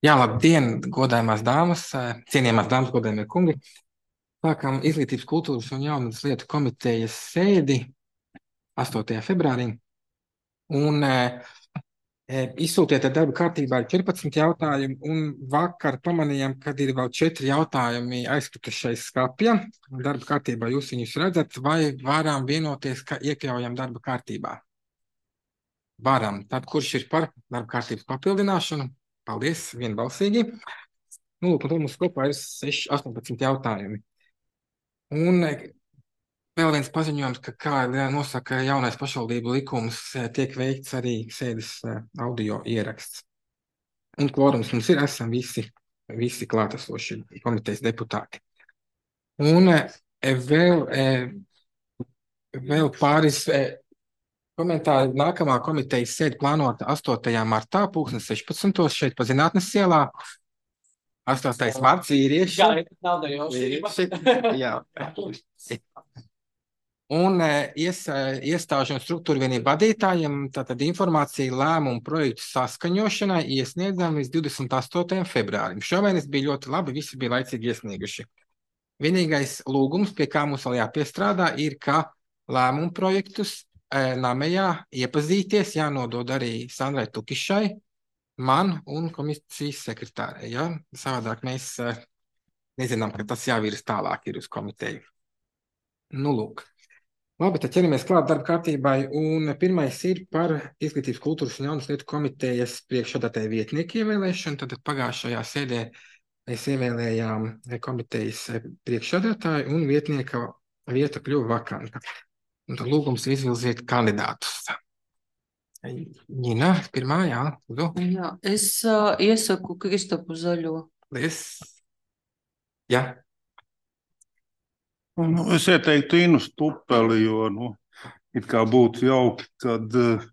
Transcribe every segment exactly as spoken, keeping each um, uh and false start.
Jā, labdien, godājumās dāmas, cienījamās dāmas, godājumie kungi. Sākam Izglītības, kultūras un jaunas lietu komitejas sēdi astotajā februārī. Un e, izsūtiet darba kārtībā ir četrpadsmit jautājumi, un vakar pamanījām, kad ir vēl četri jautājumi aizkritušais skapja. Darba kārtībā jūs viņus redzat, vai varam vienoties, ka iekļaujam darba kārtībā? Varam. Tad kurš ir par darba kārtības papildināšanu? Paldies, vienbalsīgi. Nu, lūk, un tad mums kopā ir seši, astoņpadsmit jautājumi. Un vēl viens paziņojums, ka, kā nosaka jaunais pašvaldību likums, tiek veikts arī sēdes audio ieraksts. Un kvorums mums ir, esam visi, visi klātesoši komitejas deputāti. Un vēl, vēl pāris komentāri. Nākamā komitejas sēde plānota astotajā martā, pulkstens sešpadsmitos šeit pa Zinātnes ielā. astotais marts vīrieši. Jā, nav da Jā. Un ies, iestāžu un struktūru vienību vadītājiem tātad informācija lēmumu projektu saskaņošanai iesniedzam līdz divdesmit astotajam februārim. Šomēnes bija ļoti labi, visi bija laicīgi iesnieguši. Vienīgais lūgums, pie kā mums vēl jāpiestrādā, ir, ka lēmumu projektus namējā iepazīties, jānodod arī Sandrai Tukišai, man un komisijas sekretārai. Ja? Savādāk mēs uh, nezinām, ka tas jāvirs tālāk ir uz komiteju. Nu, lūk. Labi, tad ķeramies klāt darba kārtībai. Un pirmais ir par Izglītības, kultūras un jaunas lietu komitejas priekšsēdētāja vietnieku ievēlēšanu. Tad pagājušajā sēdē mēs ievēlējām komitejas priekšsēdētāju un vietnieka vieta kļuva vakanta. Un tad lūgums izvilziet kandidātus. Ņina, pirmā, jā. Lūdzu. Jā, es uh, iesaku Kristapu Zaļo. Es, jā. Nu, es ieteiktu Inu Stupeli, jo, nu, it kā būtu jauki, kad uh,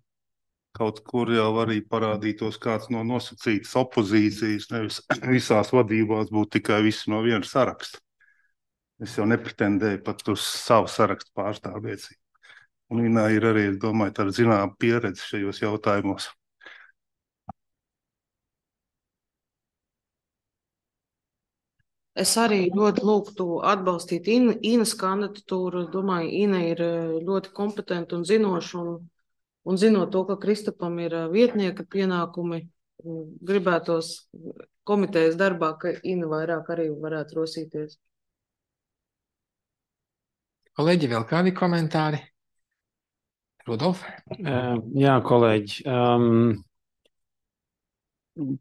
kaut kur jau arī parādītos kāds no nosacītas opozīcijas, nevis visās vadībās būtu tikai visi no viena saraksta. Es jau nepretendēju pat uz savu sarakstu pārstāvniecību. Un Inā ir arī, es domāju, tāda zināma pieredze šajos jautājumos. Es arī ļoti lūgtu atbalstīt In, Inas kandidatūru. Es domāju, Ina ir ļoti kompetenta un zinoša, un, un zinot to, ka Kristapam ir vietnieka pienākumi, gribētos komitejas darbā, ka Ina vairāk arī varētu rosīties. Kolēģi, vēl kādi komentāri? Rudolf? Uh, jā, kolēģi. Um,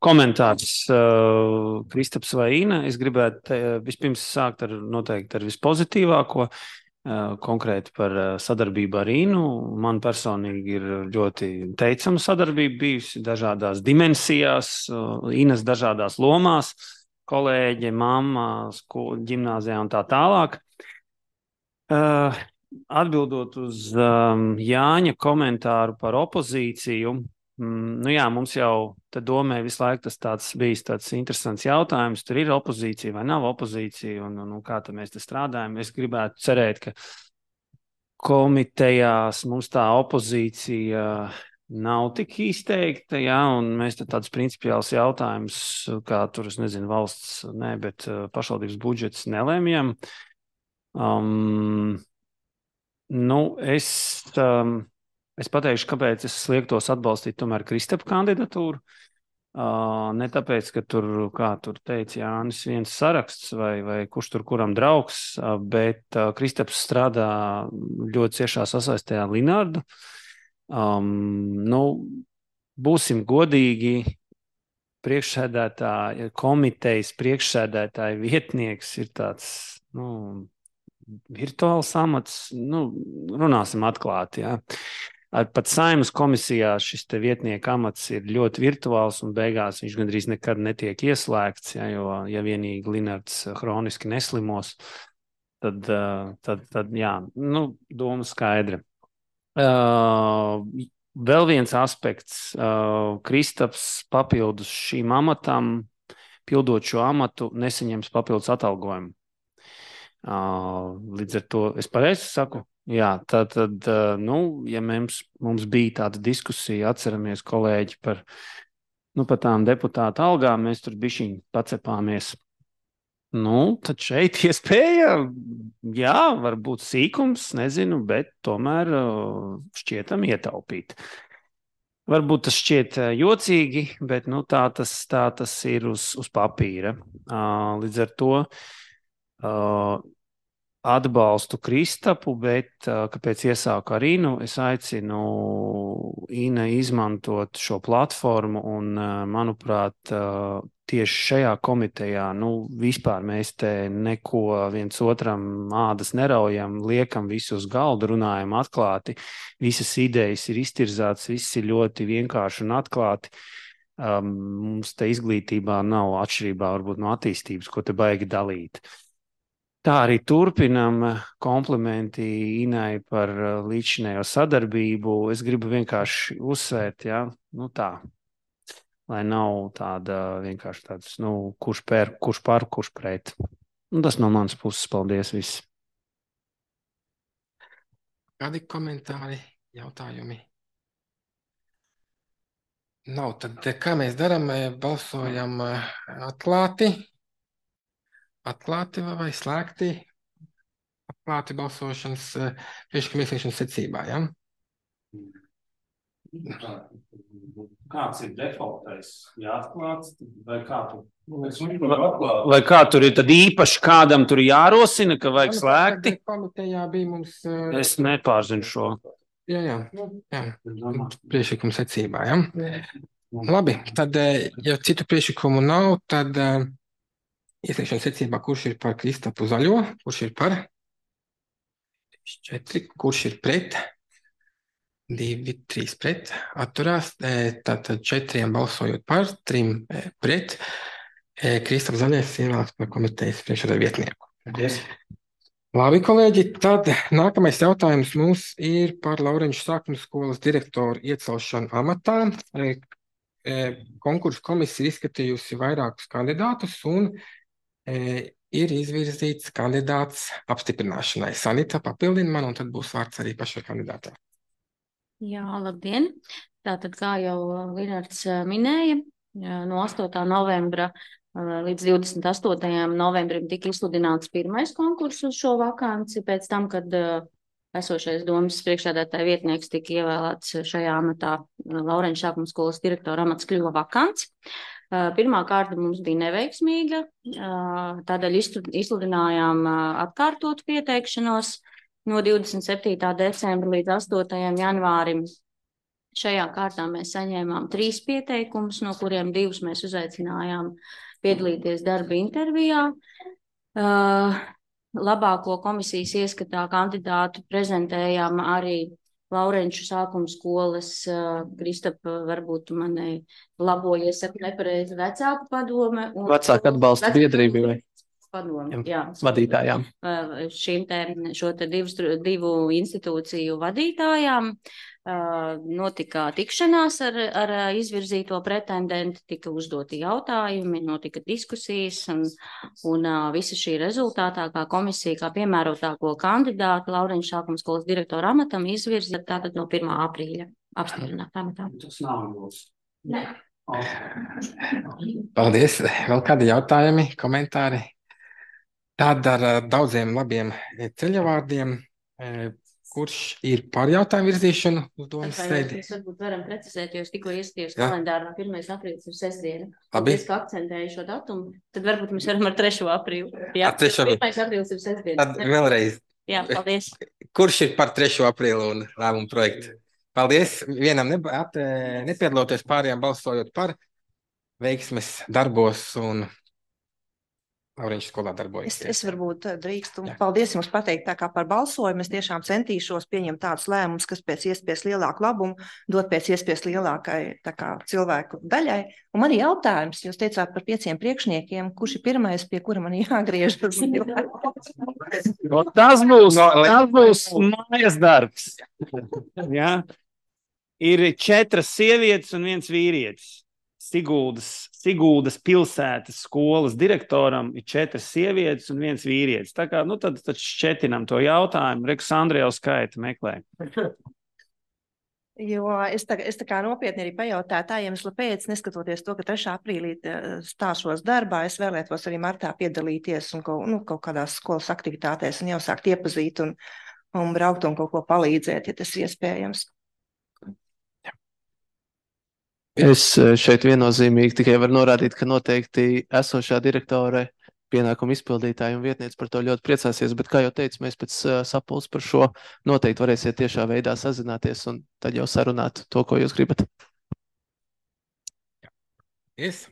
komentārs uh, Kristaps vai Ina. Es gribētu te, vispirms sākt ar noteikti ar vispozitīvāko, uh, konkrēti par uh, sadarbību ar Inu. Man personīgi ir ļoti teicama sadarbība bijusi dažādās dimensijās, uh, Inas dažādās lomās, kolēģe, mamma, skolu, ģimnāzijā un tā tālāk. Uh, atbildot uz um, Jāņa komentāru par opozīciju, mm, nu jā, mums jau te domē visu laiku tas tāds bijis tāds interesants jautājums, tur ir opozīcija vai nav opozīcija, un, un, un kā tad mēs te strādājam. Es gribētu cerēt, ka komitejās mums tā opozīcija nav tik izteikta, jā, un mēs te tādus principiāls jautājumus, kā tur, es nezinu, valsts, ne, bet uh, pašvaldības budžets nelēmjam. Um, nu, es, um, es pateikšu, kāpēc es liektos atbalstīt tomēr Kristapa kandidatūru. Uh, ne tāpēc, ka tur, kā tur teica Jānis, viens saraksts vai, vai kurš tur kuram draugs, uh, bet uh, Kristaps strādā ļoti ciešā sasaistē ar Linardu. Um, nu, būsim godīgi, priekšsēdētāja, komitejas priekšsēdētāja vietnieks ir tāds, nu, virtuāls amats, nu, runāsim atklāti, jā. Ar pat Saeimas komisijā šis te vietnieka amats ir ļoti virtuāls un beigās viņš gandrīz nekad netiek ieslēgts, jā, jo, ja vienīgi Linards hroniski neslimos, tad, tad, tad jā, nu, doma skaidra. Uh, vēl viens aspekts, uh, Kristaps papildus šīm amatam, pildot šo amatu, nesaņems papildus atalgojumu. Uh, līdz ar to es pareizi saku? Jā, tad, tad uh, nu, ja mums, mums bija tāda diskusija, atceramies kolēģi par nu, par tām deputāta algām mēs tur bišķiņ pacepāmies. Nu, tad šeit iespēja, jā, varbūt sīkums, nezinu, bet tomēr šķietam ietaupīt. Varbūt tas šķiet jocīgi, bet nu, tā, tas, tā tas ir uz, uz papīra. Līdz ar to atbalstu Kristapu, bet kāpēc iesāku ar Inu, es aicinu Ina izmantot šo platformu un, manuprāt, tieši šajā komitejā, nu, vispār mēs te neko viens otram ādas neraujam, liekam visu uz galdu, runājam atklāti, visas idejas ir iztirzātas, viss ir ļoti vienkārši un atklāti. Um, mums te izglītībā nav atšķirībā varbūt no attīstības, ko te baigi dalīt. Tā arī turpinam, komplimenti Inai par līdzinējo sadarbību. Es gribu vienkārši uzsvērt, jā, nu tā, lai nav tāda vienkārši tāds, nu, kurš pēr, kurš par, kurš pret. Un tas no manas puses, paldies viss. Kādi komentāri, jautājumi? Nav, tad kā mēs darām, balsojam atklāti, atklāti vai slēgti, atklāti balsošanas priekšlikuma iesniegšanas secībā, jā? Kāds ir defaultais? Jāatklāts, vai kā tu? Vai kā tur ir tad īpaši kādam tur jārosina, ka vajag slēgti? Komitejā bija mums... Es nepārzinu šo. Jā, jā, jā. Priekšlikuma secībā, jā. Labi, tad, ja citu priekšlikumu nav, tad uh, iesniegšanas secībā, kurš ir par Kristapu Zaļo, kurš ir par? Četri, kurš ir pret? Divi, trīs pret, atturās, tātad četriem balsojot par, trim pret. Kristaps Zaļais ievēlēts par komitejas priekšsēdētāja vietnieku. Yes. Labi, kolēģi, tad nākamais jautājums mums ir par Laureņšu sākuma skolas direktoru iecelšanu amatā. Konkursu komisija ir izskatījusi vairākus kandidātus un ir izvirzīts kandidāts apstiprināšanai. Sanita papildina man, un tad būs vārds arī pašai kandidātā. Jā, labdien! Tātad, kā jau Linards minēja, no astotā novembra līdz divdesmit astotajam novembrim tika izsludināts pirmais konkurss uz šo vakanci, pēc tam, kad esošais domas priekšsēdētāja vietnieks tika ievēlēts šajā amatā, Laureņšu sākuma skolas direktora amats kļuva vakants. Pirmā kārta mums bija neveiksmīga, tādēļ izsludinājām atkārtotu pieteikšanos no divdesmit septītā decembra līdz astotajam janvārim. Šajā kārtā mēs saņēmām trīs pieteikumus, no kuriem divus mēs uzaicinājām piedalīties darba intervijā. Labāko komisijas ieskatā kandidātu prezentējām arī Laureņšu sākuma skolas, Kristapa, varbūt mani labojies, saku nepareizi, vecāku padome. Vecāku atbalsta biedrība vai? Padomu, jā. Vadītājām. Šīm te, šo te divus, divu institūciju vadītājām notika tikšanās ar, ar izvirzīto pretendentu, tika uzdoti jautājumi, notika diskusijas un, un visa šī rezultātā, kā komisija, kā piemērotāko kandidātu Laureņšu sākuma skolas direktora amatam izvirza tātad no pirmā aprīļa apstiprināt amatā. Tas nav jūs. Nē. Paldies. Vēl kādi jautājumi, komentāri? Tad ar daudziem labiem ceļavārdiem, kurš ir par jautājumu virzīšanu uz domas sēdi. Mēs varbūt varam precizēt, jo es tikko ieskatījos kalendāru, no pirmais aprīlis ir sestdiena. Labi. Es kā akcentēju šo datumu, tad varbūt mēs varam ar trešo aprīli. Jā, trešo. pirmais aprīlis ir sestdiena. Tad vēlreiz. Jā, paldies. Kurš ir par trešo aprīli un lēmumu projektu? Paldies. Vienam ne, at, nepiedaloties, pārējām balsojot par, veiksmes darbos un Laureņšu skolā darbojas. Es, es varbūt drīkstu. Paldies jums pateikt tā kā par balsojumu. Es tiešām centīšos pieņemt tādus lēmumus, kas pēc iespējas lielāku labumu dot pēc iespējas lielākai tā kā cilvēku daļai. Un man ir jautājums, jūs teicāt par pieciem priekšniekiem, kurš ir pirmais, pie kura man jāgriežas? Tas būs, tas būs mājas darbs. Jā. Ir četras sievietes un viens vīrietis. Siguldas, Siguldas pilsētas skolas direktoram ir četras sievietes un viens vīrietis. Tā kā, nu tad, tad šķetinam to jautājumu. Rekus Andrija jau skaita meklē. Jo es tā, es tā kā nopietni arī pajautāju tā iemesla pēc, neskatoties to, ka trešā aprīlī stāšos darbā, es vēlētos arī martā piedalīties un kaut, nu, kaut kādās skolas aktivitātēs un jau sākt iepazīt un, un braukt un kaut ko palīdzēt, ja tas iespējams. Es šeit viennozīmīgi tikai varu norādīt, ka noteikti esošā direktore pienākumu izpildītāji un vietniece par to ļoti priecāsies, bet, kā jau teicu, mēs pēc uh, sapulces par šo noteikti varēsiet tiešā veidā sazināties un tad jau sarunāt to, ko jūs gribat. Yes.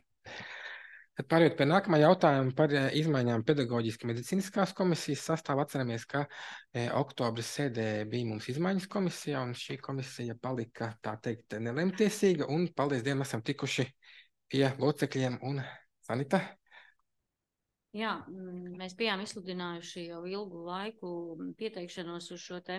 Tad pārējot pie nākamā jautājuma par eh, izmaiņām pedagoģiski medicīniskās komisijas sastāvā. Atceramies, ka eh, oktobra sēdē bija mums izmaiņas komisija, un šī komisija palika, tā teikt, nelemtiesīga, un paldies Dievam esam tikuši pie locekļiem un Sanita. Jā, mēs bijām izsludinājuši jau ilgu laiku pieteikšanos uz šo te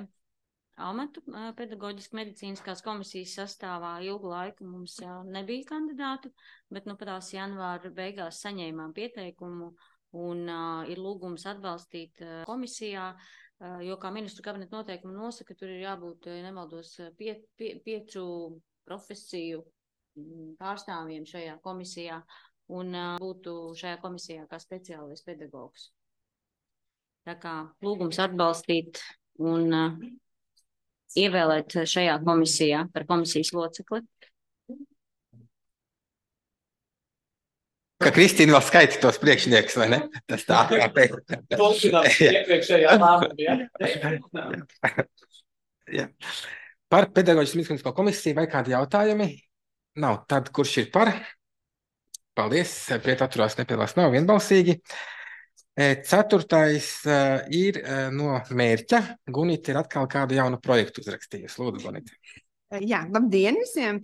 amatu pedagoģiski medicīniskās komisijas sastāvā. Ilgu laiku mums jau nebija kandidātu, bet nu patās janvāra beigās saņēmām pieteikumu un uh, ir lūgums atbalstīt uh, komisijā, uh, jo kā ministru kabineta noteikumi nosaka, tur ir jābūt, nemaldos, pie, pie, piecu profesiju pārstāvjiem šajā komisijā. Un uh, būtu šajā komisijā kā speciālais pedagogs. Tā kā lūgums atbalstīt un uh, ievēlēt šajā komisijā par komisijas locekli. Ka Kristīna vēl skaita tos priekšniekus, vai ne? Tas tā kā pēc. Iepriekšējā lēmumā, ja. Par pedagoģisku medicīnisko komisiju vai kādi jautājumi? Nav. Tad kurš ir par? Paldies, pret atturās nepiedalās nav vienbalsīgi. Ceturtais ir no mērķa. Gunita ir atkal kādu jaunu projektu uzrakstījusi. Lūdzu, Gunita. Jā, labdien visiem!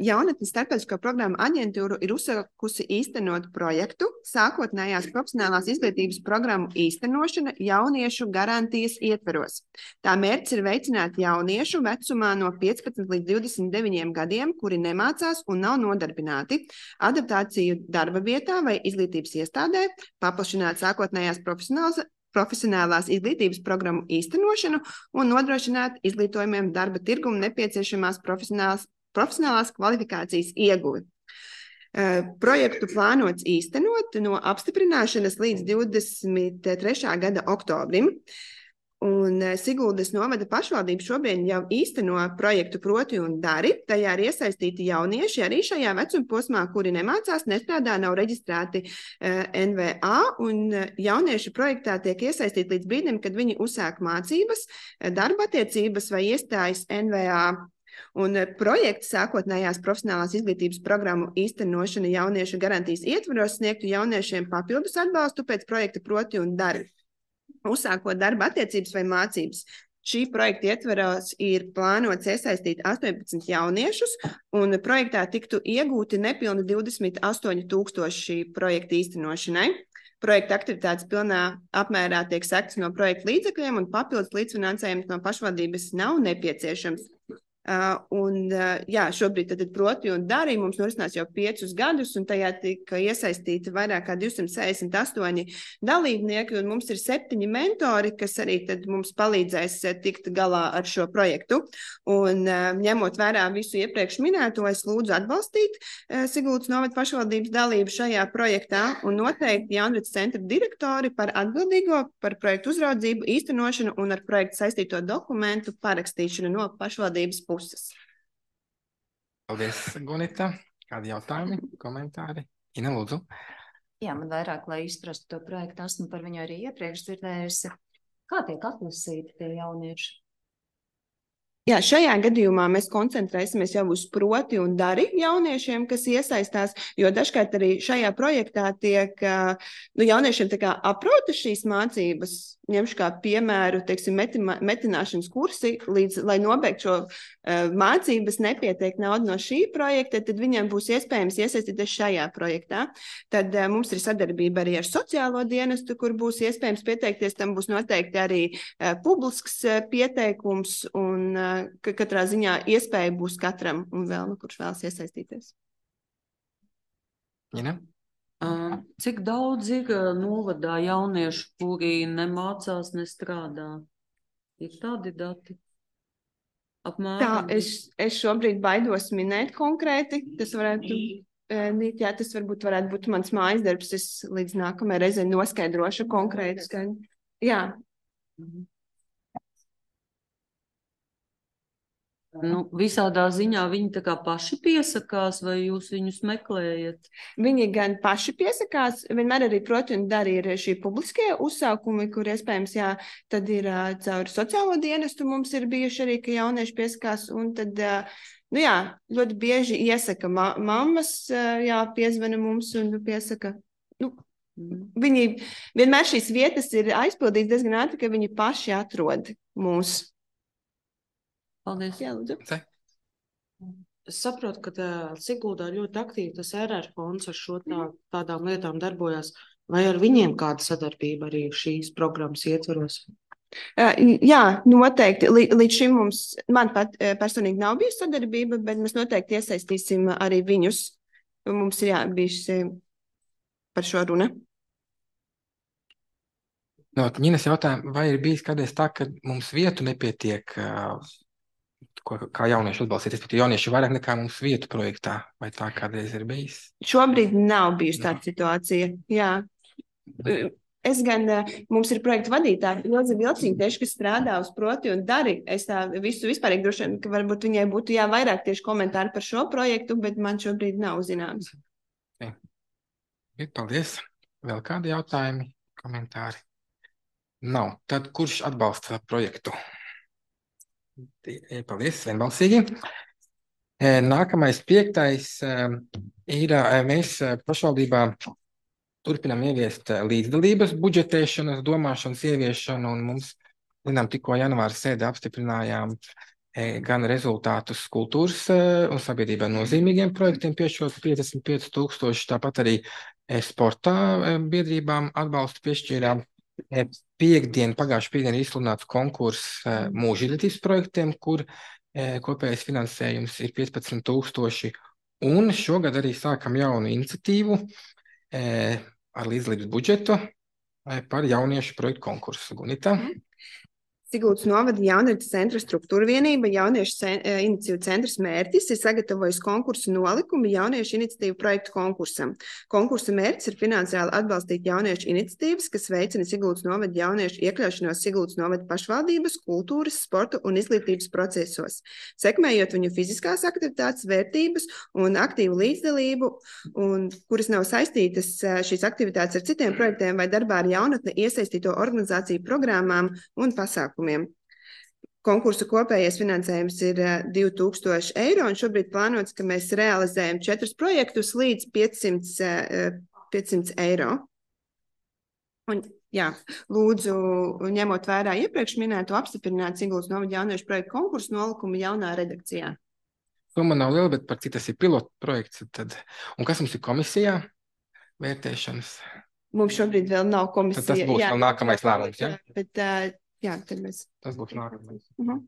Jaunatnes starptautisko programmu aģentūru ir uzsākusi īstenot projektu sākotnējās profesionālās izglītības programmu īstenošana jauniešu garantijas ietveros. Tā mērķis ir veicināt jauniešu vecumā no piecpadsmit līdz divdesmit deviņiem gadiem, kuri nemācās un nav nodarbināti, adaptāciju darba vietā vai izglītības iestādē, paplašināt sākotnējās profesionālās profesionālās izglītības programmu īstenošanu un nodrošināt izglītojumiem darba tirgumu nepieciešamās profesionālās, profesionālās kvalifikācijas ieguvi. Uh, projektu plānots īstenot no apstiprināšanas līdz divdesmit trešā gada oktobrim. Un Siguldas novada pašvaldība šobrīd jau īsteno projektu Proti un dari. Tajā ir iesaistīti jaunieši arī šajā vecuma posmā, kuri nemācās, nestrādā, nav reģistrēti uh, N V A. Un jaunieši projektā tiek iesaistīti līdz brīdim, kad viņi uzsāk mācības, darba attiecības vai iestājas N V A. Un projekts sākotnējās profesionālās izglītības programmu īstenošana jauniešu garantijas ietvaros sniegtu jauniešiem papildus atbalstu pēc projekta Proti un dari. Uzsākot darba attiecības vai mācības. Šī projekta ietveros ir plānots iesaistīt astoņpadsmit jauniešus, un projektā tiktu iegūti nepilni divdesmit astoņi tūkstoši projekta īstenošanai. Projekta aktivitātes pilnā apmērā tiek sektas no projekta līdzekļiem, un papildus līdzfinansējums no pašvaldības nav nepieciešams. Uh, un, uh, jā, šobrīd tad Proti un dari mums norisinās jau piecus gadus, un tajā tika iesaistīti vairāk kā divsimt sešdesmit astoņi dalībnieki, un mums ir septiņi mentori, kas arī tad mums palīdzēs tikt galā ar šo projektu. Un uh, ņemot vērā visu iepriekš minēto, es lūdzu atbalstīt uh, Siguldas novada pašvaldības dalību šajā projektā un noteikti Jaunradas centra direktori par atbildīgo par projektu uzraudzību, īstenošanu un ar projektu saistīto dokumentu parakstīšanu no pašvaldības puses. Paldies, Gunita. Kādi jautājumi, komentāri? Ina, lūdzu. Jā, man vairāk, lai izprastu to projektu, esmu par viņu arī iepriekš dzirdējusi. Kā tiek atlasīti tie jaunieši? Jā, šajā gadījumā mēs koncentrēsimies jau uz Proti un dari jauniešiem, kas iesaistās, jo dažkārt arī šajā projektā tiek nu, jauniešiem tā kā aprota šīs mācības. Ņemšu kā piemēru, teiksim, metima, metināšanas kursi, līdz, lai nobeigtu šo uh, mācības, nepietiek nauda no šī projekta, tad viņiem būs iespējams iesaistīties šajā projektā. Tad uh, mums ir sadarbība arī ar sociālo dienestu, kur būs iespējams pieteikties, tam būs noteikti arī uh, publisks uh, pieteikums, un uh, ka katrā ziņā iespēja būs katram, un vēl, nu, kurš vēlas iesaistīties. Ina? Uh, cik daudz ir novadā jauniešu, kuri nemācās, nestrādā? Ir tādi dati? Tā, es, es šobrīd baidos minēt konkrēti. Tas varētu, jā, tas varbūt varētu būt mans mājas darbs. Es līdz nākamajai reizei noskaidrošu konkrēti. Skaidru. Jā. Nu, visādā ziņā viņi tā kā paši piesakās, vai jūs viņus meklējat? Viņi gan paši piesakās, vienmēr arī, protams, arī ir šī publiskie uzsākumi, kur iespējams, jā, tad ir uh, caur sociālo dienestu mums ir bijuši arī, ka jaunieši piesakās, un tad, uh, nu jā, ļoti bieži iesaka ma mammas, uh, jā, piezvana mums un piesaka, nu, viņi vienmēr šīs vietas ir aizpildītas diezgan ātri, ka viņi paši atrod mūs. Paldies. Jā, lūdzu. Es saprotu, ka tā, Siguldā ļoti aktīvi tas R R fonds ar šo tā, tādām lietām darbojās. Vai ar viņiem kāda sadarbība arī šīs programmas ietvaros? Jā, noteikti. Līdz šim mums, man pat personīgi nav bijusi sadarbība, bet mēs noteikti iesaistīsim arī viņus. Mums ir jā, bijusi par šo runa. No, Ņinas jautājumu, vai ir bijis kādreiz tā, ka mums vietu nepietiek, ko, kā jaunieši atbalstīt, respektīvi jaunieši vairāk nekā mums vietu projektā, vai tā kādreiz ir bijis? Šobrīd nav bijusi tāda situācija, jā. Es gan, mums ir projekta vadītāja, Ilze Vilciņa, tieši, kas strādā uz Proti un dari. Es tā visu vispārīgi droši vien, ka varbūt viņai būtu jā, vairāk tieši komentāri par šo projektu, bet man šobrīd nav zināms. Okay. Paldies. Vēl kādi jautājumi, komentāri? Nav. Tad kurš atbalsta projektu? Paldies, vienbalsīgi. Nākamais piektais ir, mēs pašvaldībā turpinām ieviest līdzdalības budžetēšanas, domāšanas ieviešanu, un mums, zinām, tikko janvāra sēdē apstiprinājām gan rezultātus kultūras un sabiedrībā nozīmīgiem projektiem piešķirot piecdesmit pieci tūkstoši, tāpat arī sportā biedrībām atbalstu piešķīrām. Piektdien, pagājuši piekdien ir izsludināts konkurss mūža izglītības projektiem, kur kopējais finansējums ir piecpadsmit tūkstoši, un šogad arī sākam jaunu iniciatīvu ar līdzdalības budžetu par jauniešu projektu konkursu. Gunita? Siguldas novada jauniešu centra struktūra vienība, jauniešu cen, iniciatīvu centrs mērķis ir sagatavojis konkursu nolikumu jauniešu iniciatīvu projektu konkursam. Konkursa mērķis ir finansiāli atbalstīt jauniešu iniciatīvas, kas veicina Siguldas novada jauniešu iekļaušanos Siguldas novada pašvaldības, kultūras, sporta un izglītības procesos, sekmējot viņu fiziskās aktivitātes, vērtības un aktīvu līdzdalību, un kuras nav saistītas šīs aktivitātes ar citiem projektiem vai darbā ar jaunatni iesaistīto organizāciju programmām un pasākumiem. Konkursu kopējais finansējums ir divi tūkstoši eiro, un šobrīd plānots, ka mēs realizējam četrus projektus līdz piecsimt eiro. Un, jā, lūdzu, ņemot vērā iepriekš minēto apstiprināt Siguldas novada jauniešu projektu konkursu nolikumu jaunā redakcijā. Summa nav liela, bet par cik tas ir pilotu projekts. Tad... Un kas mums ir komisijā vērtēšanas? Mums šobrīd vēl nav komisija. Tad tas būs jā, vēl nākamais lēmums, ja? Bet, uh, jā, tad mēs... Tas būs nākamais. Uh -huh.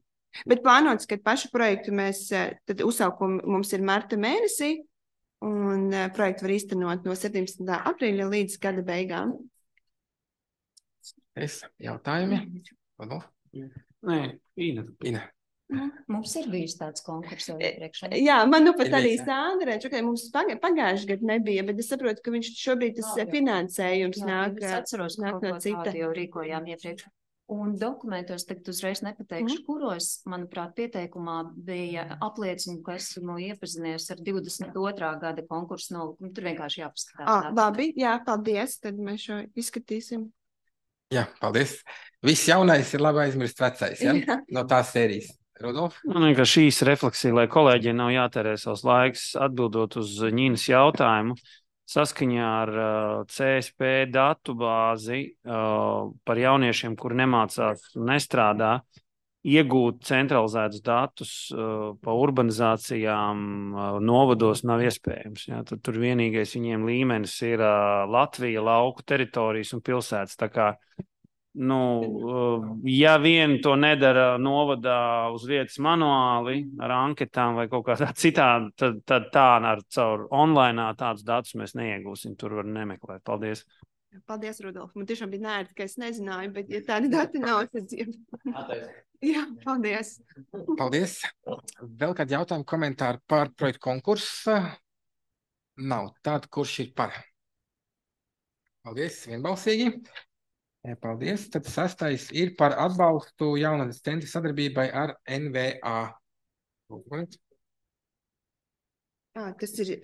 Bet plānots, ka pašu projektu mēs, tad uzsaukumu mums ir marta mēnesī, un uh, projektu var īstenot no septiņpadsmitā aprīļa līdz gada beigām. Es jautājumi? Vadu? Nē, Ina. Ina. Mums ir bijis tāds konkurss jau iepriekš. Jā, man nu pat arī Sandra, ka mums pagājuši gadu nebija, bet es saprotu, ka viņš šobrīd tas jā, finansējums jā, nāk, es atceros, nāk no cita. Jau rīkojām iepriekš. Un dokumentos tagad uzreiz nepateikšu, mm. kuros, manuprāt, pieteikumā bija apliecina, ka esmu iepazinies ar divdesmit otrā gada konkursu nolikumu. Tur vienkārši jāpaskatās. Ah, labi, jā, paldies, tad mēs šo izskatīsim. Jā, paldies. Viss jaunais ir labi aizmirst vecais, ja? Jā. No tās sērijas. Rudolf? Man liekas, šīs refleksija, lai kolēģiem nav jātērē savs laiks atbildot uz Ņinas jautājumu. Saskaņā ar uh, C S P datu bāzi uh, par jauniešiem, kuri nemācās un nestrādā, iegūt centralizētus datus uh, pa urbanizācijām uh, novados nav iespējams. Ja? Tad tur vienīgais viņiem līmenis ir uh, Latvija, lauku teritorijas un pilsētas. Tā kā, nu, uh, ja vien to nedara novadā uz vietas manuāli ar anketām vai kaut kādā citā, tad, tad tā ar caur online tādus datus mēs neiegūsim. Tur var nemeklēt. Paldies. Paldies, Rudolf. Man tiešām bija nērti, ka es nezināju, bet ja tādi dati nav, tad jā, paldies. Paldies. Vēl kādi jautājumi, komentāri par projektu konkursu? Nav. Tātad, kurš ir par? Paldies, vienbalsīgi. Paldies. Tad sastais ir par atbalstu jaunatnes centra sadarbībai ar N V A. À, kas ir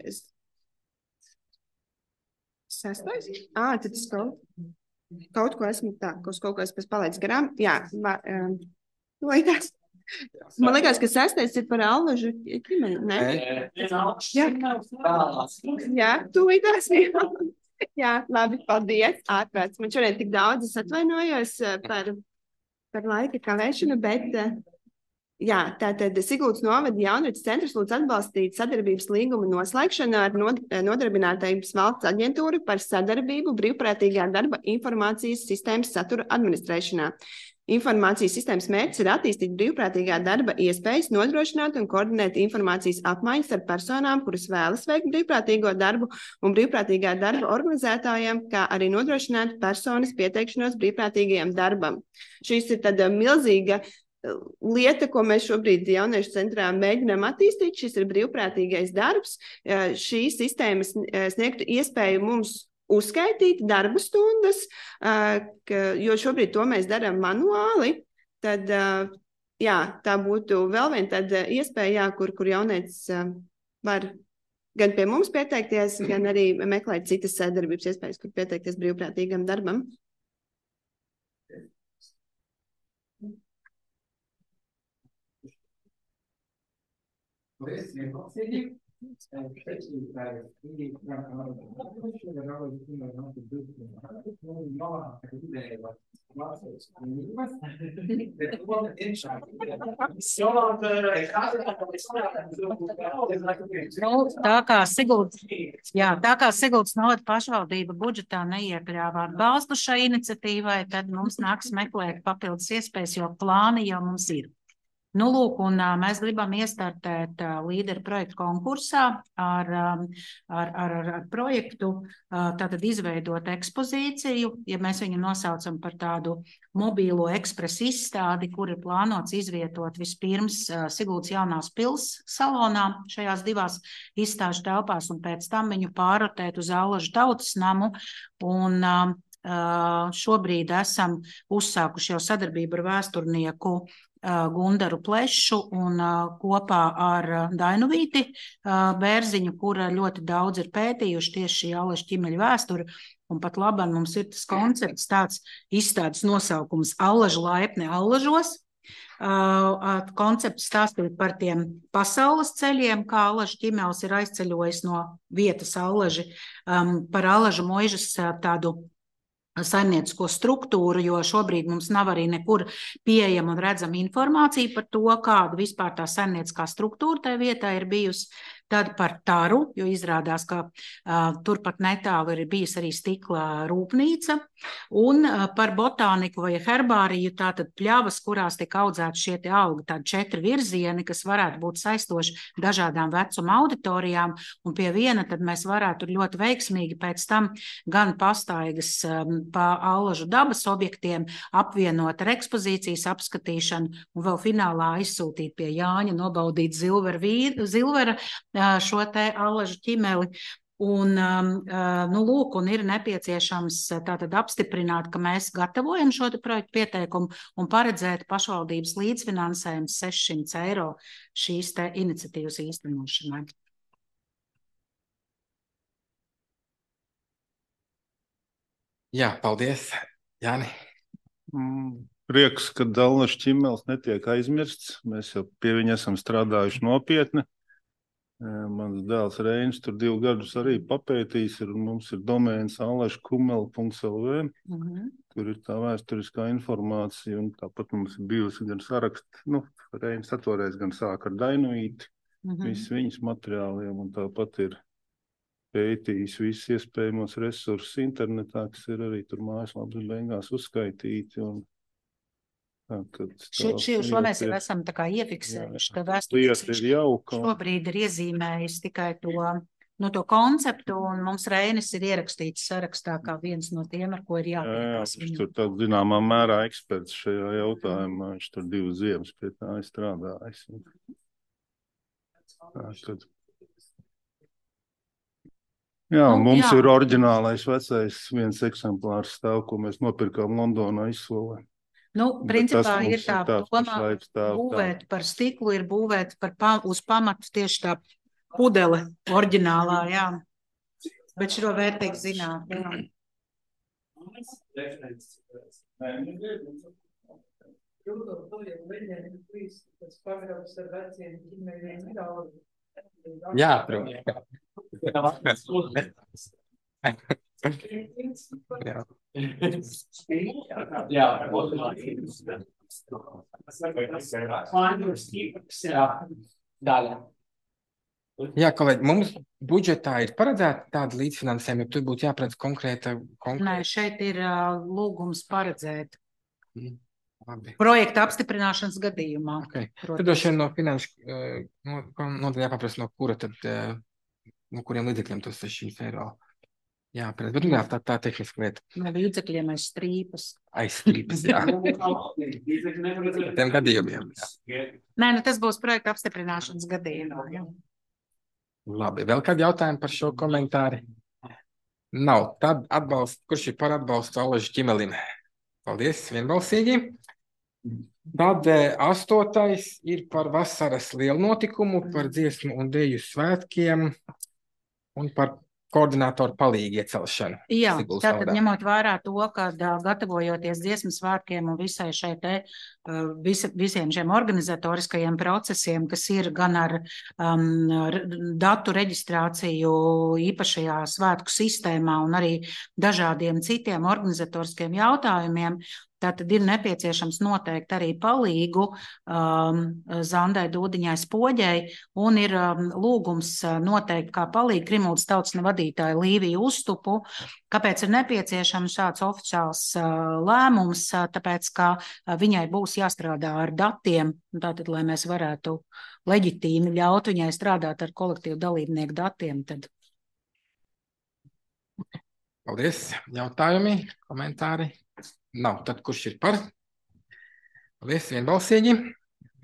sastais? À, tad es kaut, kaut ko esmu tā, kaut, kaut ko esmu palaidis garām. Jā, va, um, laikās. Man liekas, ka sastais ir par Allažu ķimeni, ne? Jā, jā tūlītās. Jā, labi, paldies. Ārprāts. Man šodien tik daudz, es atvainojos par, par laika kavēšanu, bet jā, tātad Siguldas novada jaunatnes centrs lūdz atbalstīt sadarbības līguma noslēgšanu ar Nodarbinātības valsts aģentūru par sadarbību brīvprātīgā darba informācijas sistēmas satura administrēšanā. Informācijas sistēmas mērķis ir attīstīt brīvprātīgā darba iespējas, nodrošināt un koordinēt informācijas apmaiņas ar personām, kuras vēlas veikt brīvprātīgo darbu un brīvprātīgā darba organizētājiem, kā arī nodrošināt personas pieteikšanos brīvprātīgajam darbam. Šīs ir tāda milzīga lieta, ko mēs šobrīd jauniešu centrā mēģinām attīstīt. Šis ir brīvprātīgais darbs. Šī sistēma sniegtu iespēju mums uzskaitīt darba stundas, jo šobrīd to mēs darām manuāli. Tad, jā, tā būtu vēl viena tāda iespēja, jā, kur, kur jaunietis var gan pie mums pieteikties, gan arī meklēt citas sadarbības iespējas, kur pieteikties brīvprātīgam darbam. Paldies, vienbalsīgi. Nu, tā kā Siguldas, jā, tā kā Siguldas novada pašvaldība budžetā neiekļāva atbalstu šai iniciatīvai, tad mums nāks meklēt papildus iespējas, jo plāni jau mums ir. Nu, lūk, un uh, mēs gribam iestartēt uh, līderu projektu konkursā ar, um, ar, ar, ar projektu, uh, tātad izveidot ekspozīciju, ja mēs viņu nosaucam par tādu mobīlo ekspresu izstādi, kur ir plānots izvietot vispirms uh, Siguldas jaunās pils salonā šajās divās izstāžu telpās un pēc tam viņu pārrotēt uz Allažu tautas namu. Un uh, šobrīd esam uzsākuši jau sadarbību ar vēsturnieku Gundaru Plešu un kopā ar Dainuvīti Bērziņu, kura ļoti daudz ir pētījuši tieši šī Allažu ķimeļu vēsturi. Un pat labāk mums ir tas koncepts, tāds izstādes nosaukums Allažu laipni Allažos. Koncepts stāstīt par tiem pasaules ceļiem, kā Allažu ķimelis ir aizceļojis no vietas Allaži, par Allažu muižas tādu saimniecisko struktūru, jo šobrīd mums nav arī nekur pieejama un redzama informācija par to, kāda vispār tā saimnieciskā struktūra tajā vietā ir bijusi. Tad par taru, jo izrādās, ka uh, turpat netālu ir bijusi arī stikla rūpnīca, un uh, par botāniku vai herbāriju, tātad pļavas, kurās tiek audzēti šie te augi, tādi četri virzieni, kas varētu būt saistoši dažādām vecuma auditorijām, un pie viena tad mēs varētu ļoti veiksmīgi pēc tam gan pastaigas um, pa Allažu dabas objektiem apvienot ar ekspozīcijas apskatīšanu, un vēl finālā aizsūtīt pie Jāņa, nobaudīt Zilvera, vīr, Zilvera šo te Allažu ķimeli. Un, nu, lūk, un ir nepieciešams tātad apstiprināt, ka mēs gatavojam šo te projektu pieteikumu un paredzēt pašvaldības līdzfinansējumu sešsimt eiro šīs te iniciatīvas īstenošanai. Jā, paldies, Jāni. Mm, prieks, ka Allažu ķimelis netiek aizmirsts. Mēs jau pie viņa esam strādājuši nopietni. Mans dēls Reinis tur divu gadus arī papētījis, ir, un mums ir domēns allažu kumeli punkts L V. Mm-hmm. Tur ir tā vēsturiskā informācija, un tāpat mums ir bijusi gan saraksti, nu, Reinis atvoreiz gan sāk ar Dainuvīti, mm-hmm. viss viņas materiāliem, un tāpat ir pētījis visus iespējamos resursus internetā, kas ir arī tur mājaslapas beigās uzskaitīti, un Šo, šo, šo mēs jau esam tā kā iefiksējuši, ka vēsturiski šobrīd ir iezīmējis tikai to no to konceptu, un mums Reinis ir ierakstīts sarakstā kā viens no tiem, ar ko ir jāpiekās. Jā, viņš tur tā zināmā mērā eksperts šajā jautājumā, viņš tur divas ziemas pie tā ir strādājis. Tā, tad... Jā, Nu, mums jā. ir oriģinālais vecais viens eksemplārs stāv, ko mēs nopirkām Londonā izsolē. Nu, Bet principā tas mums ir tā ir tāds doma pašlaik stāv būvēt par stiklu, ir būvēt par pa, uz pamatu tieši tā pudele oriģinālā, jā. Bet šo vērtīgi zināt, jā. Jā, protams. Jā, kolēģi, mums budžetā ir paredzēta tāda līdzfinansējuma, ja tur būtu jāparedz konkrēta... konkrēta... Nē, šeit ir uh, lūgums paredzēt. Mm, labi. Projekta apstiprināšanas gadījumā. Okay. Protams. Tad doši vien no finanšu uh, no, nodaļā jāpaprast, no kura tad, uh, no kuriem līdzekļiem tos sešas eiro jāparedz. Bet, nu, jā, tā, tā tehniska lieta. No līdzekļiem aiz strīpas. Aiz strīpas, jā. Tiem gadījumiem, jā. Nē, nu tas būs projekta apstiprināšanas gadījumā, jā. Labi, vēl kādi jautājumi par šo komentāri? Nav. Tad atbalst, kurš ir par atbalstu Alažu ķimelim? Paldies, vienbalsīgi. Tad eh, astotais ir par vasaras lielu notikumu, par dziesmu un deju svētkiem un par koordinātoru palīgu iecelšanu. Jā, Siguls tātad vārdā. ņemot vērā to, ka ā, gatavojoties dziesmu svētkiem un visai šai te, ā, visa, visiem šiem organizatoriskajiem procesiem, kas ir gan ar um, r- datu reģistrāciju īpašajā svētku sistēmā un arī dažādiem citiem organizatoriskiem jautājumiem, tātad ir nepieciešams noteikt arī palīgu um, Zandai Dūdiņai Spoģei un ir um, lūgums uh, noteikt kā palīgu Krimuldas tautsne vadītāju Līviju Uztupu. Kāpēc ir nepieciešams šāds oficiāls uh, lēmums? Uh, tāpēc, ka uh, viņai būs jāstrādā ar datiem, tātad, lai mēs varētu leģitīmi ļaut viņai strādāt ar kolektīvu dalībnieku datiem, tad Paldies. Jautājumi, komentāri? Nav. Tad kurš ir par? Paldies, vienbalsīgi.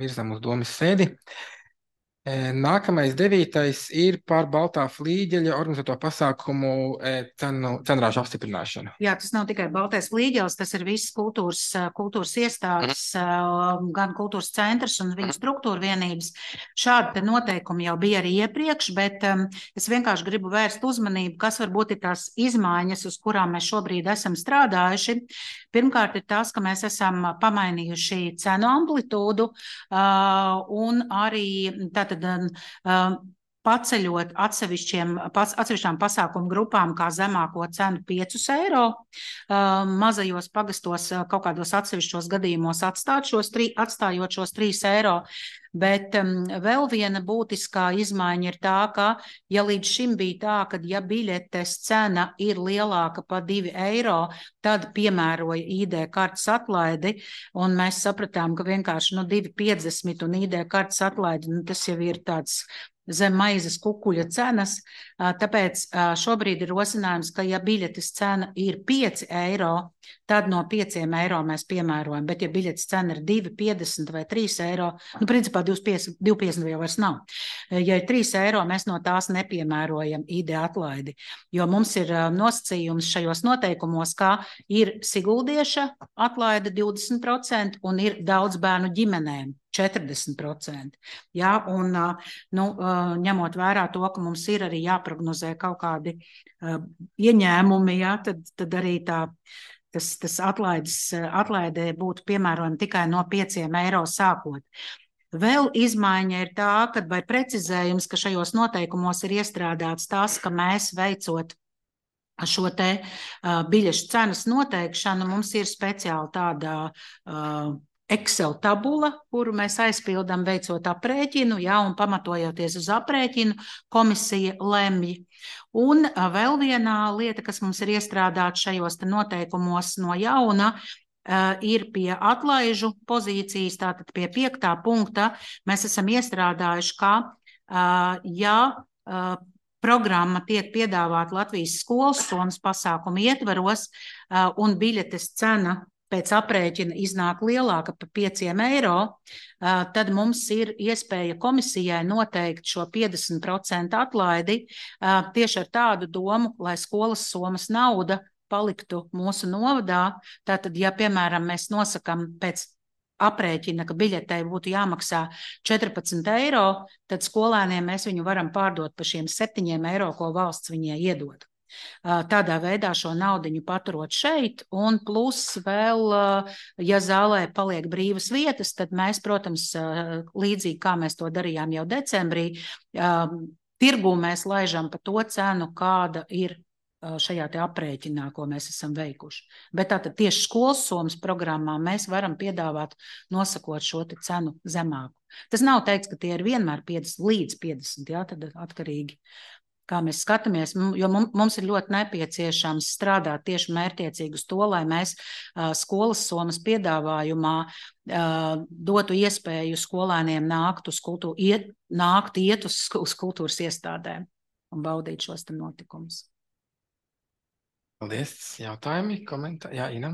Virzam uz domas sēdi. E, Nākamais devītais ir par Baltā flīģeļa organizēto pasākumu e, cenu, cenrāžu apstiprināšanu. jā, tas nav tikai Baltais flīģelis, tas ir viss kultūras, ā, kultūras iestādes, ā, gan kultūras centrs un viņu struktūra vienības. Šādi te noteikumi jau bija arī iepriekš, bet um, es vienkārši gribu vērst uzmanību, kas varbūt ir tās izmaiņas, uz kurām mēs šobrīd esam strādājuši. Pirmkārt ir tas, ka mēs esam pamainījuši cenu amplitūdu uh, un arī tātad uh, paceļot atsevišķiem, pas, atsevišķām pasākumu grupām kā zemāko cenu piecus eiro, uh, mazajos pagastos uh, kaut kādos atsevišķos gadījumos atstāt šos tri, atstājot šos trīs eiro. Bet um, vēl viena būtiskā izmaiņa ir tā, ka ja līdz šim bija tā, ka ja biļetes cena ir lielāka par divi eiro, tad piemēroja I D kartes atlaidi, un mēs sapratām, ka vienkārši nu, divi piecdesmit un I D kartes atlaidi, nu, tas jau ir tāds zem maizes kukuļa cenas, tāpēc šobrīd ir rosinājums, ka ja biļetes cena ir pieci eiro, tad no pieciem eiro mēs piemērojam, bet ja biļetes cena ir divi piecdesmit vai trīs eiro, nu principā divi piecdesmit jau vairs nav. Ja ir trīs eiro, mēs no tās nepiemērojam I D atlaidi, jo mums ir nosacījums šajos noteikumos, kā ir siguldieša atlaide divdesmit procenti un ir daudz bērnu ģimenēm četrdesmit procenti. Jā, un nu, ņemot vērā to, ka mums ir arī jāprognozē kaut kādi uh, ieņēmumi, jā, tad, tad arī tā, tas, tas atlaides, atlaidē būtu piemērojami tikai no pieciem eiro sākot. Vēl izmaiņa ir tā, ka vai precizējums, ka šajos noteikumos ir iestrādāts tas, ka mēs veicot šo te uh, biļešu cenas noteikšanu, mums ir speciāli tāda uh, Excel tabula, kuru mēs aizpildām veicot aprēķinu, jā, un pamatojoties uz aprēķinu, komisija lemj. Un uh, vēl viena lieta, kas mums ir iestrādāta šajos te noteikumos no jauna, uh, ir pie atlaižu pozīcijas, tātad pie piektā punkta, mēs esam iestrādājuši, ka, uh, ja uh, programma tiek piedāvāta Latvijas skolas somas pasākumu ietvaros, un biļetes cena pēc aprēķina iznāk lielāka par pieciem eiro, tad mums ir iespēja komisijai noteikt šo piecdesmit procentu atlaidi tieši ar tādu domu, lai skolas somas nauda paliktu mūsu novadā. Tātad, ja, piemēram, mēs nosakam pēc aprēķina, ka biļetei būtu jāmaksā četrpadsmit eiro, tad skolēniem mēs viņu varam pārdot par šiem septiņiem eiro, ko valsts viņai iedod. Tādā veidā šo naudiņu paturot šeit, un plus vēl, ja zālē paliek brīvas vietas, tad mēs, protams, līdzīgi kā mēs to darījām jau decembrī, tirgū mēs laižam pa to cenu, kāda ir šajā te aprēķinā, ko mēs esam veikuši. Bet tātad tieši skolas somas programmā mēs varam piedāvāt nosakot šo te cenu zemāku. Tas nav teikts, ka tie ir vienmēr piecdesmit līdz piecdesmit, jā, tad atkarīgi, kā mēs skatāmies, jo mums ir ļoti nepieciešams strādāt tieši mērķiecīgi uz to, lai mēs skolas somas piedāvājumā dotu iespēju skolēniem nākt uz kultūru, iet, nākt iet uz, uz kultūras iestādēm un baudīt šos te notikumus. Paldies. Jautājumi, komentāri? Jā, Ina.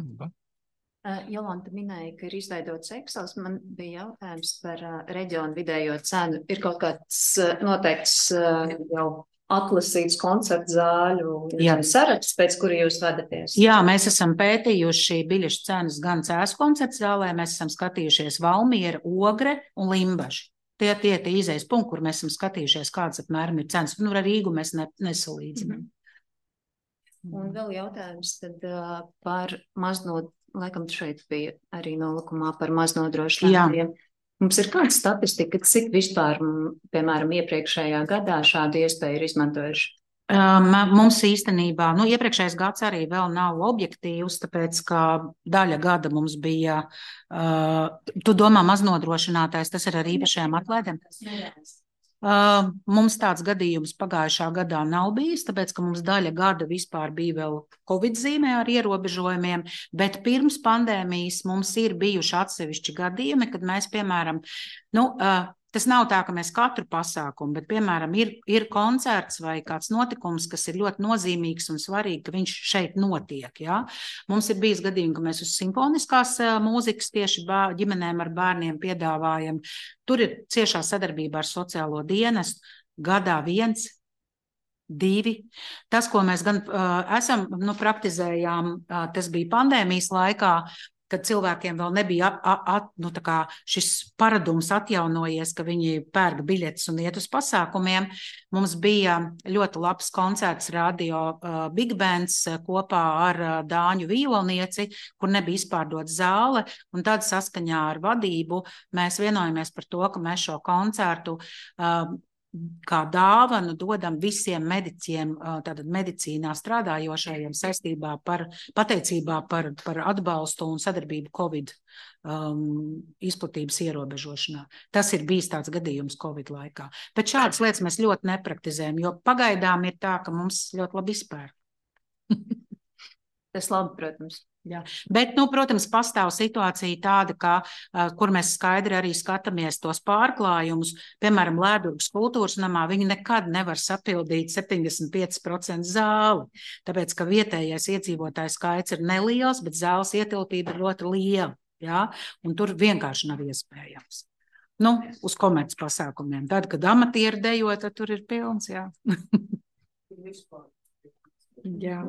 Uh, Jolanta minēja, ka ir izveidots Excels. Man bija jautājums par uh, reģionu vidējo cenu. Ir kaut kāds uh, noteikts uh, jau atlasīts koncertu zāļu saraksts, pēc kura jūs vadaties? Jā, mēs esam pētījuši biļešu cenas gan Cēsu koncertu zālē, mēs esam skatījušies Valmiera, Ogre un Limbaži. Tie tie tie izejas punkti, kur mēs esam skatījušies, kāds apmēram ir cenas. Nu, ar Rīgu mēs ne, nesalīdzinām. Un vēl jautājums tad uh, par maznod, laikam šeit bija arī nolikumā par maznodrošinātiem. Mums ir kāda statistika, cik vispār, piemēram, iepriekšējā gadā šādu iespēju ir izmantojuši? Um, mums īstenībā, nu, iepriekšējais gads arī vēl nav objektīvs, tāpēc, ka daļa gada mums bija, uh, tu domā maznodrošinātais, tas ir ar īpašajām atlaidēm? Uh, mums tāds gadījums pagājušā gadā nav bijis, tāpēc, ka mums daļa gada vispār bija vēl Covid zīmē ar ierobežojumiem, bet pirms pandēmijas mums ir bijuši atsevišķi gadījumi, kad mēs, piemēram, nu, uh, tas nav tā, ka mēs katru pasākumu, bet, piemēram, ir, ir koncerts vai kāds notikums, kas ir ļoti nozīmīgs un svarīgi, ka viņš šeit notiek. Ja? Mums ir bijis gadījumi, ka mēs uz simfoniskās mūzikas tieši bār, ģimenēm ar bērniem piedāvājam. Tur ir ciešā sadarbība ar sociālo dienestu, gadā viens, divi. Tas, ko mēs gan uh, esam, nu, praktizējām, uh, tas bija pandēmijas laikā, kad cilvēkiem vēl nebija at, at, nu, tā kā šis paradums atjaunojies, ka viņi pērk biļetes un iet uz pasākumiem. Mums bija ļoti labs koncerts radio uh, Big Bands uh, kopā ar uh, Dāņu vijolnieci, kur nebija izpārdot zāle, un tad saskaņā ar vadību mēs vienojamies par to, ka mēs šo koncertu uh, kā dāvanu dodam visiem mediķiem, tātad medicīnā strādājošajiem saistībā par pateicībā par, par atbalstu un sadarbību Covid um, izplatības ierobežošanā. Tas ir bijis tāds gadījums Covid laikā. Bet šādas lietas mēs ļoti nepraktizējam, jo pagaidām ir tā, ka mums ļoti labi izpēr. Tas labi, protams. Jā. Bet, nu, protams, pastāv situācija tāda, ka, uh, kur mēs skaidri arī skatāmies tos pārklājumus, piemēram, Lēdurgas kultūras namā, viņi nekad nevar sapildīt septiņdesmit pieci procenti zāli, tāpēc, ka vietējais iedzīvotājs skaits ir neliels, bet zāles ietilpība ir ļoti liela, jā, un tur vienkārši nav iespējams. Nu, uz komerc pasākumiem. Tad, kad amatieri dejo, tad tur ir pilns, jā. Jā.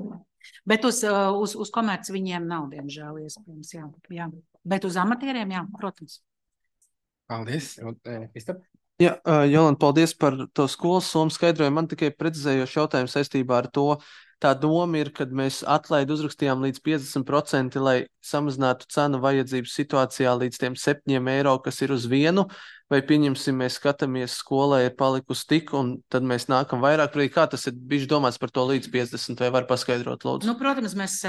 Bet uz, uz, uz komerci viņiem nav, diemžēl, iespējams, jā, jā. Bet uz amatieriem, jā, protams. Paldies. Jā, Jolanta, paldies par to skolas somu skaidrojumu. Man tikai precizējošs jautājums saistībā ar to. Tā doma ir, kad mēs atlaidu uzrakstījām līdz piecdesmit procenti, lai samazinātu cenu vajadzības situācijā līdz tiem septiņiem eiro, kas ir uz vienu, vai pieņemsim, mēs skatāmies, skolai ir palikusi tik, un tad mēs nākam vairāk. Kā tas ir bijis domāts par to līdz piecdesmit, vai var paskaidrot, lūdzu? Nu, protams, mēs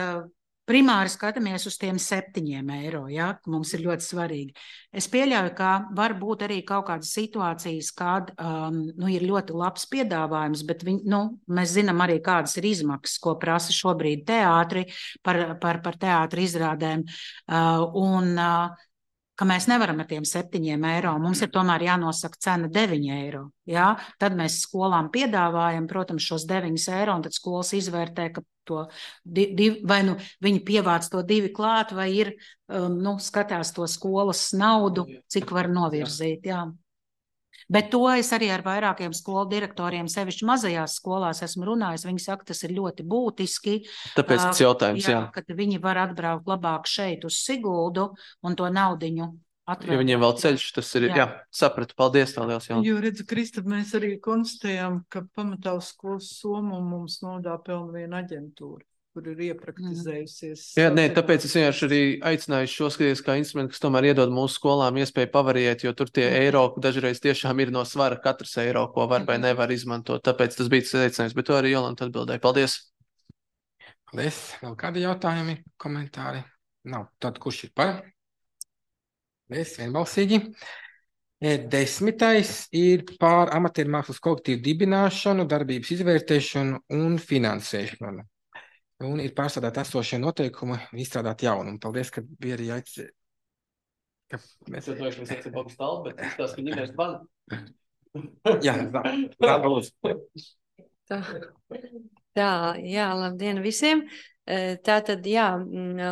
primāri skatāmies uz tiem septiņiem eiro, ja, mums ir ļoti svarīgi. Es pieļauju, ka var būt arī kaut kādas situācijas, kad um, nu, ir ļoti labs piedāvājums, bet viņ, nu, mēs zinām arī, kādas ir izmaksas, ko prasa šobrīd teātri par, par, par teātri izrādēm. Uh, un, uh, ka mēs nevaram ar tiem septiņiem eiro. Mums ir tomēr jānosaka cena deviņi eiro. Jā? Tad mēs skolām piedāvājam, protams, šos deviņus eiro, un tad skolas izvērtē, ka to div, vai nu viņi pievāc to divi klāt, vai ir, um, nu, skatās to skolas naudu, cik var novirzīt. Jā. Bet to es arī ar vairākiem skolu direktoriem, sevišķi mazajās skolās esmu runājis. Viņi saka, tas ir ļoti būtiski. Tāpēc tas jautājums, jā. jā. Kad viņi var atbraukt labāk šeit uz Siguldu un to naudiņu atvērt. Ja viņiem vēl ceļš, tas ir, jā, jā sapratu. Paldies, tā liels jautājums. Jo, redzu, Kristap, mēs arī konstatējām, ka pamatā uz skolas Somu mums nodā pelna viena aģentūra, kur ir iepraktizējusies. Jā, nē, tāpēc es vienkārši arī aicināju šo skatīties kā instrumentu, kas tomēr iedod mūsu skolām iespēju pavariēt, jo tur tie eiro dažreiz tiešām ir no svara katrs eiro, ko var vai nevar izmantot. Tāpēc tas bija tas aicinājums, bet to arī Jolanta atbildēja. Paldies! Paldies! Vēl kādi jautājumi, komentāri? Nav. Tad kurš ir par? Paldies, vienbalsīgi. Desmitais ir par amatieru mākslas kolektīvu dibināšanu, darbības izvērtēšanu un finansēšanu. Un ir pārstrādāt esošie noteikumi un izstrādāt jaunu. Un paldies, ka bija arī aicinājums. Ka... Mēs jau dojuši, mēs esam augstu talbu, bet tās, ka ņemēs ban. Jā, tā, tā, tā, tā. Tā, jā, labdien visiem. Tātad, jā,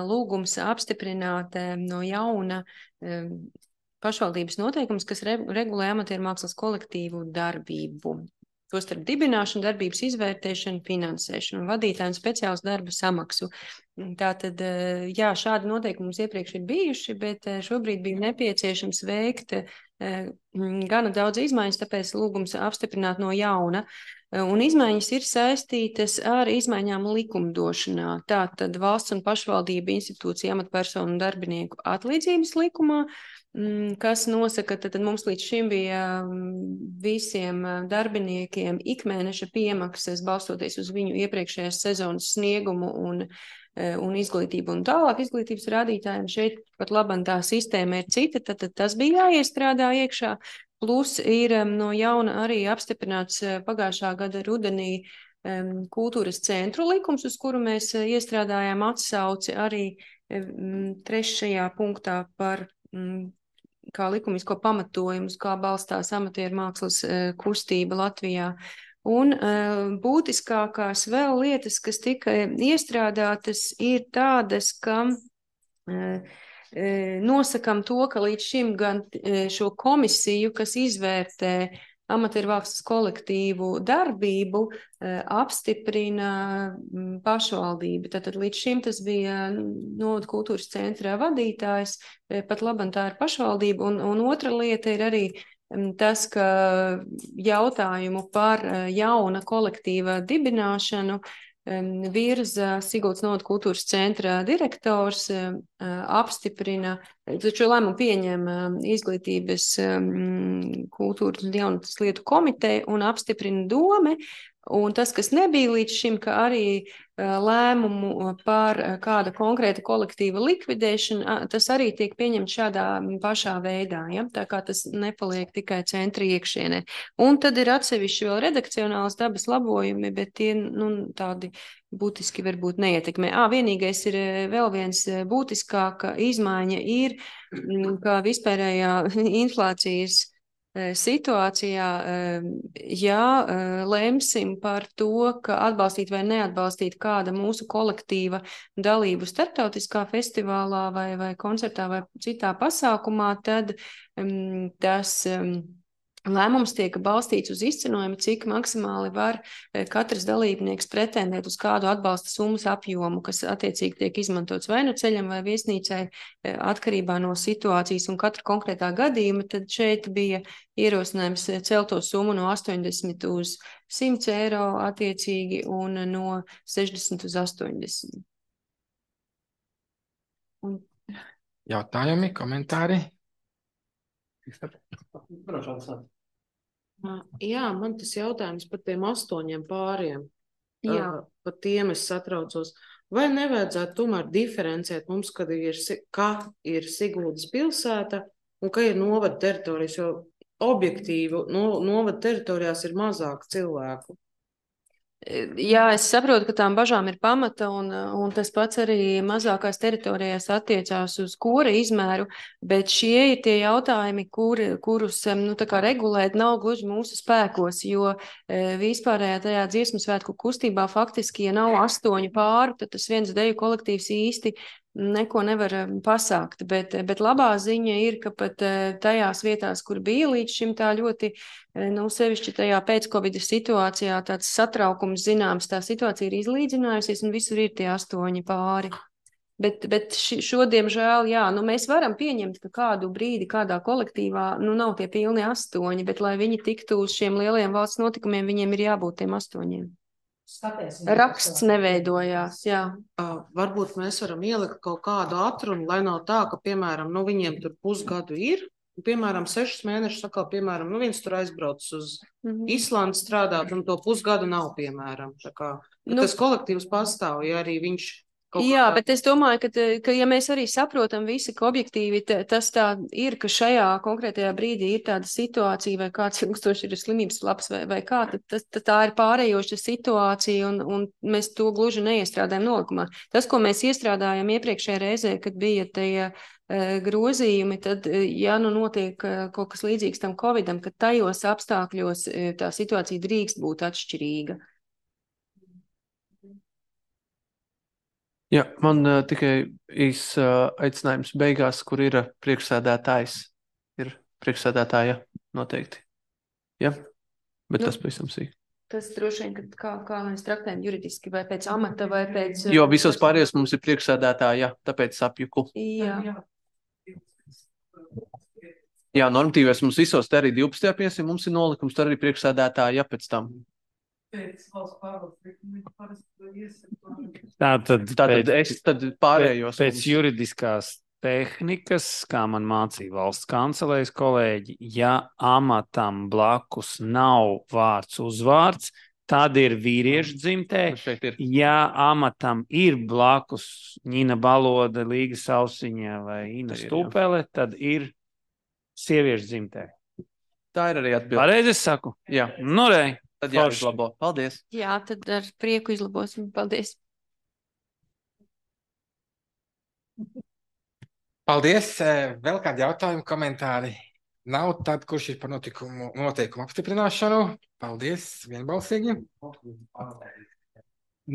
lūgums apstiprināt no jauna pašvaldības noteikums, kas regulē amatieru mākslas kolektīvu darbību. Tostarp dibināšanu, darbības izvērtēšanu, finansēšanu un vadītāju un speciāls darba samaksu. Tātad, jā, šādi noteikumi mums iepriekš ir bijuši, bet šobrīd bija nepieciešams veikt gana daudz izmaiņas, tāpēc lūgums apstiprināt no jauna. Un izmaiņas ir saistītas ar izmaiņām likumdošanā. Tātad valsts un pašvaldība institūcija amatpersonu un darbinieku atlīdzības likumā, kas nosaka, tad mums līdz šim bija visiem darbiniekiem ikmēneša piemaksas, balstoties uz viņu iepriekšējās sezonas sniegumu un, un izglītību un tālāk izglītības rādītājiem. Šeit pat labam tā sistēma ir cita, tad, tad tas bija jāiestrādā iekšā. Plus ir no jauna arī apstiprināts pagājušā gada rudenī kultūras centru likums, uz kuru mēs iestrādājām atsauci arī trešajā punktā par kā likumisko pamatojumus, kā balstās amatieru mākslas kustība Latvijā. Un būtiskākās vēl lietas, kas tika iestrādātas, ir tādas, ka nosakam to, ka līdz šim gan šo komisiju, kas izvērtē amatieru mākslas kolektīvu darbību, apstiprina pašvaldība. Tātad līdz šim tas bija novada kultūras centrā vadītājs, pat labam tā ir pašvaldība. Un, un otra lieta ir arī tas, ka jautājumu par jauna kolektīva dibināšanu virza Siguldas novada kultūras centra direktors, apstiprina, taču lēmumu pieņem izglītības kultūras un jaunatnes lietu komiteja un apstiprina dome. Un tas, kas nebija līdz šim, ka arī lēmumu par kāda konkrēta kolektīva likvidēšanu, tas arī tiek pieņemts šādā pašā veidā, ja? Tā kā tas nepaliek tikai centra iekšienē. Un tad ir atsevišķi vēl redakcionālas dabas labojumi, bet tie, nu, tādi būtiski varbūt neietekmē. Ā, vienīgais ir vēl viens būtiskāka izmaiņa ir, ka vispārējā inflācijas situācijā, ja lemsim par to, ka atbalstīt vai neatbalstīt kāda mūsu kolektīva dalību starptautiskā festivālā vai, vai koncertā vai citā pasākumā, tad um, tas um, lēmums tiek balstīts uz izcenojumu, cik maksimāli var katrs dalībnieks pretendēt uz kādu atbalsta summas apjomu, kas attiecīgi tiek izmantots vai nu ceļam vai viesnīcai atkarībā no situācijas un katra konkrētā gadījuma. Tad šeit bija ierosinājums celt to summu no astoņdesmit uz simt eiro attiecīgi un no sešdesmit uz astoņdesmit. Un... Jautājumi, komentāri? Jā, man tas jautājums par tiem astoņiem pāriem. Jā. Par tiem es satraucos. Vai nevajadzētu tomēr diferencēt mums, kad ir, ka ir Siguldas pilsēta un ka ir novada teritorijas, jo objektīvi no, novada teritorijās ir mazāk cilvēku? Jā, es saprotu, ka tām bažām ir pamata, un, un tas pats arī mazākās teritorijās attiecās uz kora izmēru, bet šie ir tie jautājumi, kur, kurus nu, tā kā regulēt nav gluži mūsu spēkos, jo vispārējā tajā dziesmu svētku kustībā faktiski, ja nav astoņu pāru, tad tas viens deju kolektīvs īsti neko nevar pasākt, bet, bet labā ziņa ir, ka pat tajās vietās, kur bija līdz šim tā ļoti, nu, sevišķi tajā pēc-Covid situācijā tāds satraukums zināms, tā situācija ir izlīdzinājusies un visur ir tie astoņi pāri. Bet, bet šodien žēl, jā, nu mēs varam pieņemt, ka kādu brīdi kādā kolektīvā, nu nav tie pilni astoņi, bet lai viņi tiktu uz šiem lielajiem valsts notikumiem, viņiem ir jābūt tiem astoņiem. Skaties, raksts neveidojās, jā. Uh, varbūt mēs varam ielikt kaut kādu atrunu, lai nav tā, ka, piemēram, nu viņiem tur pusgadu ir, un, piemēram, sešus mēnešus sakā, piemēram, nu viens tur aizbrauc uz mm-hmm. Islandu strādāt, un to pusgadu nav, piemēram. Tā kā, nu, tas kolektīvs pastāv, ja arī viņš Jā, bet es domāju, ka, ka ja mēs arī saprotam visi, ka objektīvi tas tā ir, ka šajā konkrētajā brīdī ir tāda situācija, vai kāds ilgstoši ir slimības labs, vai, vai kā, tad, tad, tad tā ir pārējoša situācija, un, un mēs to gluži neiestrādājam nolikumā. Tas, ko mēs iestrādājam iepriekšējā reizē, kad bija tie grozījumi, tad, ja nu notiek kaut kas līdzīgs tam Covidam, ka tajos apstākļos tā situācija drīkst būt atšķirīga. Jā, man uh, tikai īs uh, aicinājums beigās, kur ir uh, priekšsēdētājs. Ir priekšsēdētāja noteikti. Jā, bet nu, tas pavisam sīk. Tas droši vien, ka kā, kā mēs traktējam juridiski, vai pēc amata, vai pēc... Jo visos pārējos mums ir priekšsēdētāja, tāpēc apjuku. Jā. Jā, normatīvais mums visos te arī divpadsmitajā piensim, mums ir nolikums, tur arī priekšsēdētāja pēc tam. Tātad, Tātad es tad pārējos. Pēc mums. Juridiskās tehnikas, kā man mācīja valsts kancelējas kolēģi, ja amatam blakus nav vārds uzvārds, tad ir vīriešu dzimtē. Ja amatam ir blakus Ņina Baloda, Līga Sausiņa vai Ina Stupele, tad ir sieviešu dzimtē. Tā ir arī atbilde. Pareizi es saku? Jā. Nu, rei. Tad jāizlabo. Paldies. Jā, tad ar prieku izlabosim. Paldies. Paldies. Vēl kādi jautājumi, komentāri? Nav tad, kurš ir par notikumu, noteikumu apstiprināšanu? Paldies. Vienbalsīgi.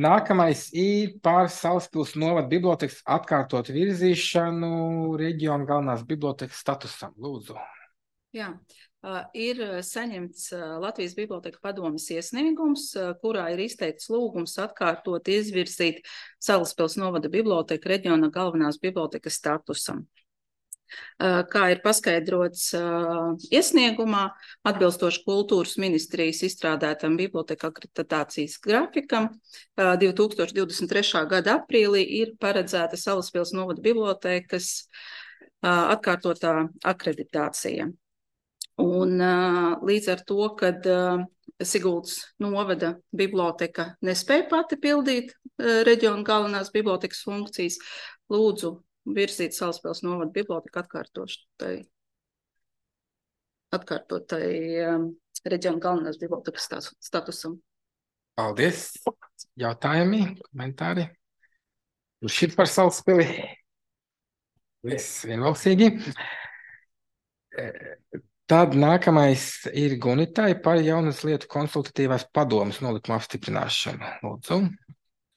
Nākamais ir par Salaspils novada bibliotekas atkārtot virzīšanu reģionu galvenās bibliotekas statusam. Lūdzu. Jā. Uh, ir saņemts uh, Latvijas Biblioteka padomes iesniegums, uh, kurā ir izteikts lūgums atkārtot izvirzīt Salaspils novada biblioteka reģiona galvenās bibliotekas statusam. Uh, kā ir paskaidrots uh, iesniegumā, atbilstoši kultūras ministrijas izstrādētam biblioteka akreditācijas grafikam, uh, divi tūkstoši divdesmit trešā gada aprīlī ir paredzēta Salaspils novada bibliotekas uh, atkārtotā akreditācija. Un uh, līdz ar to, kad uh, Siguldas novada biblioteka nespēja pati pildīt uh, reģiona galvenās bibliotekas funkcijas, lūdzu virzīt Salaspils novada biblioteku atkārtotai, atkārtotai um, reģiona galvenās bibliotekas statusam. Paldies. Jautājumi, komentāri? Kurš ir par Salaspili? Viss vienbalsīgi. Tad nākamais ir Gunitai par jaunas lietu konsultatīvās padomes nolikumu apstiprināšanu. Lūdzu.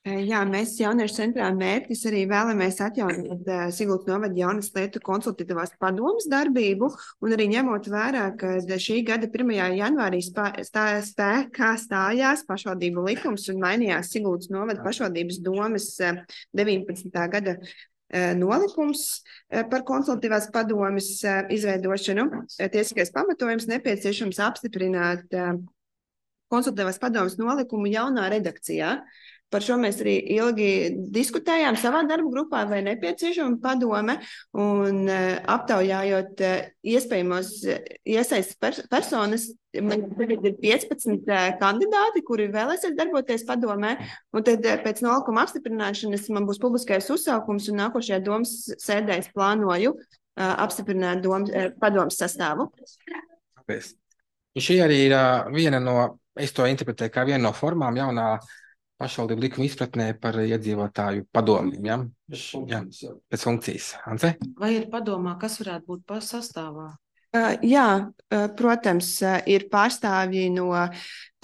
Jā, mēs jauniešu centrā mērķis arī vēlamies atjaunot uh, Siguldas novada jaunas lietu konsultatīvās padomes darbību, un arī ņemot vērā, ka šī gada pirmajā janvārī spā, stā, spēkā stājās pašvaldību likums un mainījās Siguldas novada pašvaldības domes uh, deviņpadsmitā gada nolikums par konsultatīvās padomes izveidošanu. Tiesiskais pamatojums nepieciešams apstiprināt konsultatīvās padomes nolikumu jaunā redakcijā. Par šo mēs arī ilgi diskutējām savā darba grupā, vai nepieciešama padome, un aptaujājot iespējamos iesaistas pers personas, man tagad ir piecpadsmit kandidāti, kuri vēlēsies darboties padomē, un tad pēc nolikuma apstiprināšanas man būs publiskais uzsaukums, un nākošajā domas sēdēs plānoju apstiprināt domas, padomas sastāvu. Paldies. Šī arī ir uh, viena no, es to interpretēju kā viena no formām jaunā pašvaldību likuma izpratnē par iedzīvotāju padomiem, ja? Jā, pēc funkcijas. Ance? Vai ir padomā, kas varētu būt pa sastāvā? Uh, jā, uh, protams, uh, ir pārstāvji no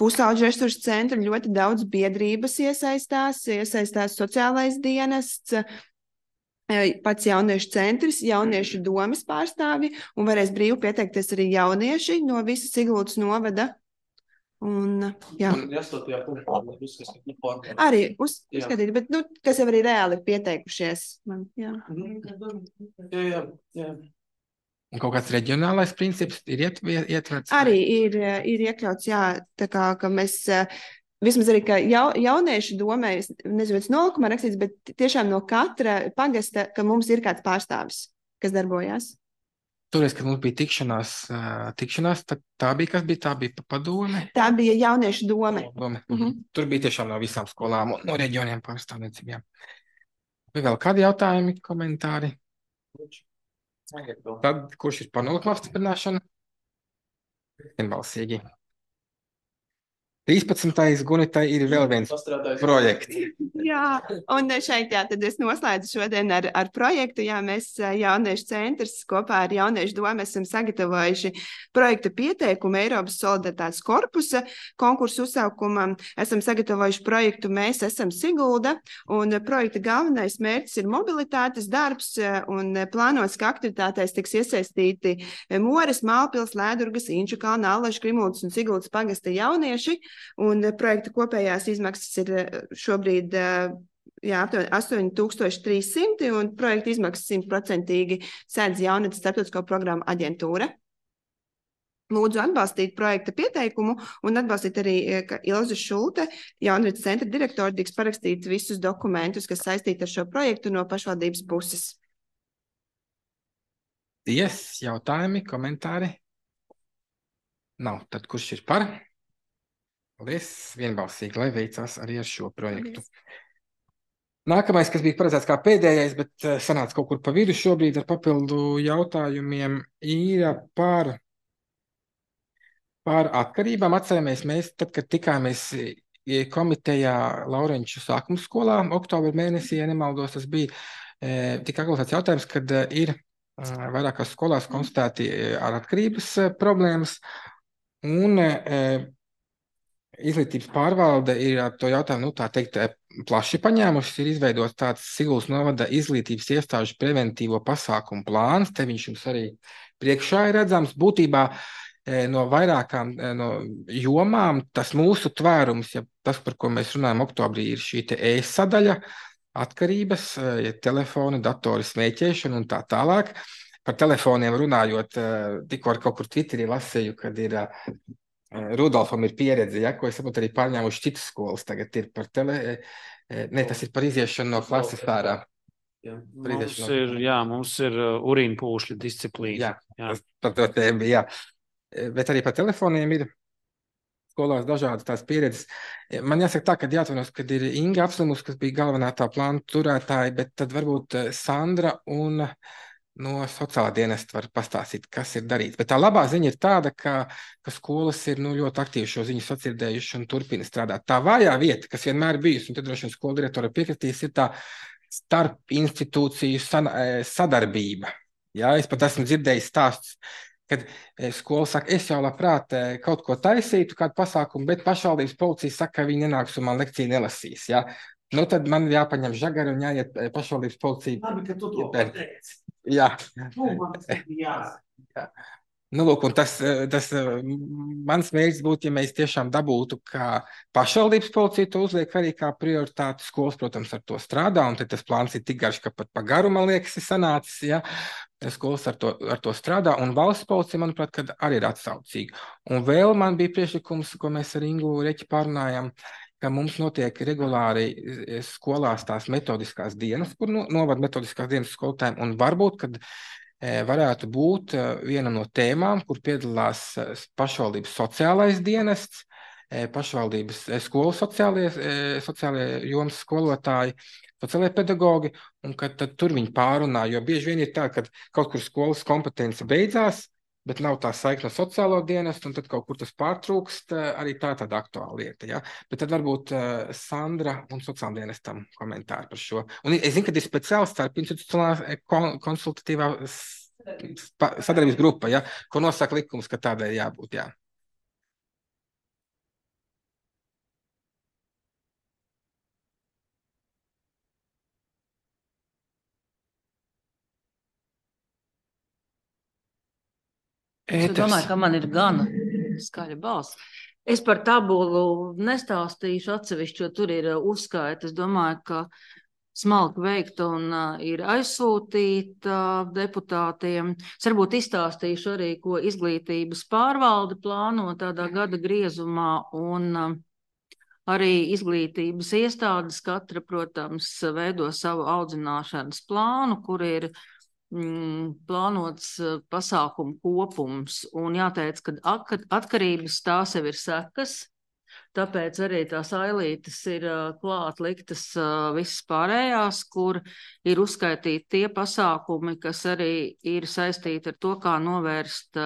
pusauģu resursu centra, ļoti daudz biedrības iesaistās, iesaistās sociālais dienests, uh, pats jauniešu centrs, jauniešu domas pārstāvji, un varēs brīvi pieteikties arī jaunieši no visas Siguldas novada. Un, jā. Un astotajā punktā uzskatīt, nu, formā. Arī uz, uzskatīt, bet, nu, kas jau arī reāli ir pieteikušies. Man, jā. Jā, jā, jā. Un kaut kāds reģionālais princips ir iet, ietverts? Arī ir, ir iekļauts, jā, tā kā, ka mēs, vismaz arī, ka jau, jauniešu domē, es nezinu, pēc nolikumā rakstīts, bet tiešām no katra pagasta, ka mums ir kāds pārstāvis, kas darbojās. Toreiz, kad mums bija tikšanās, tikšanās tā, tā bija, kas bija, tā bija padome? Tā bija jauniešu dome. dome. Mhm. Tur bija tiešām no visām skolām un no reģioniem pārstāvniecīm, jā. Vai vēl kādi jautājumi, komentāri? Tad, kurš ir par nolikumu apstiprināšanu? Vienbalsīgi. trīspadsmitais Gunitai ir vēl viens projekts. Jā, un šeit jā, tad es noslēdzu šodien ar, ar projektu. Jā, mēs jauniešu centrs kopā ar jauniešu domu esam sagatavojuši projekta pieteikumu Eiropas solidaritātes korpusa konkursu uzsaukumam. Esam sagatavojuši projektu Mēs esam Sigulda, un projekta galvenais mērķis ir mobilitātes darbs, un plānots, ka aktivitātēs tiks iesaistīti Mores, Mālpils, Lēdurgas, Inču kalna, Allažu, Krimuldas un Siguldas pagasta jaunieši. Un projekta kopējās izmaksas ir šobrīd jā, astoņi tūkstoši trīs simti, un projekta izmaksas simtprocentīgi sēdz Jaunatnes starptautisko programmu aģentūra. Lūdzu atbalstīt projekta pieteikumu un atbalstīt arī, ka Ilze Šulte, Jaunatnes centra direktori, tiks parakstīt visus dokumentus, kas saistīti ar šo projektu no pašvaldības puses. Yes, jautājumi, komentāri? Nav. Tad kurš ir par? Paldies, vienbalsīgi, lai veicās arī ar šo projektu. Nākamais, kas bija paredzēts kā pēdējais, bet sanāca kaut kur pa vidu šobrīd ar papildu jautājumiem, ir par, par atkarībām. Atceramies, mēs tad, kad tikāmies komitejā Laurenču sākuma skolā, oktobra mēnesī, ja nemaldos, tas bija tik aktuāls jautājums, kad ir vairākās skolās konstatēti ar atkarības problēmas, un Izglītības pārvalde ir to jautājumu, nu tā teikt, plaši paņēmušas, ir izveidots tāds Siguldas novada izglītības iestāžu preventīvo pasākumu plāns, te viņš jums arī priekšā ir redzams. Būtībā no vairākām no jomām tas mūsu tvērums, ja tas, par ko mēs runājam oktobrī, ir šī te e-sadaļa, atkarības, ja telefoni, datori, smēķēšana un tā tālāk. Par telefoniem runājot, tikko ar kaut kur Twitterī lasēju, kad ir Rudolfam ir pieredze, ja, ko es saprotu arī pārņēmuši citas skolas. Tagad ir par tele... Ne, tas ir par iziešanu no klases ārā. Jā, mums ir, jā, mums ir urīna pūšļa disciplīna. Jā, jā. Tas par to tēmu bija, jā. Bet arī par telefoniem ir skolās dažādas tās pieredzes. Man jāsaka tā, ka jāatvainojas, kad ir Inga apslimus, kas bija galvenā tā plāna turētāja, bet tad varbūt Sandra un no sociālā dienesta var pastāstīt, kas ir darīts. Bet tā labā ziņa ir tāda, ka, ka skolas ir nu, ļoti aktīvi šo ziņu sadzirdējuši un turpina strādāt. Tā vājā vieta, kas vienmēr bijusi, un tad droši vien skola direktora piekritīs, ir tā starp institūciju sadarbība. Jā, es pat esmu dzirdējis stāstus, kad skola saka, es jau labprāt kaut ko taisītu, kādu pasākumu, bet pašvaldības policija saka, ka viņi nenāks un man lekciju nelasīs. Jā. Nu, tad man jāpaņem žagari un jāiet pašvaldības policija. Labi, ka tu to pateici. Jā. Nu, man tas bija jāsaka. Nu, lūk, un tas, tas mans mērķis būtu, ja mēs tiešām dabūtu, ka pašvaldības policija to uzliek arī kā prioritāti. Skolas, protams, ar to strādā, un tad tas plāns ir tik garš, ka pat pa garu, man liekas, ir sanācis, ja. Skolas ar to, ar to strādā, un valsts policija, manuprāt, kad arī ir atsaucīga. Un vēl man bija priekšlikums, ko mēs ar Ingu Reķi pārunājām, ka mums notiek regulāri skolās tās metodiskās dienas, kur novad metodiskās dienas skolotājiem, un varbūt, kad varētu būt viena no tēmām, kur piedalās pašvaldības sociālais dienests, pašvaldības skolu sociālie, sociālie jomas skolotāji, sociālie pedagogi, un kad tad tur viņi pārunā, jo bieži vien ir tā, ka kaut kur skolas kompetence beidzās, bet nav tā saikne ar sociālo dienestu, un tad kaut kur tas pārtrūkst, arī tā tāda aktuāla lieta, ja? Bet tad varbūt uh, Sandra un sociālajiem dienestam komentāri par šo. Un es zinu, ka ir speciāls starp institucionālā kon konsultatīvā sadarbības grupa, ja? Ko nosaka likums, ka tādai jābūt, jā. Es domāju, ka man ir gana skaļa balss. Es par tabulu nestāstīšu atsevišķi, jo tur ir uzskaita. Es domāju, ka smalki veikta un uh, ir aizsūtīta uh, deputātiem. Es varbūt izstāstīšu arī, ko izglītības pārvalde plāno tādā gada griezumā un uh, arī izglītības iestādes katra, protams, veido savu audzināšanas plānu, kur ir plānots pasākumu kopums, un jāteic, ka atkarības tās jau ir sekas, tāpēc arī tās ailītes ir klāt liktas visas pārējās, kur ir uzskaitīti tie pasākumi, kas arī ir saistīti ar to, kā novērst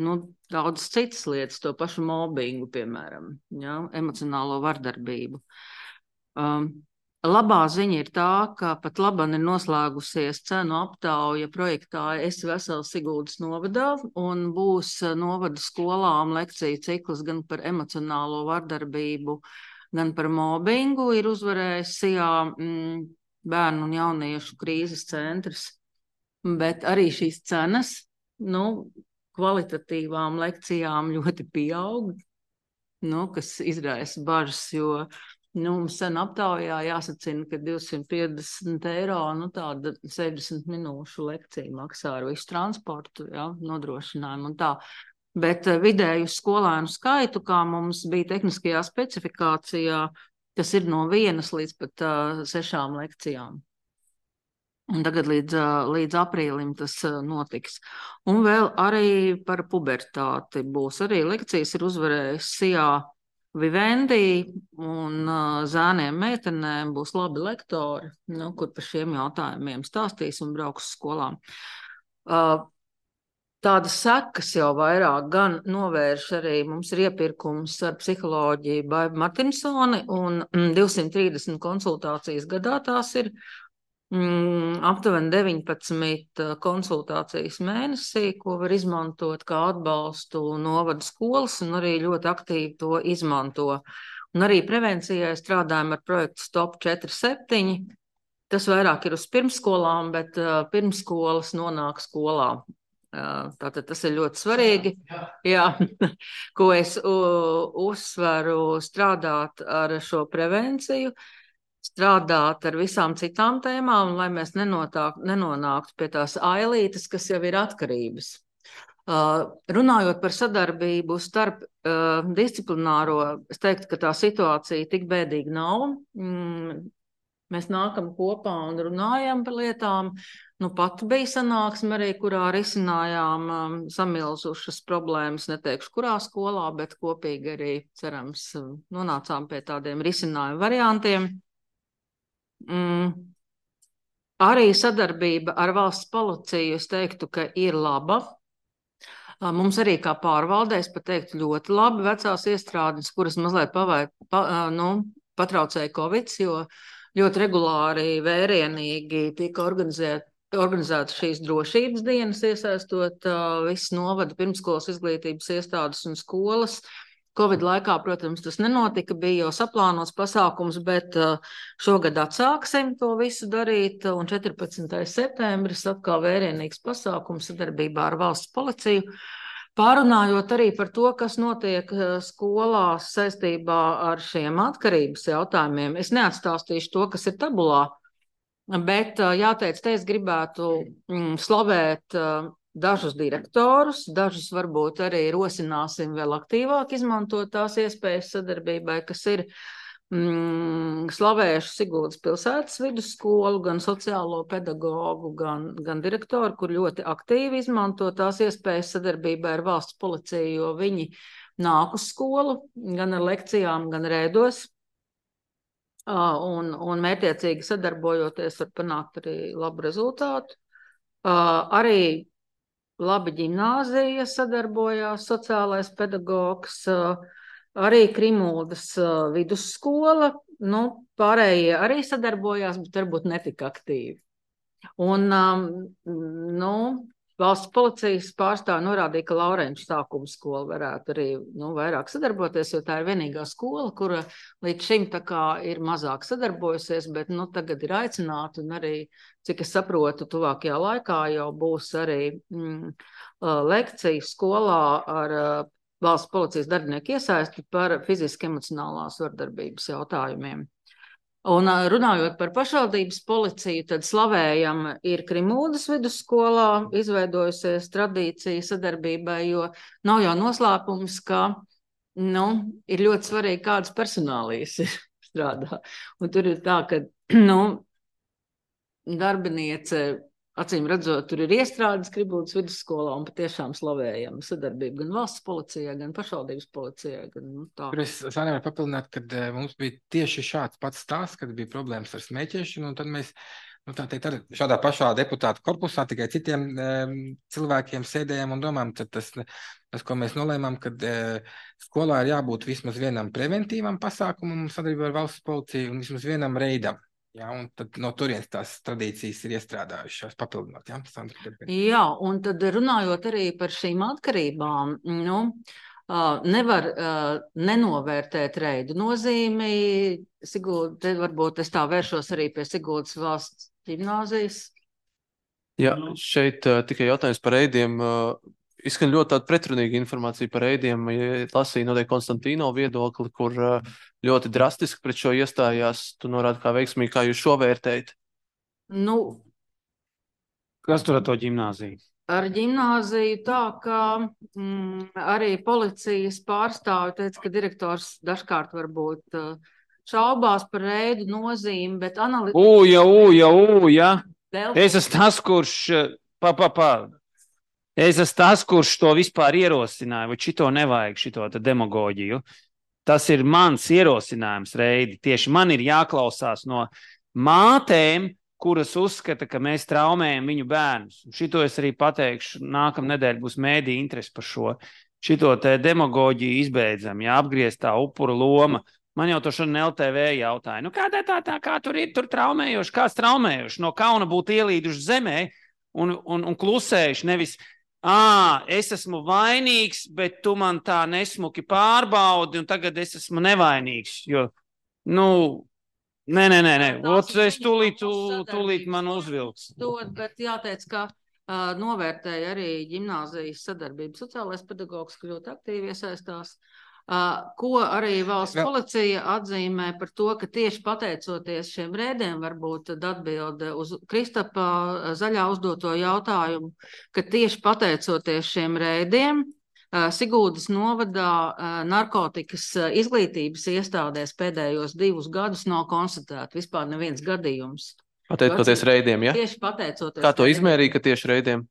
nu, daudzas citas lietas, to pašu mobbingu, piemēram, ja, emocionālo vardarbību. Um, Labā ziņa ir tā, ka pat laban ir noslēgusies cenu aptauja projektā Es vesels Siguldas novadā, un būs novada skolām lekciju cikls gan par emocionālo vardarbību, gan par mobbingu. Ir uzvarējis Sijā mm, bērnu un jauniešu krīzes centrs, bet arī šīs cenas, nu, kvalitatīvām lekcijām ļoti pieaug, nu, kas izraisa bažas, jo nu, mums sen aptaujā jāsacina, ka divsimt piecdesmit eiro, nu tāda sešdesmit minūšu lekcija maksā ar visu transportu, ja, nodrošinājumu un tā. Bet vidēju skolēnu skaitu, kā mums bija tehniskajā specifikācijā, tas ir no vienas līdz pat uh, sešām lekcijām. Un tagad līdz, uh, līdz aprīlim tas uh, notiks. Un vēl arī par pubertāti būs. Arī lekcijas ir uzvarējis Sijā Vivendi, un uh, zēniem meitenēm būs labi lektori, nu, kur par šiem jautājumiem stāstīs un brauks skolām. Uh, tādas sekas jau vairāk gan novērš arī, mums ir iepirkums ar psiholoģiju Baiba Martinsoni, un mm, divsimt trīsdesmit konsultācijas gadā tās ir. Mm, aptuveni deviņpadsmit konsultācijas mēnesī, ko var izmantot kā atbalstu novada skolas, un arī ļoti aktīvi to izmanto. Un arī prevencijai strādājam ar projektu Stop četri septiņi. Tas vairāk ir uz pirmsskolām, bet uh, pirmsskolas nonāk skolā. Uh, tātad tas ir ļoti svarīgi, jā, ko es uh, uzsveru strādāt ar šo prevenciju, strādāt ar visām citām tēmām, lai mēs nenotāk, nenonāktu pie tās ailītes, kas jau ir atkarības. Uh, runājot par sadarbību starp uh, disciplināro, es teiktu, ka tā situācija tik bēdīga nav. Mm, mēs nākam kopā un runājam par lietām. Nu, pat bija sanāksme arī, kurā risinājām um, samilzušas problēmas, neteikšu, kurā skolā, bet kopīgi arī, cerams, nonācām pie tādiem risinājumu variantiem. Mm. Arī sadarbība ar valsts policiju, es teiktu, ka ir laba. Mums arī kā pārvaldē, es pat teiktu, ļoti labi vecās iestrādes, kuras mazliet pavai, pa, nu, patraucēja Covid, jo ļoti regulāri, vērienīgi tika organizēt, organizētas šīs drošības dienas, iesaistot uh, visas novada pirmskolas izglītības iestādes un skolas. Covid laikā, protams, tas nenotika, bija jau saplānots pasākums, bet šogad atsāksim to visu darīt, un četrpadsmitais septembris atkal vērienīgs pasākums sadarbībā ar valsts policiju, pārunājot arī par to, kas notiek skolās saistībā ar šiem atkarības jautājumiem. Es neatstāstīšu to, kas ir tabulā, bet jāteic, te es gribētu mm, slavēt dažus direktorus, dažus varbūt arī rosināsim vēl aktīvāk izmantot tās iespējas sadarbībai, kas ir mm, slavējuši Siguldas pilsētas vidusskolu, gan sociālo pedagogu, gan, gan direktoru, kur ļoti aktīvi izmanto tās iespējas sadarbībai ar valsts policiju, jo viņi nāk uz skolu, gan ar lekcijām, gan rēdos, un, un mērķiecīgi sadarbojoties var panākt arī labu rezultātu. Arī Laba ģimnāzija sadarbojās, sociālais pedagogs, arī Krimuldas vidusskola, nu, pārējie arī sadarbojās, bet varbūt netika aktīvi. Un, nu, valsts policijas pārstāvi norādīja, ka Laurenču sākuma skola varētu arī, nu, vairāk sadarboties, jo tā ir vienīgā skola, kura līdz šim tā kā ir mazāk sadarbojusies, bet, nu, tagad ir aicināta un arī, cik es saprotu, tuvākajā laikā jau būs arī mm, lekcija skolā ar valsts policijas darbinieku iesaisti par fiziski emocionālās vardarbības jautājumiem. Un runājot par pašvaldības policiju, tad slavējam ir Krimuldas vidusskolā izveidojusies tradīcija sadarbībai, jo nav jau noslēpums, ka, nu, ir ļoti svarīgi, kādas personālijas ir strādā. Un tur ir tā, ka, nu, darbiniece, acīm redzot, tur ir iestrādes Krimuldas vidusskolā un patiešām slavējam sadarbību gan valsts policijai, gan pašvaldības policijai. Gan, nu, tā. Tur es nevaru papildināt, kad uh, mums bija tieši šāds pats stāsts, kad bija problēmas ar smēķēšanu, un tad mēs, nu, tā teikt, ar šādā pašā deputātu korpusā tikai citiem um, cilvēkiem sēdējām un domājam, tad tas, tas, ko mēs nolēmām, kad uh, skolā ir jābūt vismaz vienam preventīvam pasākumam sadarbībā ar valsts policiju un vismaz vienam reidam. Jā, un tad no turienes tās tradīcijas ir iestrādājušās papildināt. Jā, Sandra, jā, un tad runājot arī par šīm atkarībām, nu, nevar nenovērtēt reidu nozīmi. Sigulda, te varbūt es tā vēršos arī pie Siguldas valsts ģimnāzijas. Jā, šeit tikai jautājums par reidiem. Izskan ļoti tāda pretrunīga informācija par reidiem. Lasīju noteikti Konstantīno viedokli, kur ļoti drastiski pret šo iestājās. Tu norādi kā veiksmīgi, kā jūs šo vērtējat? Nu, kas tur ar to ģimnāziju? Ar ģimnāziju tā, ka mm, arī policijas pārstāvi teica, ka direktors dažkārt varbūt šaubās par reidu nozīmi, bet analītiski... Ūja, ūja, ūja! Es esmu tas, kurš... Pa, pa, pa. Es esmu tas, kurš to vispār ierosināja, vai šito nevajag, šito demagoģiju. Tas ir mans ierosinājums, Reidi. Tieši man ir jāklausās no mātēm, kuras uzskata, ka mēs traumējam viņu bērnus. Šito es arī pateikšu, nākamnedēļ būs mēdī interesi par šo. Šito te demagoģiju izbeidzam, ja apgriezt tā upura loma. Man jau to šodien L T V jautāja. Nu kā tā, tā, tā, kā tur ir, tur traumējoši, kāds traumējoši? No kauna būtu ielīduši zemē un, un, un klusējuši, nevis... Ā, es esmu vainīgs, bet tu man tā nesmuki pārbaudi, un tagad es esmu nevainīgs, jo, nu, nē, nē, nē, nē, ot, es tūlīt, tūlīt man uzvilks. Dod, bet jāteic, ka uh, novērtēja arī ģimnāzijas sadarbību sociālais pedagogs, ka ļoti aktīvi iesaistās, uh, ko arī valsts policija atzīmē par to, ka tieši pateicoties šiem rēdiem, varbūt atbilde uz Kristapa zaļā uzdoto jautājumu, ka tieši pateicoties šiem rēdiem, uh, Siguldas novadā uh, narkotikas izglītības iestādēs pēdējos divus gadus nav konstatēta vispār neviens gadījums. Pateicoties reidiem, ja? Tieši pateicoties. Kā to izmērīja, ka tieši reidiem?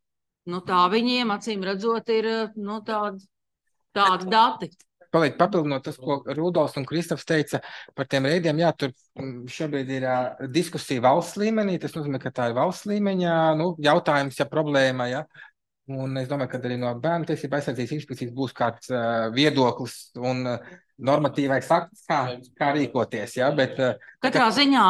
Nu tā viņiem, acīm redzot, ir, nu, tādi, tādi dati. Kolēģi, papildinot tas, ko Rudolfs un Kristofs teica par tiem reidiem, jā, tur šobrīd ir uh, diskusija valsts līmenī, tas nozīmē, ka tā ir valsts līmeņā, nu, jautājums, ja problēma, ja, un es domāju, ka arī no bērnu tiesību aizsardzības inspekcijas būs kāds uh, viedoklis un uh, normatīvais akts, kā, kā rīkoties, ja, bet... Uh, Katrā ka... ziņā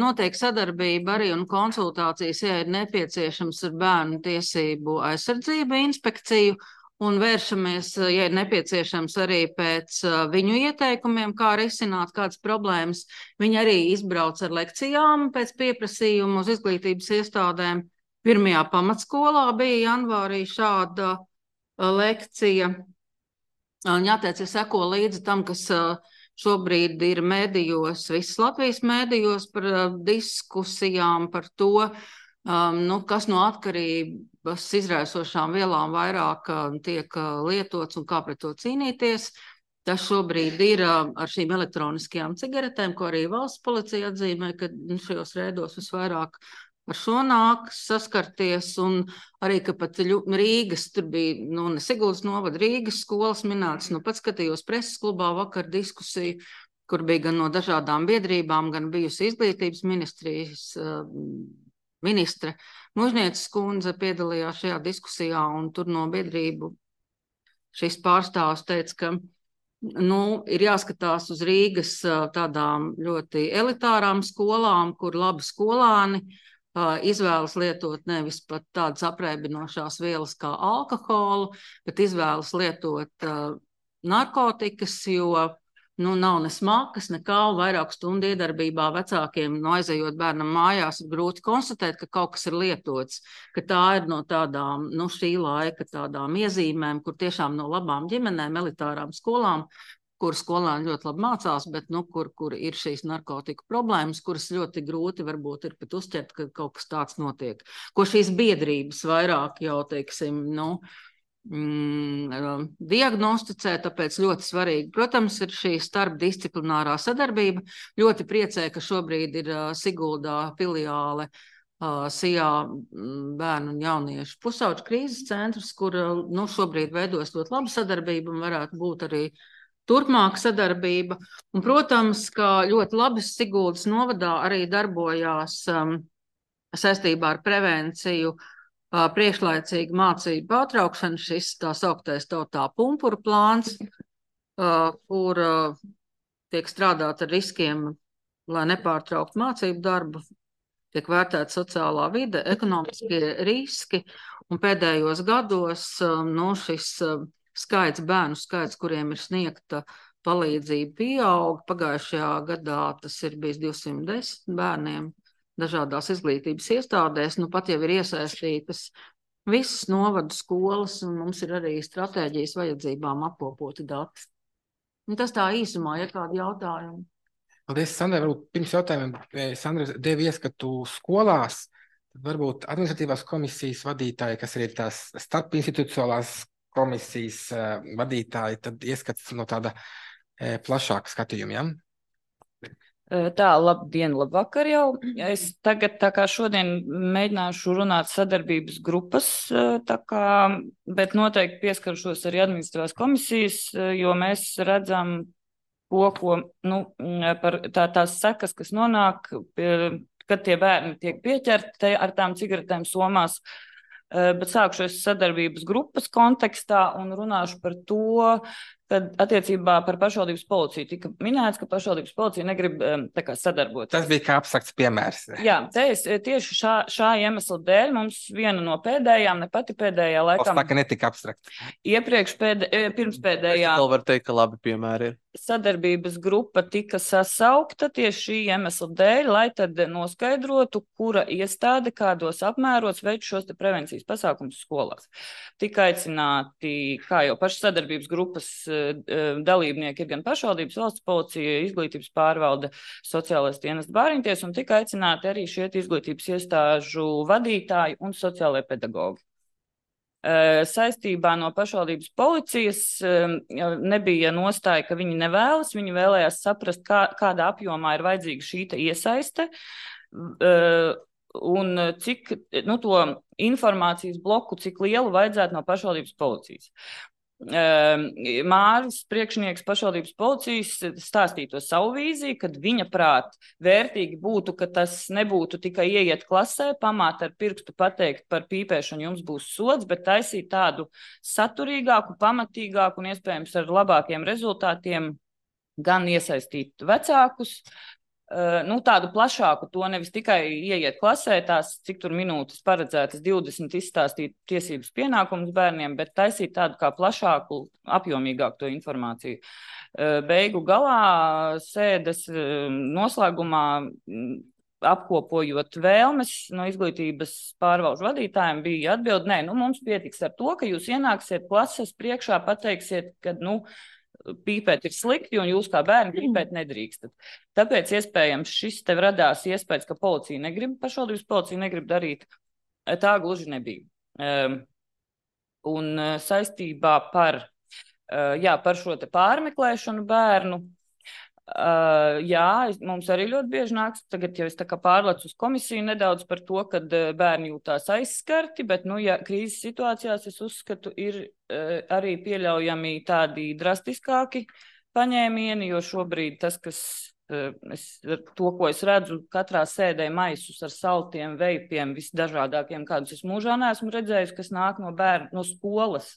notiek sadarbība arī un konsultācijas, ja ir nepieciešams ar bērnu tiesību aizsardzību inspekciju, un vēršamies, ja ir nepieciešams, arī pēc viņu ieteikumiem, kā risināt kādas problēmas. Viņi arī izbrauc ar lekcijām pēc pieprasījuma uz izglītības iestādēm. Pirmajā pamatskolā bija janvārī šāda lekcija. Jāteic, es seko līdzi tam, kas šobrīd ir mēdījos, visas Latvijas mēdījos par diskusijām par to, Um, nu, kas no atkarības izraisošām vielām vairāk uh, tiek uh, lietots un kā pret to cīnīties. Tas šobrīd ir uh, ar šīm elektroniskajām cigaretēm, ko arī valsts policija atzīmē, ka nu, šajos rēdos visvairāk ar šo nāk saskarties, un arī, ka pat Rīgas, tur bija, nu, ne Siguldas novada, Rīgas skolas minētas, nu, pat skatījos preses klubā vakar diskusiju, kur bija gan no dažādām biedrībām, gan bijusi izglītības ministrijas uh, ministre Mužnieces kundze piedalījās šajā diskusijā, un tur no biedrību šis pārstāvs teica, ka nu, ir jāskatās uz Rīgas tādām ļoti elitārām skolām, kur labi skolāni izvēlas lietot nevis pat tādas apreibinošās vielas kā alkoholu, bet izvēlas lietot uh, narkotikas, jo nu, nav ne smakas, nekā vairāk stundu iedarbībā vecākiem, no aizejot bērnam mājās, ir grūti konstatēt, ka kaut kas ir lietots, ka tā ir no tādām, nu, šī laika tādām iezīmēm, kur tiešām no labām ģimenēm, elitārām skolām, kur skolēni ļoti labi mācās, bet nu, kur, kur ir šīs narkotiku problēmas, kuras ļoti grūti varbūt ir pat uzķert, ka kaut kas tāds notiek. Ko šīs biedrības vairāk jau, teiksim, nu, mm, diagnosticē, tāpēc ļoti svarīgi. Protams, ir šī starpdisciplinārā sadarbība. Ļoti priecē, ka šobrīd ir uh, Siguldā filiāle uh, Sijā bērnu un jauniešu pusauģu krīzes centrs, kur uh, nu, šobrīd veidos ļoti labu sadarbību un varētu būt arī turpmāk sadarbība. Un, protams, ka ļoti labi Siguldas novadā arī darbojās um, saistībā ar prevenciju uh, priekšlaicīgu mācību pārtraukšanu, šis tā sauktais tautā pumpuru plāns, uh, kur uh, tiek strādāt ar riskiem, lai nepārtraukt mācību darbu, tiek vērtēta sociālā vide, ekonomiskie riski, un pēdējos gados um, no šis uh, skaits, bērnu skaits, kuriem ir sniegta palīdzība, pieaug. Pagājušajā gadā tas ir bijis divsimt desmit bērniem dažādās izglītības iestādēs. Nu, pat jau ir iesaistītas visas novadu skolas, un mums ir arī stratēģijas vajadzībām apkopoti dati. Un tas tā īsumā, ja kādi jautājumi. Paldies, Sandra. Varbūt pirms jautājumiem Sandra deva ieskatu skolās. Varbūt administratīvās komisijas vadītāji, kas ir tās starpinstitucionālās komisijas uh, vadītāji, tad ieskats no tāda uh, plašāka skatījuma, ja? Tā, labdien, labvakar jau. Es tagad tā kā šodien mēģināšu runāt sadarbības grupas, tā kā, bet noteikti pieskaršos arī administratīvās komisijas, jo mēs redzam ko, ko, nu, par tā, tās sekas, kas nonāk, kad tie bērni tiek pieķerti ar tām cigaretēm somās. Bet sākšu sadarbības grupas kontekstā un runāšu par to, kad attiecībā par pašvaldības policiju tika minēts, ka pašvaldības policija negrib tā kā sadarboties. Tas bija kā abstrakts piemērs. Jā, te es tieši šā, šā iemesla dēļ mums viena no pēdējām, ne pati pēdējā laikam. Tā, ka netika abstrakts. Iepriekš pēdē, pirms pēdējā. Es vēl varu teikt, ka labi piemēri ir. Sadarbības grupa tika sasaukta tieši šī iemesla dēļ, lai tad noskaidrotu, kura iestāde kādos apmēros veic šos te prevencijas pasākumus skolās. Tika aicināti, kā jau pašas sadarbības grupas dalībnieki ir gan pašvaldības, valsts policija, izglītības pārvalde, sociālais dienests, bāriņties, un tika aicināti arī šie izglītības iestāžu vadītāji un sociālai pedagogi. Saistībā no pašvaldības policijas nebija nostāja, ka viņi nevēlas, viņi vēlējās saprast, kā, kādā apjomā ir vajadzīga šī iesaiste un cik, nu, to informācijas bloku, cik lielu vajadzētu no pašvaldības policijas. Māris, priekšnieks pašvaldības policijas, stāstīja to savu vīziju, kad viņa prāt vērtīgi būtu, ka tas nebūtu tikai ieiet klasē, pamāt ar pirkstu pateikt par pīpēšanu jums būs sods, bet taisīt tādu saturīgāku, pamatīgāku un iespējams ar labākiem rezultātiem gan iesaistīt vecākus, nu, tādu plašāku, to nevis tikai ieiet klasē, tās cik tur minūtes paredzētas divdesmit izstāstīt tiesības pienākumus bērniem, bet taisīt tādu kā plašāku, apjomīgāku to informāciju. Beigu galā sēdes noslēgumā apkopojot vēlmes no izglītības pārvalžu vadītājiem bija atbild, nē, nu mums pietiks ar to, ka jūs ienāksiet klases priekšā, pateiksiet, ka, nu, pīpēt ir slikti, un jūs kā bērni pīpēt nedrīkstat. Tāpēc iespējams šis tev radās iespējas, ka policija negrib, pašvaldības policija negrib darīt. Tā gluži nebija. Un saistībā par, jā, par šo te pārmeklēšanu bērnu, jā, mums arī ļoti bieži nāks, tagad jau es tā kā pārlecu uz komisiju nedaudz par to, kad bērni jūtās aizskarti, bet, nu, ja krīzes situācijās, es uzskatu, ir arī pieļaujami tādi drastiskāki paņēmieni, jo šobrīd tas, kas es, to, ko es redzu, katrā sēdē maisus ar saltiem, veipiem, visdažādākiem, kādus es mūžā neesmu redzējis, kas nāk no bērnu, no skolas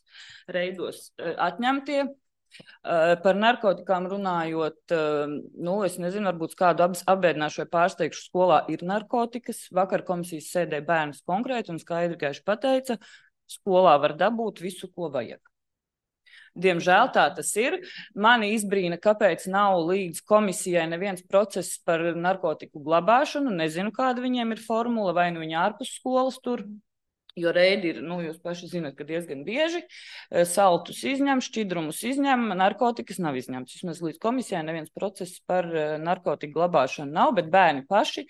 reidos atņemtie. Par narkotikām runājot, nu, es nezinu, varbūt kādu apbēdināšu vai pārsteigšu, skolā ir narkotikas. Vakar komisijas sēdē bērns konkrēti un skaidri gaiši pateica, skolā var dabūt visu, ko vajag. Diemžēl tā tas ir. Mani izbrīna, kāpēc nav līdz komisijai neviens process par narkotiku glabāšanu. Nezinu, kāda viņiem ir formula, vai nu viņi ārpus skolas tur. Jo reidi ir, nu, jūs paši zināt, ka diezgan bieži saltus izņem, šķidrumus izņem, narkotikas nav izņemts. Vismaz līdz komisijai neviens process par narkotiku glabāšanu nav, bet bērni paši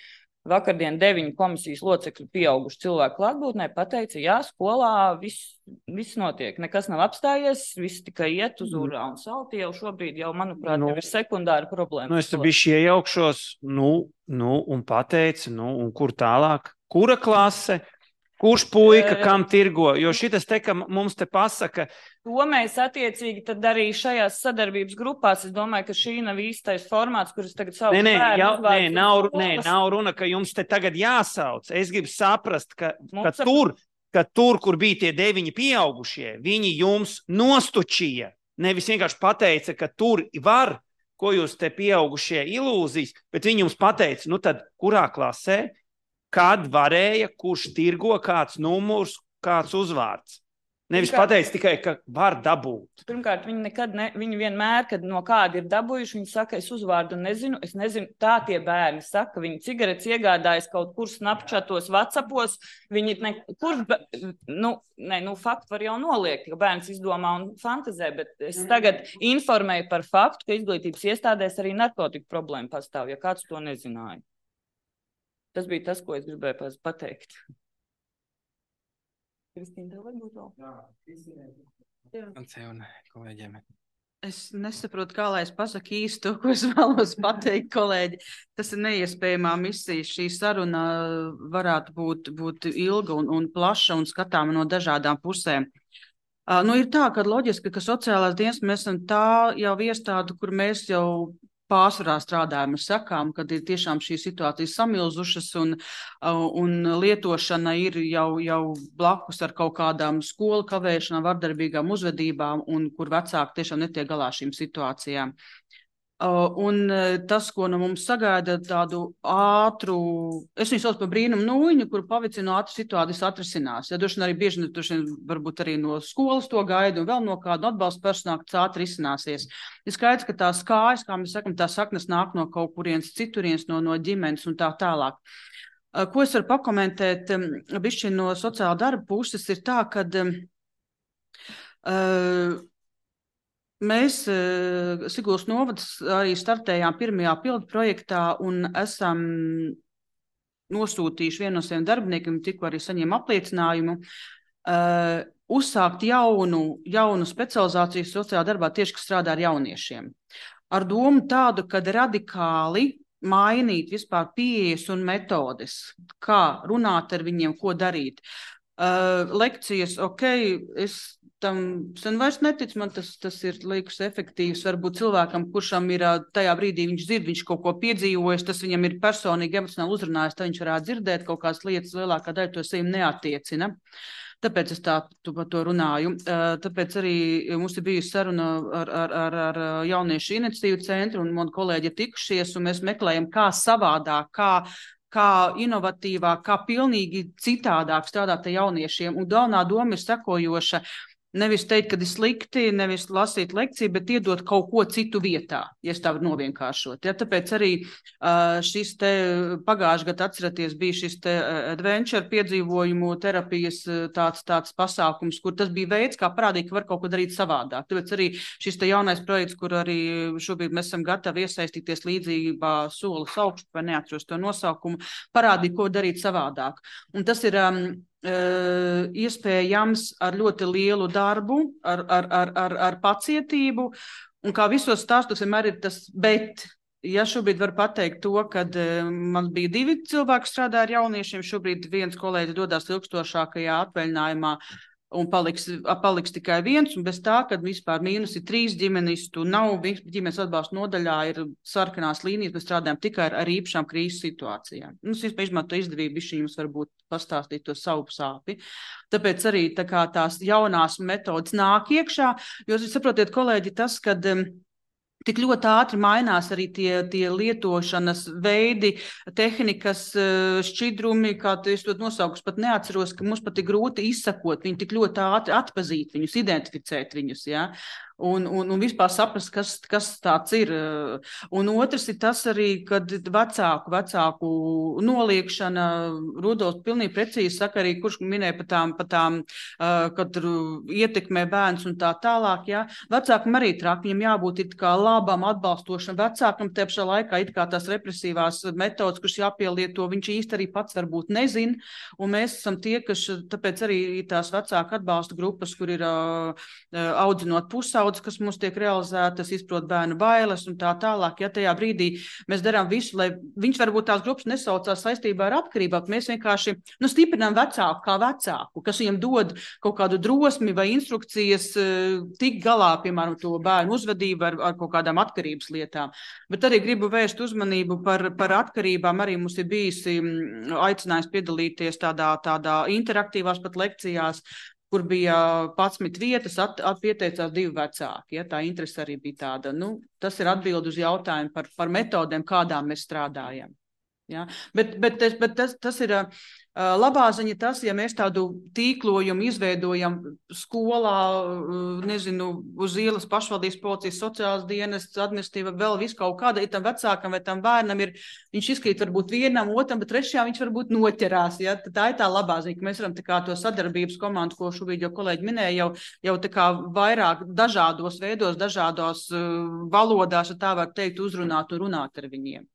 vakardien deviņu komisijas locekļu pieauguši cilvēku klātbūtnē pateica, jā, skolā viss, viss notiek, nekas nav apstājies, viss tikai iet uz urā un salti jau šobrīd jau, manuprāt, nu, jau ir sekundāra problēma. Nu, es te bišķi iejaukšos, nu, nu, un pateicu, nu, un kur tālāk, kura klase, kurš puika, kam tirgo, jo šitas te, ka mums te pasaka. To mēs attiecīgi tad arī šajās sadarbības grupās, es domāju, ka šī nav īstais formāts, kuras tagad sauc. Nē, nē, bērnu jau, nē, nav, uzvārdu. nē, nav runa, ka jums te tagad jāsauc. Es gribu saprast, ka, ka, Mums ap- tur, ka tur, kur bija tie deviņi pieaugušie, viņi jums nostučīja. Nevis vienkārši pateica, ka tur var, ko jūs te pieaugušie ilūzijas, bet viņi jums pateica, nu tad kurā klasē, kad varēja, kurš tirgo, kāds numurs, kāds uzvārds. Nevis Pirmkārt- pateica tikai, ka var dabūt. Pirmkārt, viņi nekad, ne, viņi vienmēr, kad no kāda ir dabūjuši, viņi saka, es uzvārdu nezinu, es nezinu, tā tie bērni saka, viņi cigaretes iegādājas kaut kur snapchatos, whatsappos, viņi ne, kurš, be- nu, ne, nu, faktu var jau noliegt, ka bērns izdomā un fantazē, bet es tagad informēju par faktu, ka izglītības iestādēs arī narkotiku problēma pastāv, ja kāds to nezināja. Tas bija tas, ko es gribēju pats pateikt. Kristīna, tev varbūt vēl? Jā. Francē un kolēģiem. Es nesaprotu, kā lai es pasaku īsti to, ko es vēlos pateikt, kolēģi. Tas ir neiespējamā misija. Šī saruna varētu būt, būt ilga un, un plaša un skatāma no dažādām pusēm. Uh, nu, ir tā, ka loģiski, ka sociālās dienas mēs esam tā jau iestāde, kur mēs jau pārsvarā strādājam ar sakām, kad ir tiešām šīs situācijas samilzušas un, un lietošana ir jau, jau blakus ar kaut kādām skolu kavēšanām, vardarbīgām uzvedībām un kur vecāki tiešām netiek galā šīm situācijām. Un tas, ko no mums sagaida tādu ātru, es viņu sauc par brīnumu nūjiņu, kur pavicinu ātru situācijas atrisinās. Ja droši vien arī bieži, droši vien varbūt arī no skolas to gaida un vēl no kādu atbalstu personālu, kas ātri risināsies. Ir skaidrs, ka tās kājas, kā mēs sakam, tās saknes nāk no kaut kurienes citurienes, no, no ģimenes un tā tālāk. Ko es varu pakomentēt bišķi no sociāla darba puses ir tā, kad uh, mēs Siguldas novads arī startējām pirmajā pildu projektā un esam nosūtījuši vienu no saviem darbiniekiem, tikko arī saņēma apliecinājumu, uh, uzsākt jaunu, jaunu specializāciju sociālā darbā tieši, kas strādā ar jauniešiem. Ar domu tādu, kad radikāli mainīt vispār pieejas un metodes, kā runāt ar viņiem, ko darīt. Uh, lekcijas, ok, es tam sen vairs neticu, man tas, tas ir liekas efektīvs. Varbūt cilvēkam, kuršam ir tajā brīdī, viņš dzird, viņš kaut ko piedzīvojis, tas viņam ir personīgi emocionāli uzrunājis, tad viņš varētu dzirdēt kaut kādas lietas, lielākā daļa to sevi neattiecina. Tāpēc es tā tu par to runāju. Tāpēc arī mums ir bijusi saruna ar, ar, ar, ar jauniešu iniciatīvu centru un mani kolēģi ir tikušies, un mēs meklējam, kā savādāk, kā kā inovatīvāk, kā pilnīgi citādāk strādāt ar jauniešiem. Un galvenā doma ir sekojoša. Nevis teikt, ka ir slikti, nevis lasīt lekciju, bet iedot kaut ko citu vietā, ja tā var novienkāršot. Ja, tāpēc arī uh, šis te pagājušajā gadā, atceraties, bija šis te adventure piedzīvojumu terapijas tāds, tāds pasākums, kur tas bija veids, kā parādīt, ka var kaut ko darīt savādāk. Tāpēc arī šis te jaunais projekts, kur arī šobrīd mēs esam gatavi iesaistīties līdzībā solis augstu, vai neatceros to nosaukumu, parādīt, ko darīt savādāk. Un tas ir um, Uh, iespējams ar ļoti lielu darbu, ar, ar, ar, ar, ar pacietību, un kā visos stāstos vienmēr ir tas, bet, ja šobrīd var pateikt to, kad uh, man bija divi cilvēki strādā ar jauniešiem, šobrīd viens kolēģis dodās ilgstošākajā atvaļinājumā, un paliks, paliks tikai viens, un bez tā, kad vispār mīnus ir trīs ģimenes, tu nav ģimenes atbalsta nodaļā, ir sarkanās līnijas, mēs strādājam tikai ar, ar īpašām krīzes situācijām. Nu, es vispār izmanto izdevību, bišķi jums varbūt pastāstīt to savu sāpi. Tāpēc arī tā kā tās jaunās metodas nāk iekšā, jo jūs saprotiet, kolēģi, tas, kad um, tik ļoti ātri mainās arī tie, tie lietošanas veidi, tehnikas, šķidrumi, kā es to nosaukus pat neatceros, ka mums pat ir grūti izsakot, viņi tik ļoti ātri atpazīt viņus, identificēt viņus, ja? Un, un, un vispār saprast, kas, kas tāds ir. Un otrs ir tas arī, kad vecāku, vecāku noliekšana, Rudolfs pilnīgi precīzi saka arī, kurš minēja par tām, par tām kad ietekmē bērns un tā tālāk, ja. Vecākam arī trāk, viņam jābūt it kā labam, atbalstošam vecākam, te pašā laikā it kā tās represīvās metodas, kuras jāpielieto, viņš īsti arī pats varbūt nezin, un mēs esam tie, kas, tāpēc arī tās vecāku atbalsta grupas, kur ir uh, audzinot pusaudzi, kas mums tiek realizētas, izprot bērnu bailes un tā tālāk. Ja tajā brīdī mēs darām visu, lai viņš varbūt tās grupas nesaucās saistībā ar atkarībām, mēs vienkārši nu, stiprinām vecāku kā vecāku, kas viņam dod kaut kādu drosmi vai instrukcijas tik galā, piemēram, to bērnu uzvedību ar, ar kaut kādām atkarības lietām. Bet arī gribu vērst uzmanību par, par atkarībām. Arī mums ir bijusi aicinājums piedalīties tādā, tādā interaktīvās pat lekcijās, kur bija padsmit vietas, at, at pieteicās divi vecāki. Ja, tā interese arī bija tāda. Nu, tas ir atbild uz jautājumu par, par metodēm, kādām mēs strādājam. Ja? Bet, bet, bet tas, tas ir uh, labā ziņa tas, ja mēs tādu tīklojumu izveidojam skolā, uh, nezinu, uz ielas pašvaldības policijas, sociālas dienas, administratīva, vēl visu kaut kāda, ir tam vecākam vai tam bērnam ir, viņš izkrīt varbūt vienam, otram, bet trešajā viņš varbūt noķerās. Ja? Tā ir tā labā ziņa, ka mēs varam tā kā to sadarbības komandu, ko šobrīd jau kolēģi minēja, jau, jau tā kā vairāk dažādos veidos, dažādos uh, valodās, ja tā var teikt, uzrunāt un runāt ar viņiem.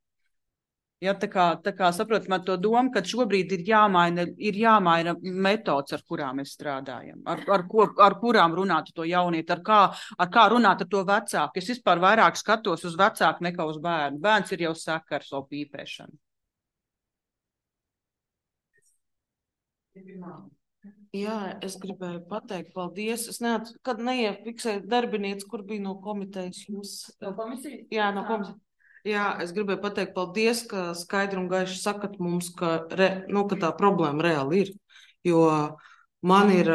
Ja, tā kā, tā kā saprotam ar to domu, ka šobrīd ir jāmaina, ir jāmaina metodas, ar kurām mēs strādājam, ar, ar, ko, ar kurām runāt to jaunieti, ar kā, ar kā runāt ar to vecāku. Es vispār vairāk skatos uz vecāku nekā uz bērnu. Bērns ir jau saka ar savu pīpēšanu. Jā, es gribēju pateikt paldies. Es neat, kad neiefiksēju darbinieci, kur bija no komitejas jūs. No komisijas? Jā, no komisijas. Jā, es gribēju pateikt paldies, ka skaidri un gaiši sakat mums, ka, re, nu, ka tā problēma reāli ir. Jo man ir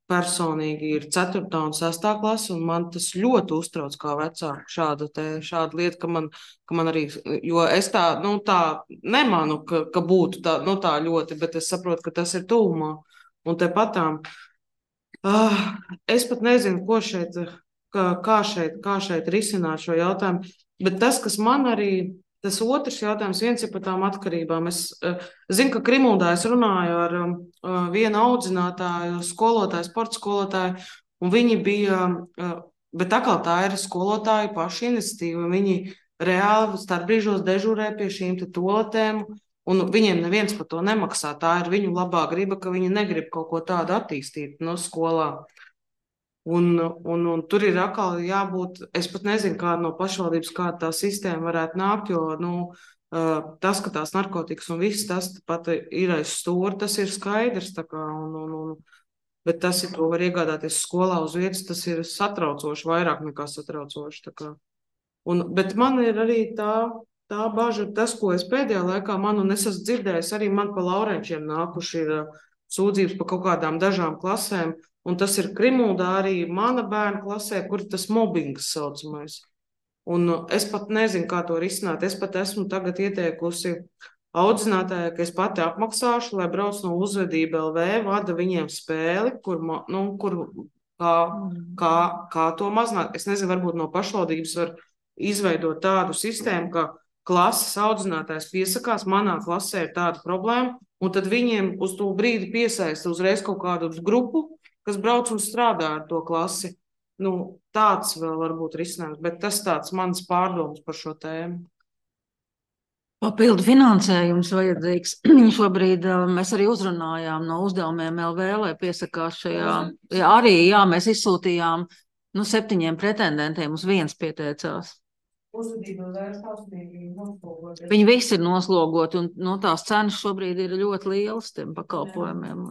personīgi ir ceturtā un sestā klase, un man tas ļoti uztrauc kā vecāku šāda, te, šāda lieta, ka man, ka man arī, jo es tā, nu, tā nemanu, ka, ka būtu tā, nu, tā ļoti, bet es saprotu, ka tas ir tuvumā. Un te patām, uh, es pat nezinu, ko šeit, kā, kā šeit, kā šeit risināt šo jautājumu. Bet tas, kas man arī, tas otrs jautājums, viens ir par tām atkarībām. Es uh, zinu, ka Krimuldā es runāju ar uh, vienu audzinātāju, skolotāju, sporta skolotāju, un viņi bija, uh, bet atkal tā ir skolotāju paša iniciatīva. Viņi reāli starpbrīžos dežurē pie šīm te toaletēm, un viņiem neviens par to nemaksā. Tā ir viņu labā griba, ka viņi negrib kaut ko tādu attīstīt no skolā. Un, un, un tur ir atkal jābūt, es pat nezinu, kāda no pašvaldības, kāda tā sistēma varētu nākt, jo nu, tas, ka tās narkotikas un viss tas pat ir aiz stūra, tas ir skaidrs. Tā kā, un, un, un, bet tas ir, to var iegādāties skolā uz vietas, tas ir satraucoši, vairāk nekā satraucoši. Tā kā. Un, bet man ir arī tā, tā baža, tas, ko es pēdējā laikā man, un es esmu dzirdējis, arī man pa Laurenčiem nākuši ir sūdzības pa kaut kādām dažām klasēm. Un tas ir Krimuldā arī mana bērna klasē, kur tas mobbings saucamais. Un es pat nezinu, kā to risināt. Es pat esmu tagad ieteikusi audzinātājai, ka es pati apmaksāšu, lai brauc no Uzvedība L V, vada viņiem spēli, kur, nu, kur kā, kā, kā to mazināt. Es nezinu, varbūt no pašvaldības var izveidot tādu sistēmu, ka klases audzinātājs piesakās, manā klasē ir tāda problēma, un tad viņiem uz to brīdi piesaista uzreiz kaut kādu grupu, kas brauc un strādā ar to klasi. Nu, tāds vēl varbūt risinājums, bet tas tāds mans pārdoms par šo tēmu. Papildu finansējums vajadzīgs. Šobrīd mēs arī uzrunājām no uzdevumiem L V, lai piesakās šajā. Jā, arī, jā, mēs izsūtījām nu, septiņiem pretendentiem, uz viens pieteicās. Viņi visi ir noslogoti, un no tās cenas šobrīd ir ļoti lielas tiem pakalpojumiem.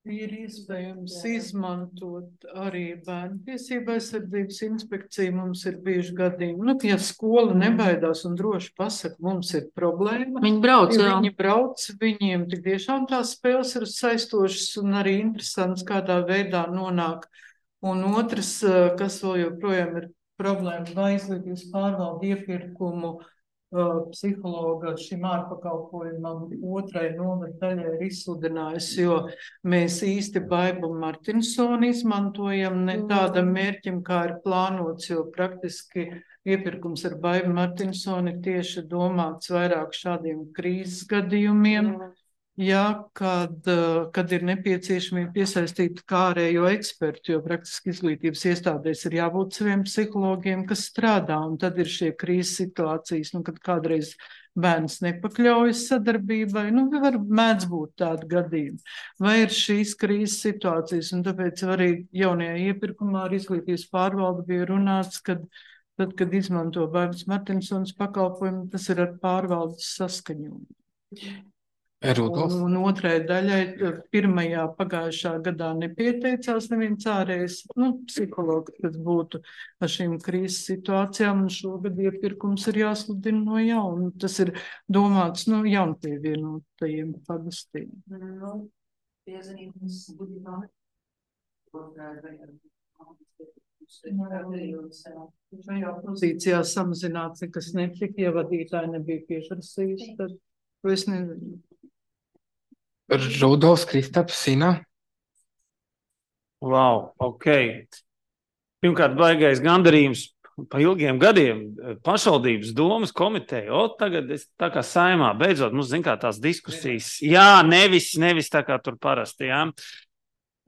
Ir iespējams izmantot arī bērnu tiesību aizsardzības inspekciju. Mums ir bijuši gadījumi, nu, ja skola nebaidās un droši pasaka, mums ir problēma. Viņi brauc, ja jā. viņi brauc, viņiem tik tiešām tās spēles ir saistošas un arī interesants, kādā veidā nonāk. Un otrs, kas vēl joprojām ir problēma, vai izglītības pārvalde iepirkumu Uh, psihologa šim ārpakalpojumam otrai novada daļai ir izsludinājusi, jo mēs īsti Baibu Martinsoni izmantojam ne tādam mērķim, kā ir plānots, jo praktiski iepirkums ar Baibu Martinsoni ir tieši domāts vairāk šādiem krīzes gadījumiem, ja, kad, kad ir nepieciešamība piesaistīt kārējo ekspertu, jo praktiski izglītības iestādēs ir jābūt saviem psihologiem, kas strādā, un tad ir šie krīzes situācijas, nu, kad kādreiz bērns nepakļaujas sadarbībai, nu, var mēdz būt tādi gadījumi. Vai ir šīs krīzes situācijas, un tāpēc arī jaunajā iepirkumā ar izglītības pārvalde bija runāts, kad tad, kad izmanto Baibas Martinsons pakalpojumu, tas ir ar pārvaldes saskaņojumu. Rudolf. Un, un otrai daļai pirmajā pagājušā gadā nepieteicās neviens ārējais, nu, psihologs, kas būtu ar šīm krīzes situācijām, un šogad iepirkums ir jāsludina no jauna. Tas ir domāts, nu, jaunpievienotajiem pagastiem. Nu, piezīmes budžetā. Šajā pozīcijā samazināts nekas netika, ja vadītāji nebija pieprasījuši, tad to es nezinu. Rudolfs, Kristaps, Sina. Wow, ok. Pirmkārt, baigais gandarījums pa ilgiem gadiem pašvaldības domas komiteja. O, tagad es tā kā saimā, beidzot, mums zin kā tās diskusijas. Jā, nevis, nevis tā kā tur parasti, jā.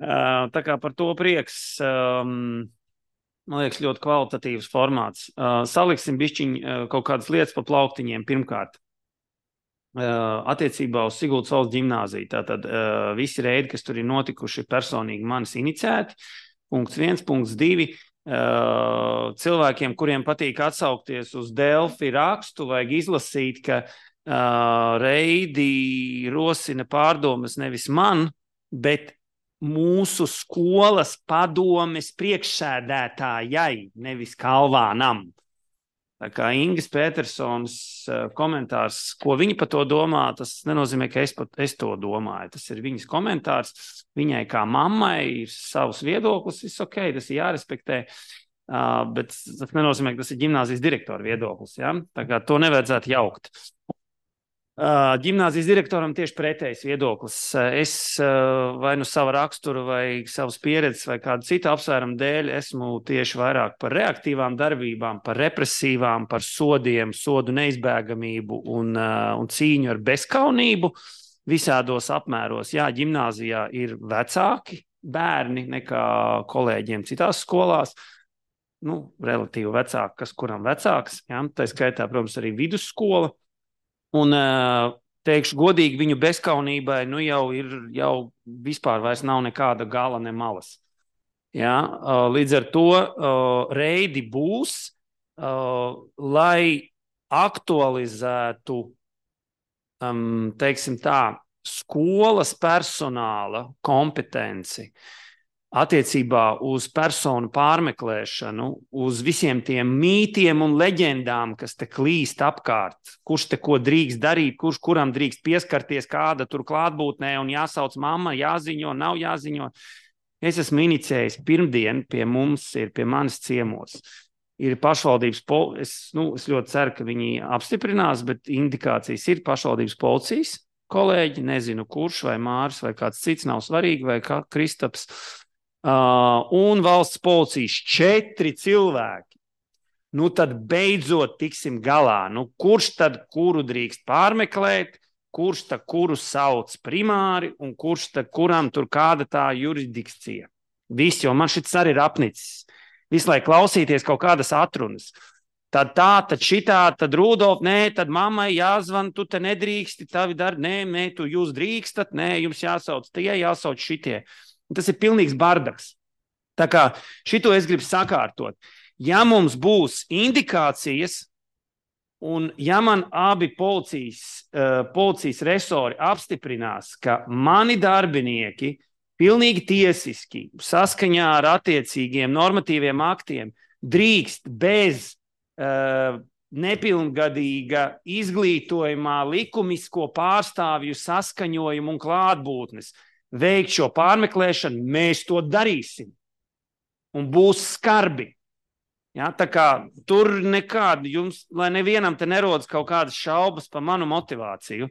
Tā kā par to prieks, um, man liekas, ļoti kvalitatīvs formāts. Uh, saliksim bišķiņ uh, kaut kādas lietas pa plauktiņiem pirmkārt. Uh, attiecībā uz Siguldas valsts ģimnāziju. Tātad uh, visi reidi, kas tur ir notikuši, personīgi manis iniciēti. Punkts viens, punkts divi. Uh, cilvēkiem, kuriem patīk atsaukties uz Delfi rakstu, vajag izlasīt, ka uh, reidi rosina pārdomas nevis man, bet mūsu skolas padomes priekšsēdētājai, nevis Kalvānam. Tā kā Ingas Petersons komentārs, ko viņa par to domā, tas nenozīmē, ka es, pat, es to domāju. Tas ir viņas komentārs. Viņai kā mammai ir savs viedoklis, viss ok, tas ir jārespektē, uh, bet tas nenozīmē, ka tas ir ģimnāzijas direktora viedoklis. Ja? Tā kā to nevajadzētu jaukt. Uh, ģimnāzijas direktoram tieši pretējs viedoklis. Es uh, vai nu sava rakstura vai savas pieredzes vai kādu citu apsvērumu dēļ esmu tieši vairāk par reaktīvām darbībām, par represīvām, par sodiem, sodu neizbēgamību un, uh, un cīņu ar bezkaunību visādos apmēros. Jā, ģimnāzijā ir vecāki bērni nekā kolēģiem citās skolās. Nu, relatīvi vecāki, kas kuram vecāks. Jā, tā skaitā, protams, arī vidusskola. Un teikšu godīgi, viņu bezkaunībai nu jau ir, jau vispār vairs nav nekāda gala ne malas. Ja? Līdz ar to reidi būs, lai aktualizētu, teiksim tā, skolas personāla kompetenci attiecībā uz personu pārmeklēšanu, uz visiem tiem mītiem un leģendām, kas te klīst apkārt, kurš te ko drīkst darīt, kurš kuram drīkst pieskarties, kāda tur klātbūtnē un jāsauc mamma, jāziņo, nav jāziņo. Es esmu inicējis pirmdien pie mums, ir pie manis ciemos. Ir pašvaldības, pol... es, nu, es ļoti ceru, ka viņi apstiprinās, bet indikācijas ir pašvaldības policijas kolēģi, nezinu kurš, vai Māris, vai kāds cits, nav svarīgi, vai kā Kristaps. Uh, un valsts policijas četri cilvēki. Nu tad beidzot tiksim galā. Nu kurš tad kuru drīkst pārmeklēt, kurš tad kuru sauc primāri un kurš tad kuram tur kāda tā jurisdikcija. Viss, jo man šis arī ir apnicis. Visu laiku klausīties kaut kādas atrunas. Tad tā, tad šitā, tad Rudolf, nē, tad mammai jāzvan, tu te nedrīksti, tavi dar, nē, nē, tu jūs drīkstat, nē, jums jāsauc tie, jāsauc šitie. Tas ir pilnīgs bardaks. Tā kā šito es gribu sakārtot. Ja mums būs indikācijas un ja man abi policijas, uh, policijas resori apstiprinās, ka mani darbinieki pilnīgi tiesiski, saskaņā ar attiecīgiem normatīviem aktiem, drīkst bez uh, nepilngadīga izglītojumā likumisko pārstāvju saskaņojumu un klātbūtnes veikt šo pārmeklēšanu, mēs to darīsim. Un būs skarbi. Ja, tā kā tur nekāda jums, lai nevienam te nerodas kaut kādas šaubas par manu motivāciju.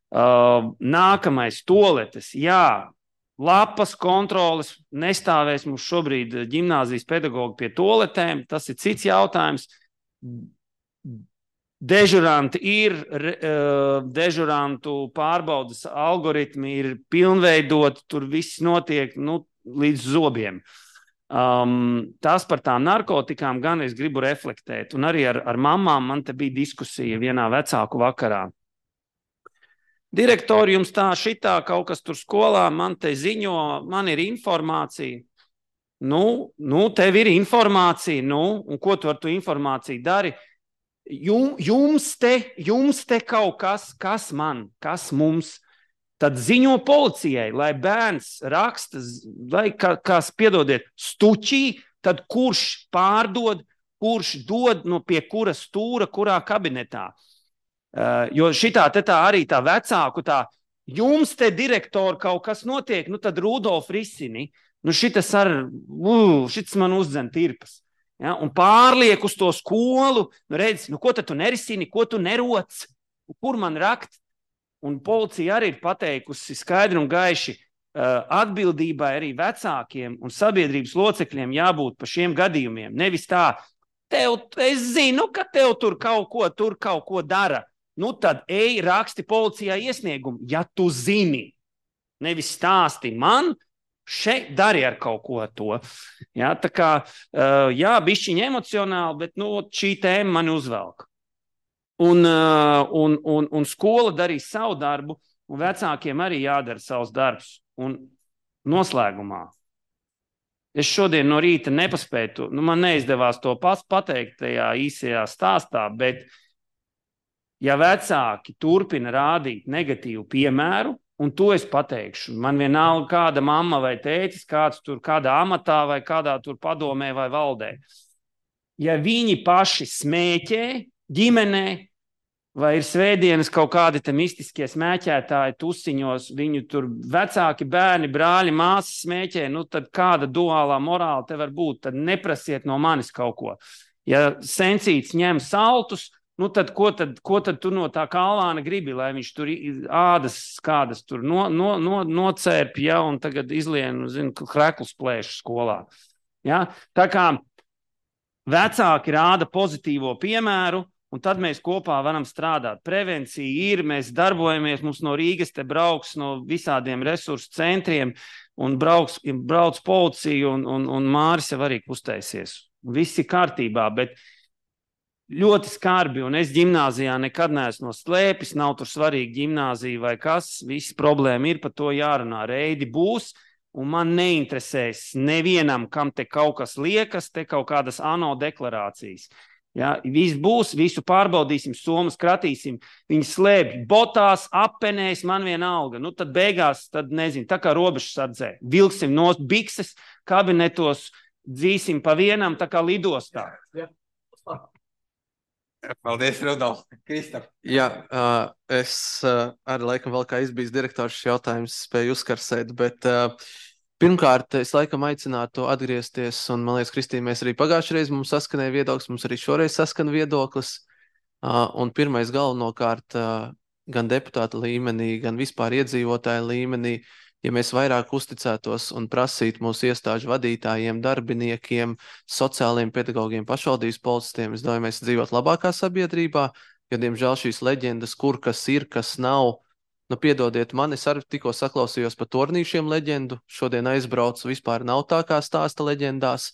Uh, nākamais toaletes, jā, lapas kontroles, nestāvēs mums šobrīd ģimnāzijas pedagogi pie toaletēm, tas ir cits jautājums. Dežuranti ir, uh, dežurantu pārbaudas algoritmi ir pilnveidoti, tur viss notiek nu, līdz zobiem. Um, tas par tām narkotikām gan es gribu reflektēt, un arī ar, ar mamām man te bija diskusija vienā vecāku vakarā. Direktori, jums tā šitā kaut kas tur skolā, man te ziņo, man ir informācija. Nu, nu tev ir informācija, nu, un ko tu ar tu informāciju dari? Jums te, jums te kaut kas, kas man, kas mums, tad ziņo policijai, lai bērns raksta, lai, kas, piedodiet, stučī, tad kurš pārdod, kurš dod no pie kura stūra, kurā kabinetā. Uh, jo šitā te tā arī tā vecāku tā, jums te direktori kaut kas notiek, nu tad Rudolf risini, nu šitas ar, uh, šitas man uzdzen tirpas. Ja? Un pārliek uz to skolu, nu redz, nu ko tad tu nerisini, ko tu neroc, kur man rakt? Un policija arī ir pateikusi skaidri un gaiši, uh, atbildībai arī vecākiem un sabiedrības locekļiem jābūt par šiem gadījumiem. Nevis tā, tev, es zinu, ka tev tur kaut ko, tur kaut ko dara. Nu tad ej raksti policijā iesniegumu, ja tu zini. Nevis stāsti man, šeit dari ar kaut ko to. Ja, tā kā, uh, jā, bišķiņ emocionāli, bet nu, šī tēma mani uzvelk. Un, un, un, un skola darīs savu darbu, un vecākiem arī jādara savs darbs. Un noslēgumā. Es šodien no rīta nepaspēju, nu man neizdevās to pats pateikt tajā īsajā stāstā, bet ja vecāki turpina rādīt negatīvu piemēru, un to es pateikšu, man vienalga kāda mamma vai tētis, kāds tur kādā amatā vai kādā tur padomē vai valdē. Ja viņi paši smēķē, ģimenē, vai ir svētdienas kaut kādi te mistiskie smēķētāji tusiņos, viņu tur vecāki bērni, brāļi, māsas smēķē, nu tad kāda duālā morāla te var būt, tad neprasiet no manis kaut ko. Ja sensīts ņem saltus, nu tad ko tad, ko tad tu no tā kalvāna gribi, lai viņš tur ādas kādas tur no, no, no, nocērp, ja, un tagad izlien, zinu, kreklus plēšu skolā. Ja? Tā kā vecāki rāda pozitīvo piemēru, un tad mēs kopā varam strādāt. Prevencija ir, mēs darbojamies, mums no Rīgas te brauks no visādiem resursu centriem, un brauks, brauc policija, un, un, un Māris jau arī kustēsies. Viss ir kārtībā, bet ļoti skarbi, un es ģimnāzijā nekad neesmu no slēpis, nav tur svarīgi ģimnāzija vai kas, viss problēma ir, par to jārunā. Reidi būs, un man neinteresēs nevienam, kam te kaut kas liekas, te kaut kādas ANO deklarācijas. Ja, viss būs, visu pārbaudīsim, somas kratīsim, viņi slēpj botās, apenēs, man vienalga. Nu, tad beigās, tad nezinu, tā kā robežsardzē. Vilksim no bikses, kabinetos, dzīsim pa vienam, tā kā lidostā. Ja. Paldies, Rudolf. Kristap. Jā, uh, es uh, arī laikam vēl kā izbijis direktors šis jautājums spēju uzkarsēt, bet uh, pirmkārt, es laikam aicinātu atgriezties, un man liekas, Kristīna, mēs arī pagājušreiz mums saskanēja viedoklis, mums arī šoreiz saskan viedoklis, uh, un pirmais galvenokārt uh, gan deputāta līmenī, gan vispār iedzīvotāja līmenī, ja mēs vairāk uzticētos un prasītu mūsu iestāžu vadītājiem, darbiniekiem, sociāliem pedagogiem, pašvaldības policistiem, es domāju, mēs dzīvot labākā sabiedrībā, jo, diemžēl, šīs leģendas, kur kas ir, kas nav, nu, piedodiet man, es arī tikko saklausījos par tornīšiem leģendu, šodien aizbraucu, vispār nav tā kā stāsta leģendās,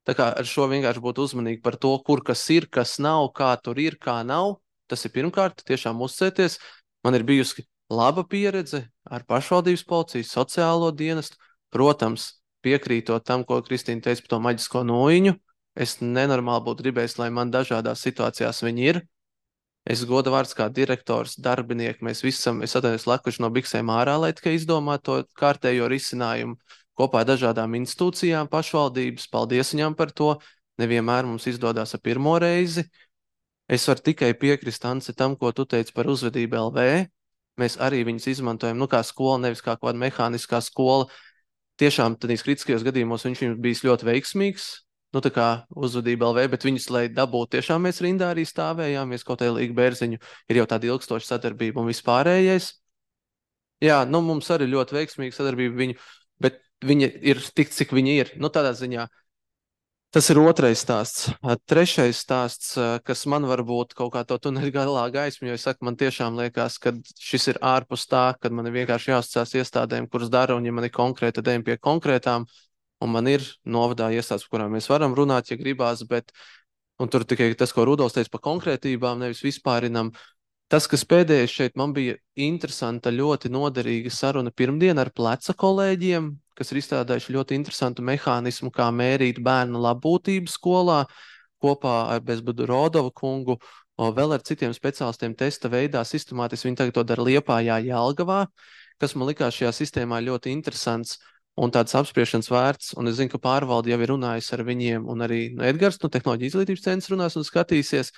tā kā ar šo vienkārši būtu uzmanīgi par to, kur kas ir, kas nav, kā tur ir, kā nav, tas ir pirmkārt, tiešām uzcēties, man ir bijusi laba pieredze ar pašvaldības policiju, sociālo dienestu, protams, piekrītot tam, ko Kristīna teica par to maģisko noiņu, es nenormāli būtu gribējis, lai man dažādās situācijās viņi ir, Es goda vārds kā direktors, darbinieki, mēs visam, es atvainojos lekuši no biksēm ārā, lai tikai izdomātu to kārtējo risinājumu kopā ar dažādām institūcijām, pašvaldības. Paldies viņām par to. Nevienmēr mums izdodas ar pirmo reizi. Es varu tikai piekrist, Anci, tam, ko tu teici par uzvedību L V. Mēs arī viņus izmantojam, nu kā skola, nevis kā kāda mehāniskā skola. Tiešām tādīs kritiskajos gadījumos viņš viņus bijis ļoti veiksmīgs, nu tā kā uzvedība L V, bet viņus, lai dabūtu, tiešām mēs rindā arī stāvējām, mēs kaut kādā Līga Bērziņu ir jau tāda ilgstoša sadarbība un vispārējais. Jā, nu mums arī ļoti veiksmīga sadarbība viņu, bet viņa ir tik, cik viņa ir. Nu tādā ziņā. Tas ir otrais stāsts. Trešais stāsts, kas man varbūt kaut kā to tuneļu galā gaismu, jo es saku, man tiešām liekas, ka šis ir ārpus tā, kad man ir vienkārši jāuzticās iestādēm, kuras dara, un ja man ir konkrēti, tad ejam pie konkrētām, un man ir novadā iestādes, par kurām mēs varam runāt, ja gribās, bet, un tur tikai tas, ko Rudolfs teica par konkrētībām, nevis vispārinam. Tas, kas pēdējais šeit, man bija interesanta, ļoti noderīga saruna pirmdien ar pleca kolēģiem, kas ir izstrādājuši ļoti interesantu mehānismu, kā mērīt bērnu labbūtību skolā, kopā ar Bezbudu Rodova kungu, vēl ar citiem speciālistiem testa veidā, sistemātiski viņi tagad to dara Liepājā, Jelgavā, kas man likās šajā sistēmā ļoti interesants un tāds apspriešanas vērts, un es zinu, ka pārvalde jau ir runājis ar viņiem, un arī no Edgars, no Tehnoloģija izglītības centra runās un skatīsies.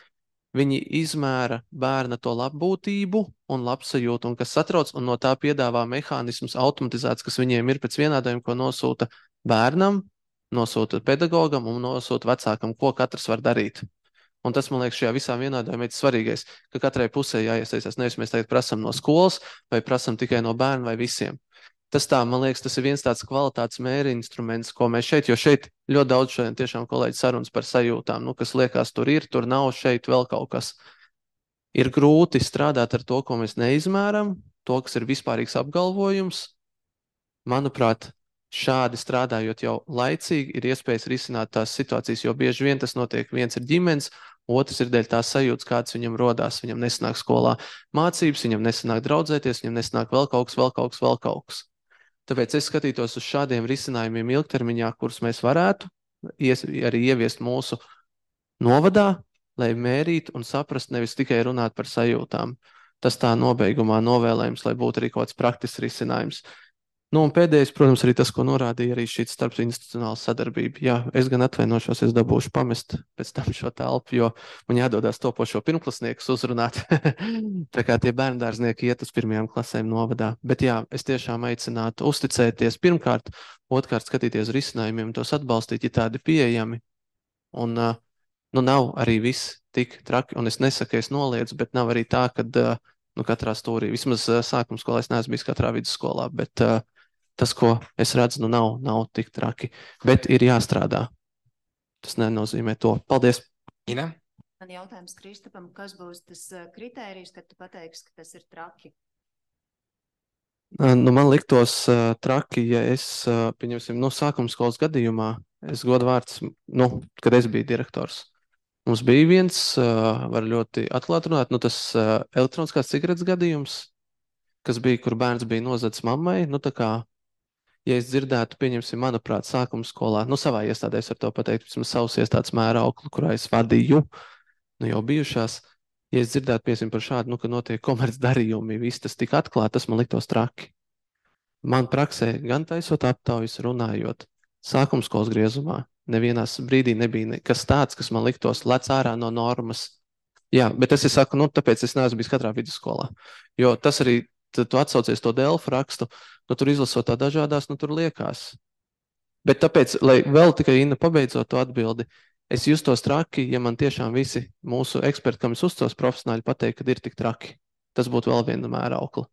Viņi izmēra bērna to labbūtību un labsajūtu, un kas satrauc, un no tā piedāvā mehānismus automatizēts, kas viņiem ir pēc vienādojuma, ko nosūta bērnam, nosūta pedagogam un nosūta vecākam, ko katrs var darīt. Un tas, man liekas, šajā visā vienādojumā ir svarīgais, ka katrai pusē jāiesaistās, nevis mēs tagad prasam no skolas vai prasam tikai no bērna vai visiem. Tas tā, man liekas, tas ir viens tāds kvalitātes mēri instruments, ko mēs šeit, jo šeit ļoti daudz šodien tiešām kolēģi sarunas par sajūtām, nu, kas liekas, tur ir, tur nav, šeit vēl kaut kas. Ir grūti strādāt ar to, ko mēs neizmēram, to, kas ir vispārīgs apgalvojums. Manuprāt, šādi strādājot jau laicīgi ir iespējas risināt tās situācijas, jo bieži vien tas notiek, viens ir ģimenes, otrs ir dēļ tās sajūtas, kāds viņam rodās, viņam nesanāk skolā mācības, viņam nesanāk draudzēties, viņam nesanāk vēl kaut kas, vēl kaut kas, vēl kaut kas. Tāpēc es skatītos uz šādiem risinājumiem ilgtermiņā, kurus mēs varētu ies, arī ieviest mūsu novadā, lai mērītu un saprast, nevis tikai runāt par sajūtām. Tas tā nobeigumā novēlējums, lai būtu arī kaut kāds praktisks risinājums. Nu, un pēdējais, protams, arī tas, ko norādīja arī šī starpinstitucionāla sadarbība. Jā, es gan atvainošos, es dabūšu pamest pēc tam šo telpu, jo man jādodās topošo pirmklasniekus uzrunāt. Tā kā tie bērndārznieki iet uz pirmajām klasēm novadā. Bet jā, es tiešām aicinātu uzticēties pirmkārt, otrkārt skatīties risinājumiem, tos atbalstīt, ja tādi pieejami. Un nu, nav arī viss tik traki, un es nesaku, es noliedzu, bet nav arī tā, ka nu, katrā stūrī, vismaz sākuma skolā es neesmu bijis katrā vidusskolā, bet uh, tas, ko es redzu, nu nav, nav tik traki, bet ir jāstrādā. Tas nenozīmē to. Paldies! Ina? Man jautājums Kristapam, kas būs tas kritērijs, kad tu pateiksi, ka tas ir traki? Nu, man liktos uh, traki, ja es, uh, pieņemsim, nu, sākuma skolas gadījumā, es godu vārds, nu, kad es biju direktors. Mums bija viens, uh, var ļoti atklāt runāt, nu, tas uh, elektroniskās cigaretes gadījums, kas bija, kur bērns bija nozadis mammai, nu, tā kā, ja es dzirdētu, pieņemsim, manuprāt, sākuma skolā, nu, savā iestādē es ar to pateikt, vismaz savus iestādes mēra auklu, kurā es vadīju, nu, jau bijušās, ja es dzirdētu, pieņemsim, par šādu, nu, ka notiek komerc darījumi, viss tas tik atklāt, tas man liktos traki. Man praksē, gan taisot aptaujas, runājot, sākuma skolas griezumā, nevienās brīdī nebija nekas tāds, kas man liktos lec ārā no normas. Jā, bet es saku, nu, tāpēc es neesmu bijis katrā vidusskolā, jo tas arī, tad tu atsaucies to Delfu rakstu, nu, tur izlasot tā dažādās, nu, tur liekas. Bet tāpēc, lai vēl tikai Inna pabeidzot to atbildi, es justos traki, ja man tiešām visi mūsu eksperti, kam es uzticos profesionāļi, pateikt, kad ir tik traki. Tas būtu vēl viena mēra aukla.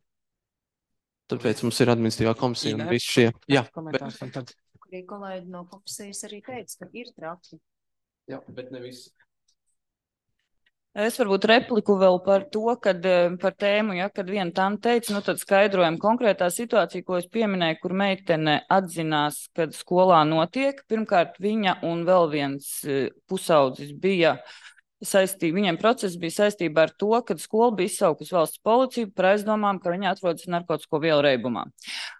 Tāpēc mums ir administratīvā komisija un visi šie. Jā, komentārs. Bet... Arī kolēģi no komisijas arī teica, ka ir traki. Jā, bet ne visi. Es varbūt repliku vēl par to, kad par tēmu, ja, kad viena tante teica, nu tad skaidrojam konkrētā situācija, ko es pieminēju, kur meitene atzinās, kad skolā notiek. Pirmkārt, viņa un vēl viens pusaudzis bija saistība, viņiem process bija saistībā ar to, kad skola bija izsaukusi valsts policiju par aizdomām, ka viņa atrodas narkotisko vielu reibumā.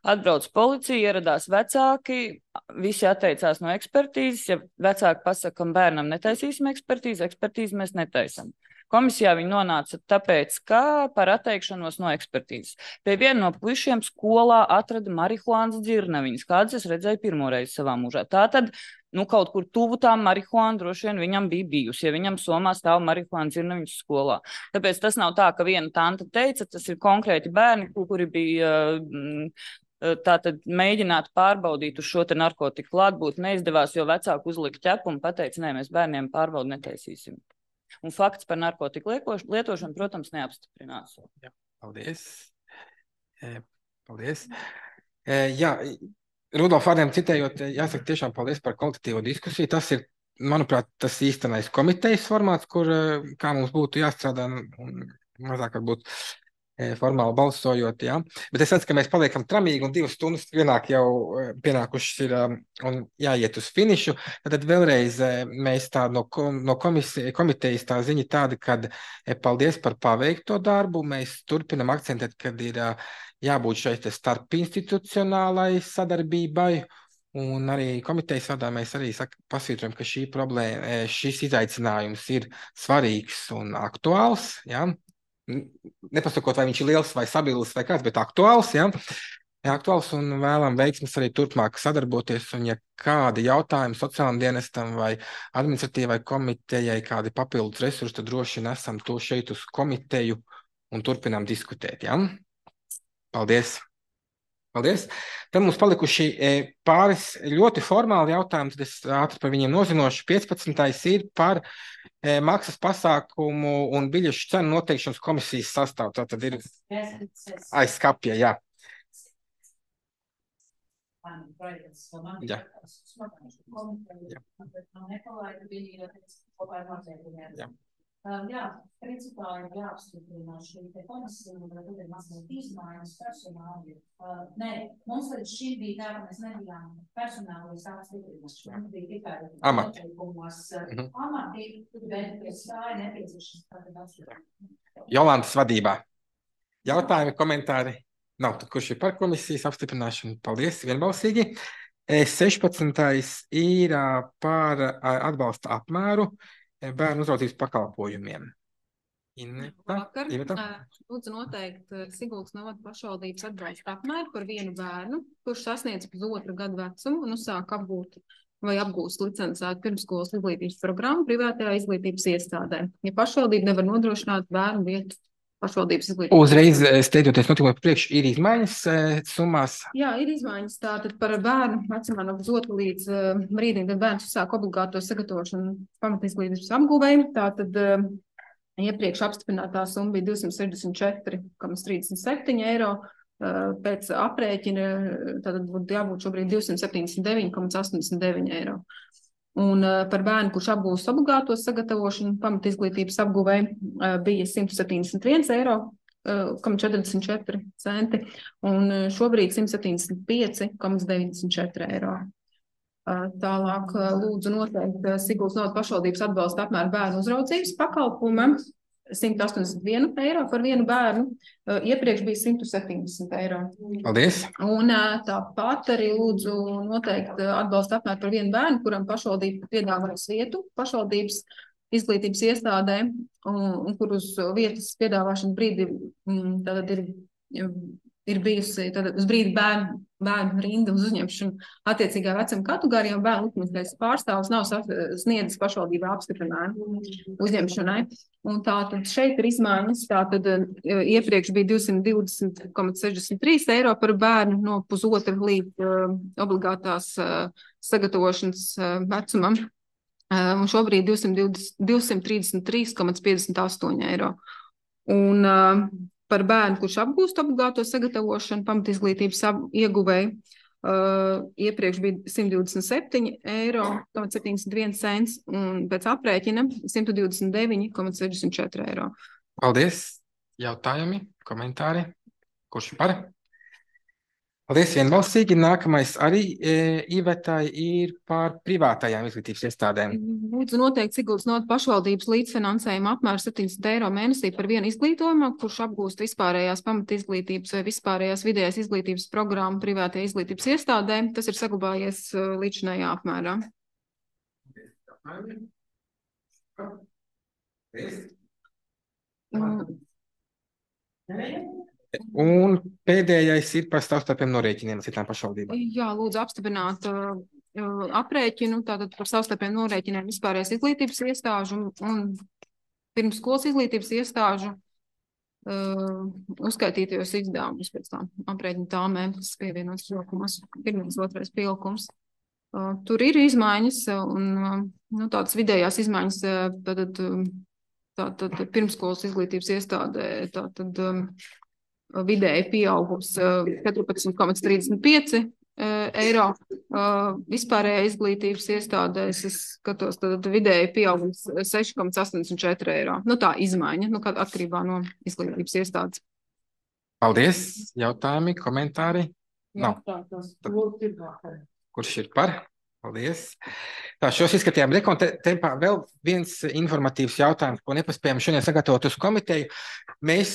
Atbrauc policija, ieradās vecāki, visi atteicās no ekspertīzes, ja vecāki pasaka, ka bērnam netaisīsim ekspertīzi, ekspertīzi mēs netaisam. komisijā viņi nonāca tāpēc, ka par atteikšanos no ekspertīzes. Pie viena no puišiem skolā atrada marihuānas dzirnaviņas, kādas es redzēju pirmoreiz savā mūžā. Tātad, nu, kaut kur tuvu tā marihuāna droši vien viņam bija bijusi, ja viņam Somā stāv marihuāna dzirnaviņas skolā. Tāpēc tas nav tā, ka viena tanta teica, tas ir konkrēti bērni, kuri bija tātad mēģināt pārbaudīt uz šo te narkotiku klātbūt, neizdevās, jo vecāki uzlika ķepu un pateica, nē, mēs bērniem pārbaudu netaisīsim. Un fakts par narkotiku lietošanu, protams, neapstiprinās. Jā, paldies. Paldies. Jā, Rudolf vārdiem citējot, jāsaka tiešām paldies par kvalitatīvo diskusiju. Tas ir, manuprāt, tas īstenais komitejas formāts, kur kā mums būtu jāstrādā un mazāk varbūt formāli balsojot, jā. Bet es redzu, ka mēs paliekam tramīgi un divas stundas pienāk jau pienākušas ir un jāiet uz finišu. Tad vēlreiz mēs tā no, no komisija, komitejas tā ziņa tāda, kad paldies par paveikto darbu. Mēs turpinam akcentēt, kad ir jābūt šeit starp institucionālai sadarbībai, un arī komitejas vadā mēs arī saka, pasvītrojam, ka šī problēma, šis izaicinājums ir svarīgs un aktuāls, jā. Nepasakot, vai viņš ir liels vai sabilis vai kāds, bet aktuāls, jā. Aktuāls un vēlam veiksmes arī turpmāk sadarboties, un ja kādi jautājumi sociālam dienestam vai administratīvai komitejai, kādi papildus resursi, tad droši nesam to šeit uz komiteju un turpinām diskutēt, jā. Paldies! Paldies! Tad mums palikuši pāris ļoti formāli jautājumi, tad es ātri par viņiem nozinošu. piecpadsmitais ir par maksas pasākumu un biļešu cenu noteikšanas komisijas sastāvu. Tā tad ir aiz skapja, jā. Jā. Jā. Jā. Um, jā, principā ir jāapstiprina šī te komisija, un tad ir mazliet izmaiņas personāli. Uh, nē, mums līdz šī bija tā, ka mēs nebijām personāli apstiprināši. Mums bija tikai amati. Mm-hmm. Amati, bet pēc tā ir nepieciešams tātad apstiprināt. Jolantas vadībā. Jautājumi, komentāri? Nav, tad kurš ir par komisijas apstiprināšanu? Paldies, vienbalsīgi. sešpadsmitais ir par atbalsta apmēru bērnu uzraudzības pakalpojumiem. Vakar lūdzu noteikt Siguldas novada pašvaldības atbalsta apmēru par vienu bērnu, kurš sasniedz pusotru gadu vecumu un uzsāk apgūt vai apgūst licencētu pirmsskolas izglītības programmu privātajā izglītības iestādē. Ja pašvaldība nevar nodrošināt bērnu vietu pašvaldības izglītības. Uzreiz steidzoties notikumiem priekš ir izmaiņas summās? Jā, ir izmaiņas. Tātad par bērnu vecumā no pusotra līdz uh, brīdim, kad bērns uzsāk obligāto sagatavošanu pamatizglītības apgūvēju. Tātad uh, iepriekš apstiprinātā summa bija divsimt sešdesmit četri komats trīsdesmit septiņi eiro. Uh, pēc aprēķina tātad būtu jābūt šobrīd divsimt septiņdesmit deviņi komats astoņdesmit deviņi eiro. Un uh, par bērnu, kurš apgūst obligāto sagatavošanu pamatizglītības apguvēju, uh, bija simt septiņdesmit viens eiro, uh, četrdesmit četri centi, un uh, šobrīd simt septiņdesmit pieci deviņdesmit četri eiro. Uh, tālāk uh, lūdzu noteikt uh, Siguldas novada pašvaldības atbalsta apmēru bērnu uzraudzības pakalpojumam simt astoņdesmit viens eiro par vienu bērnu, uh, iepriekš bija simt septiņdesmit eiro. Paldies! Un uh, tāpat arī lūdzu noteikt uh, atbalsta apmēru par vienu bērnu, kuram pašvaldība piedāvājas vietu pašvaldības izglītības iestādē, un, un kur uz vietas piedāvāšana brīdi mm, tātad ir, ir bijusi tātad uz brīdi bērnu, bērnu rinda uz uzņemšanu attiecīgā vecuma kategorijā, un bērnu likumīgais pārstāvs nav sniedzis pašvaldībā apstiprinājumu uzņemšanai. Un tātad šeit ir izmaiņas, tātad iepriekš bija divsimt divdesmit komats sešdesmit trīs eiro par bērnu no pusotra līdz uh, obligātās uh, sagatavošanas uh, vecumam, uh, un šobrīd divsimt trīsdesmit trīs komats piecdesmit astoņi eiro. Un uh, par bērnu, kurš apgūst obligāto sagatavošanu pamatizglītības ieguvēju, uh, iepriekš bija simt divdesmit septiņi eiro, septiņdesmit viens cents, un pēc aprēķina simt divdesmit deviņi komats sešdesmit četri eiro. Paldies! Jautājumi, komentāri? Kurš par? Paldies, vienbalsīgi. Nākamais arī e, Ivetai ir par privātajām izglītības iestādēm. Lūdzu noteikt Siguldas novada pašvaldības līdzfinansējuma apmēru septiņdesmit eiro mēnesī par vienu izglītojumu, kurš apgūst vispārējās pamatizglītības vai vispārējās vidējās izglītības programmu privātajā izglītības iestādē. Tas ir saglabājies līdzinājā apmērā. Un pēdējais ir par savstarpējiem norēķiniem citām pašvaldībām. Jā, lūdzu apstiprināt uh, aprēķinu, tātad par savstarpējiem norēķiniem vispārējais izglītības iestāžu un, un pirmsskolas izglītības iestāžu uh, uzskaitītajos izdevumus pēc tam aprēķina tāmēm, kas pievienots pielikums, pirmais, otrais pielikums. Uh, tur ir izmaiņas un uh, nu, tādas vidējās izmaiņas uh, tātad, tātad pirmsskolas izglītības iestādē tātad um, vidēji pieaugums četrpadsmit komats trīsdesmit pieci eiro. Vispārējā izglītības iestādēs es skatos, tad vidēji pieaugums seši komats astoņdesmit četri eiro. Nu tā izmaiņa, nu kāda atkarībā no izglītības iestādes. Paldies. Jautājumi, komentāri? Nav. Kurš ir par? Paldies. Tā, šos izskatījām rekontempā. Vēl viens informatīvs jautājums, ko nepaspējām šodien sagatavot uz komiteju. Mēs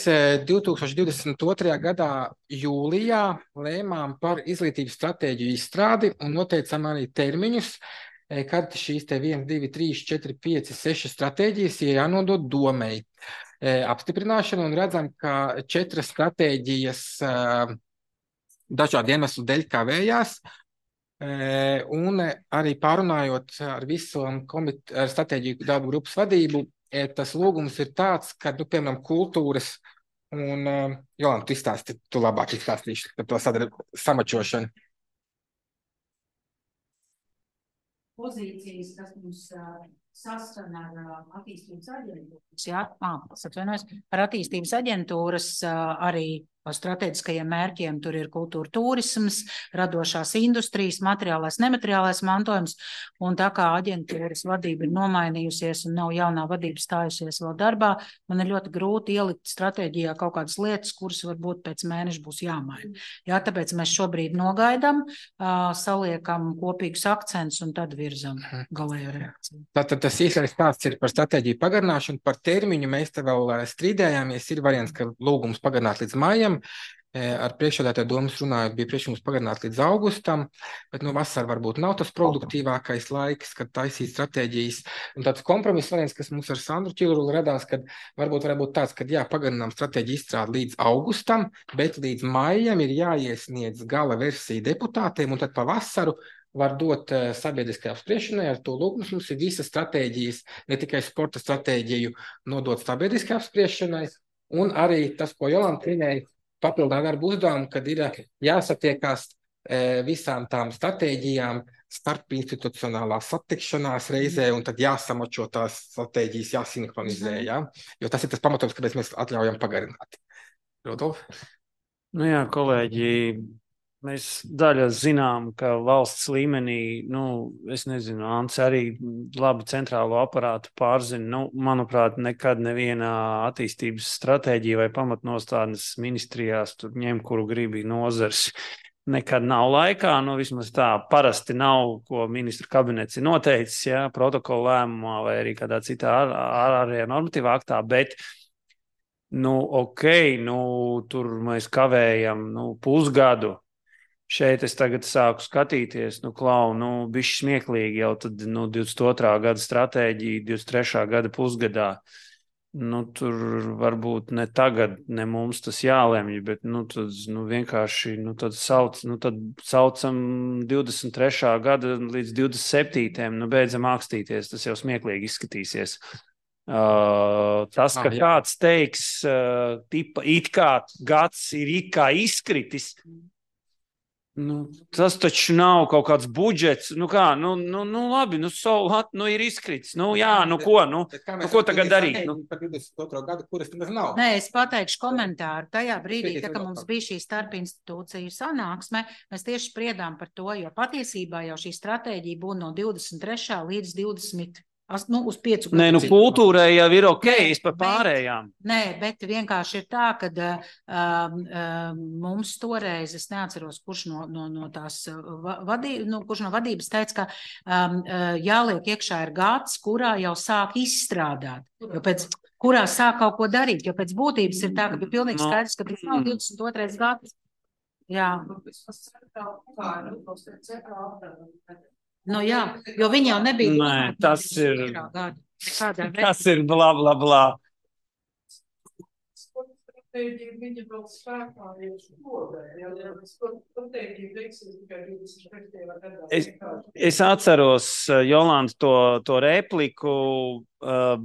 divi tūkstoši divdesmit otrajā gadā jūlijā lēmām par izglītības stratēģiju izstrādi un noteicām arī termiņus, kad šīs te viens, divi, trīs, četri, pieci, seši stratēģijas ir jānodod domei apstiprināšanu un redzam, ka četras stratēģijas dažādu iemeslu dēļ kavējās. Un arī pārunājot ar visu komit- ar stratēģiju darba grupas vadību, tas lūgums ir tāds, ka, nu, piemēram, kultūras un, Jolanta, tu izstāsti, tu labāk izstāstīši par to sadar- samačošanu. Pozīcijas, kas mums uh, saskan ar uh, attīstības aģentūras, jā, ah, atvainojos, ar attīstības aģentūras uh, arī strateģiskajiem mērķiem tur ir kultūra turisms, radošās industrijas, materiālais, nemateriālais mantojums, un tā kā aģentūras vadība ir nomainījusies un nav jaunā vadība stājusies vēl darbā, man ir ļoti grūti ielikt stratēģijā kaut kādas lietas, kuras varbūt pēc mēneša būs jāmaina. Jā, tāpēc mēs šobrīd nogaidam, uh, saliekam kopīgus akcentus un tad virzam galējo reakciju. Tātad tas īsais stāsts ir par stratēģiju pagarināšanu, par termiņu mēs te vēl strīdējāmies, ir variants, ka lūgums pagarināt līdz mājam. Ar priekšsēdētāju domas runājot, bija priekšlikums pagarināt līdz augustam, bet nu, vasara varbūt nav tas produktīvākais laiks, kad taisīt stratēģijas. Un tāds kompromiss variants, kas mums ar Sandru Čilrulu radās, kad varbūt varētu būt tāds, ka jā, pagarinām stratēģiju izstrādi līdz augustam, bet līdz maijam ir jāiesniedz gala versija deputātiem, un tad pa vasaru var dot uh, sabiedriskajā apspriešanai. Ar to lūgums mums ir visas stratēģijas, ne tikai sporta stratēģiju nodot sabiedriskajā apspriešanai, un arī tas, ko Jolanta minēja, papildināt darbu uzdevumu, kad ir jāsatiekās e, visām tām stratēģijām starp institucionālā satikšanās reizē, un tad jāsamačo tās stratēģijas, jāsinhronizē, jā? Jo tas ir tas pamatojums, kāpēc mēs atļaujam pagarināt. Rodolf? Nu jā, kolēģi, mēs daļa zinām, ka valsts līmenī, nu, es nezinu, Ants arī labi centrālo aparātu pārzina. Nu, manuprāt, nekad nevienā attīstības stratēģija vai pamatnostādnes ministrijās tur ņem, kuru gribi nozars. Nekad nav laikā, nu, vismaz tā parasti nav, ko ministru kabinets ir noteicis, jā, protokola lēmumā vai arī kādā citā ārējā normatīvā aktā, bet nu, ok, nu, tur mēs kavējam, nu, pusgadu. Šeit es tagad sāku skatīties, nu, klau, nu, bišķi smieklīgi jau tad, nu, divdesmit otrā gada stratēģija, divdesmit trešā gada pusgadā. Nu, tur varbūt ne tagad, ne mums tas jālemj, bet, nu, tad, nu, vienkārši, nu, tad sauc, nu, tad saucam divdesmit trešā gada līdz divdesmit septītajam, nu, beidzam ākstīties, tas jau smieklīgi izskatīsies. Uh, tas, ka ah, kāds teiks, uh, tipa, it kā gads ir it kā izkritis, nu, tas taču nav kaut kāds budžets, nu kā, nu, nu, nu labi, nu, solat, nu, ir izkrits, nu, jā, nu, ko, nu, nu ko tagad darīt? Nu? divdesmit otro gadu, kuras tas nav? Nē, es pateikšu komentāru. Tajā brīdī, tā, kad mums bija šī starpinstitūciju sanāksme, mēs tieši spriedām par to, jo patiesībā jau šī stratēģija būtu no divdesmit trešā līdz divdesmit Nu, uz piecu Nē, nu, kultūrai jau ir ok, es par pārējām. Nē, bet vienkārši ir tā, ka um, um, mums toreiz, es neatceros, kurš no, no, no tās vadības, nu, kurš no vadības teica, ka um, jāliek iekšā ir gads, kurā jau sāk izstrādāt, jo pēc, kurā sāk kaut ko darīt, jo pēc būtības ir tā, ka bija pilnīgi skaidrs, ka tas nav divdesmit otrais gads. Jā. Nu jā, jo viņi jau nebija. Nē, tas ir, tas ir blā, blā, blā. Viņa vēl spēkā ir šodien, ja mēs pateikti veiksim tikai divdesmit piektajā gadā. Es, es atceros, Jolanta, to, to repliku,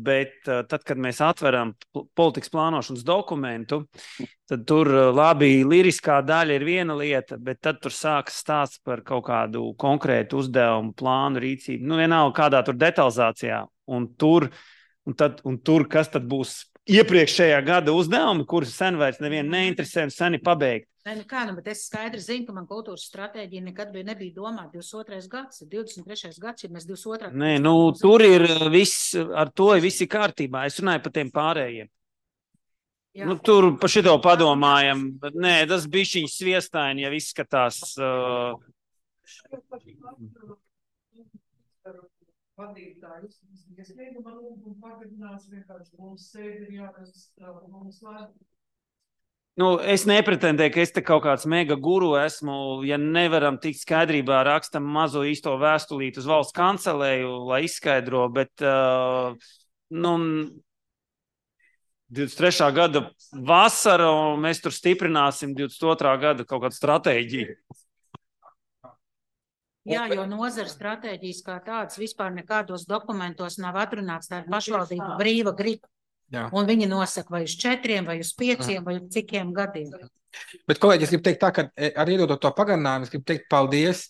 bet tad, kad mēs atveram politikas plānošanas dokumentu, tad tur labi liriskā daļa ir viena lieta, bet tad tur sākas stāsts par kaut kādu konkrētu uzdevumu, plānu, rīcību. Nu, vienalga kādā tur detalizācijā. Un tur, un tad, un tur kas tad būs iepriekšējā gada uzdevumi, kurus sen vairs nevienu neinteresē un seni pabeigt. Nē, nu kā, nu, bet es skaidri zinu, ka man kultūras stratēģija nekad bija nebija domāta divdesmit otrais gads, divdesmit trešais gads, ja mēs divdesmit otrā Nē, nu, tur ir viss, ar to ir visi kārtībā. Es runāju par tiem pārējiem. Jā. Nu, tur pa šito padomājam, bet nē, tas bišķiņš sviestaini jau izskatās. Uh... Vadītājus, es negribu man lūgumu pagadinās, vienkārši mums sēdi ir jārezistrā, mums lēd. Nu, es nepretendēju, ka es te kaut kāds mega guru esmu, ja nevaram tikt skaidrībā, rakstam mazo īsto vēstulīti uz valsts kancelēju, lai izskaidro, bet, uh, nu, divdesmit trešā gada vasara, un mēs tur stiprināsim divdesmit otrā gada kaut kādu stratēģiju. Jā, jo nozara stratēģijas kā tāds vispār nekādos dokumentos nav atrunāts, tā ir pašvaldība brīva griba. Jā. Un viņi nosaka vai uz četriem, vai uz pieciem, vai uz cikiem gadiem. Bet, kolēģi, es gribu teikt tā, ka ar iedodot to pagarinājumu, es gribu teikt paldies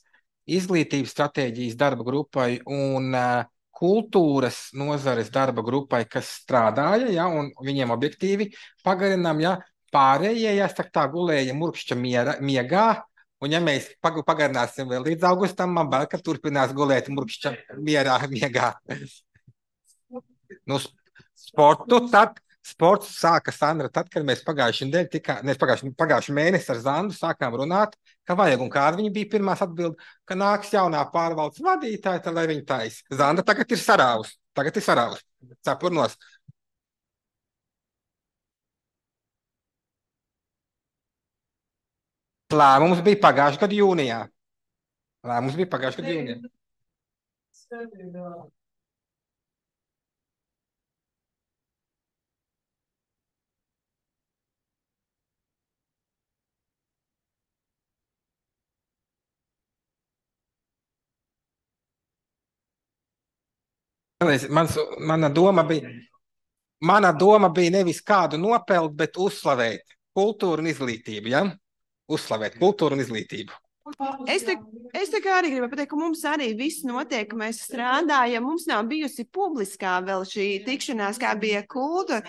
izglītības stratēģijas darba grupai un uh, kultūras nozares darba grupai, kas strādāja, ja, un viņiem objektīvi pagarinām, ja, pārējie, jāsaka tā, gulēja murkšķa miera, miegā. Un ja mēs pagarināsim vēl līdz augustam, man bail, ka turpinās gulēt murkšķa mierā, miegā. Nu, sportu tad, sports sāka Sandra tad, kad mēs pagājuši nedēļu, tikā, ne, pagājuši, pagājuši mēnesi ar Zandu sākām runāt, ka vajag, un kāda viņa bija pirmās atbild, ka nāks jaunā pārvaldes vadītāja, tad lai viņa tais. Zanda tagad ir sarāvus, tagad ir sarāvus, cepurnos. Lēmums bija pagājušajā gada jūnijā. Lēmums bija pagājušajā gada jūnijā. Mans, mana doma bija, mana doma bija nevis kādu nopelt, bet uzslavēt kultūru un izglītību, ja? Uzslavēt kultūru un izglītību. Es te, es te kā arī gribu pateikt, ka mums arī viss notiek, ka mēs strādājam, mums nav bijusi publiskā vēl šī tikšanās, kā bija kultūra.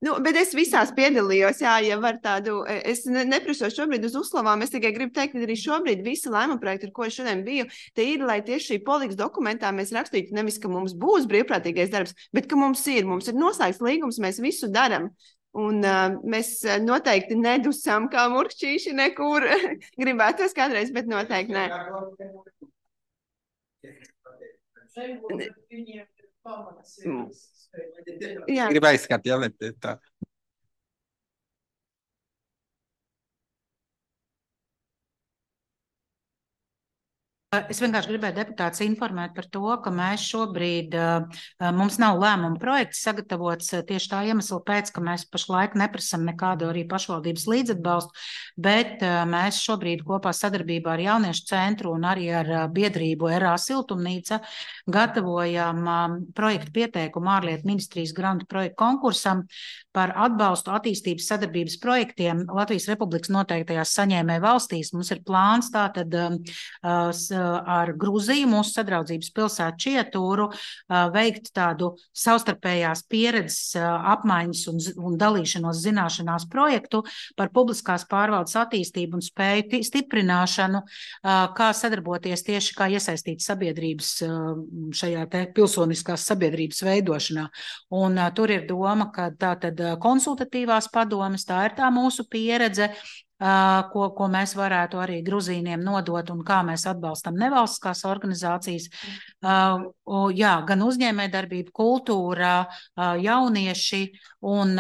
Nu, bet es visās piedalījos, jā, ja var tādu, es ne, neprasos šobrīd uz uzslavām, es tikai gribu teikt, ka arī šobrīd visi lēmuma projekti, ar ko es šodien biju, te ir, lai tieši šī politikas dokumentā mēs rakstītu nevis, ka mums būs brīvprātīgais darbs, bet ka mums ir, mums ir noslēgts līgums, mēs visu daram. Un uh, mēs noteikti nedusam kā murkšķīši nekur gribētos kādreiz, bet noteikti nē. Jā. Gribu aizskat, jā, bet tā. Es vienkārši gribēju deputātus informēt par to, ka mēs šobrīd, mums nav lēmuma projekts sagatavots tieši tā iemesla pēc, ka mēs pašlaik neprasam nekādu arī pašvaldības līdzatbalstu, bet mēs šobrīd kopā sadarbībā ar Jauniešu centru un arī ar biedrību R A Siltumnīca gatavojam projektu pieteikumu ārlietu ministrijas grantu projektu konkursam par atbalstu attīstības sadarbības projektiem Latvijas Republikas noteiktajās saņēmēju valstīs. Mums ir plāns tātad ar Gruziju, mūsu sadraudzības pilsētu Čietūru, veikt tādu savstarpējās pieredzes apmaiņas un, un dalīšanos zināšanās projektu par publiskās pārvaldes attīstību un spēju stiprināšanu, kā sadarboties tieši kā iesaistīt sabiedrības šajā te pilsoniskās sabiedrības veidošanā. Un tur ir doma, ka tā tad konsultatīvās padomes, tā ir tā mūsu pieredze, Ko, ko mēs varētu arī gruzīniem nodot un kā mēs atbalstam nevalstiskās organizācijas. Jā, gan uzņēmējdarbība, kultūra, jaunieši, un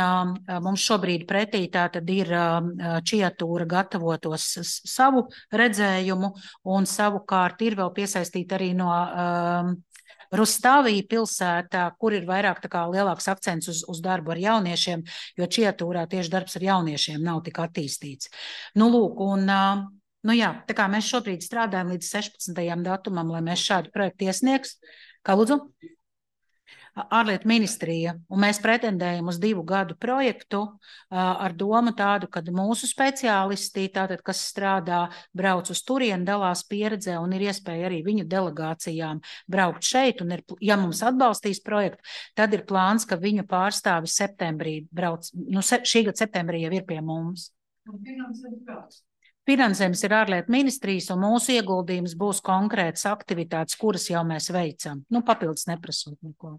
mums šobrīd pretī tā tad ir Čietūra gatavotos savu redzējumu, un savukārt ir vēl piesaistīta arī no Rustavī pilsētā, kur ir vairāk tā kā lielāks akcents uz, uz darbu ar jauniešiem, jo Čietūrā tieši darbs ar jauniešiem nav tik attīstīts. Nu, lūk, un, nu jā, tā kā mēs šobrīd strādājam līdz sešpadsmitajam datumam, lai mēs šādu projektu iesniegs. Kā lūdzu? Ārlietu ministrija, un mēs pretendējam uz divu gadu projektu ar domu tādu, kad mūsu speciālisti, tātad, kas strādā, brauc uz turieni, dalās pieredzē un ir iespēja arī viņu delegācijām braukt šeit, un ir, ja mums atbalstīs projektu, tad ir plāns, ka viņu pārstāvi septembrī brauc, nu šī gada septembrī jau ir pie mums. Finansējums ir ārlietu ministrijas, un mūsu ieguldījums būs konkrētas aktivitātes, kuras jau mēs veicam. Nu, papildus neprasot neko.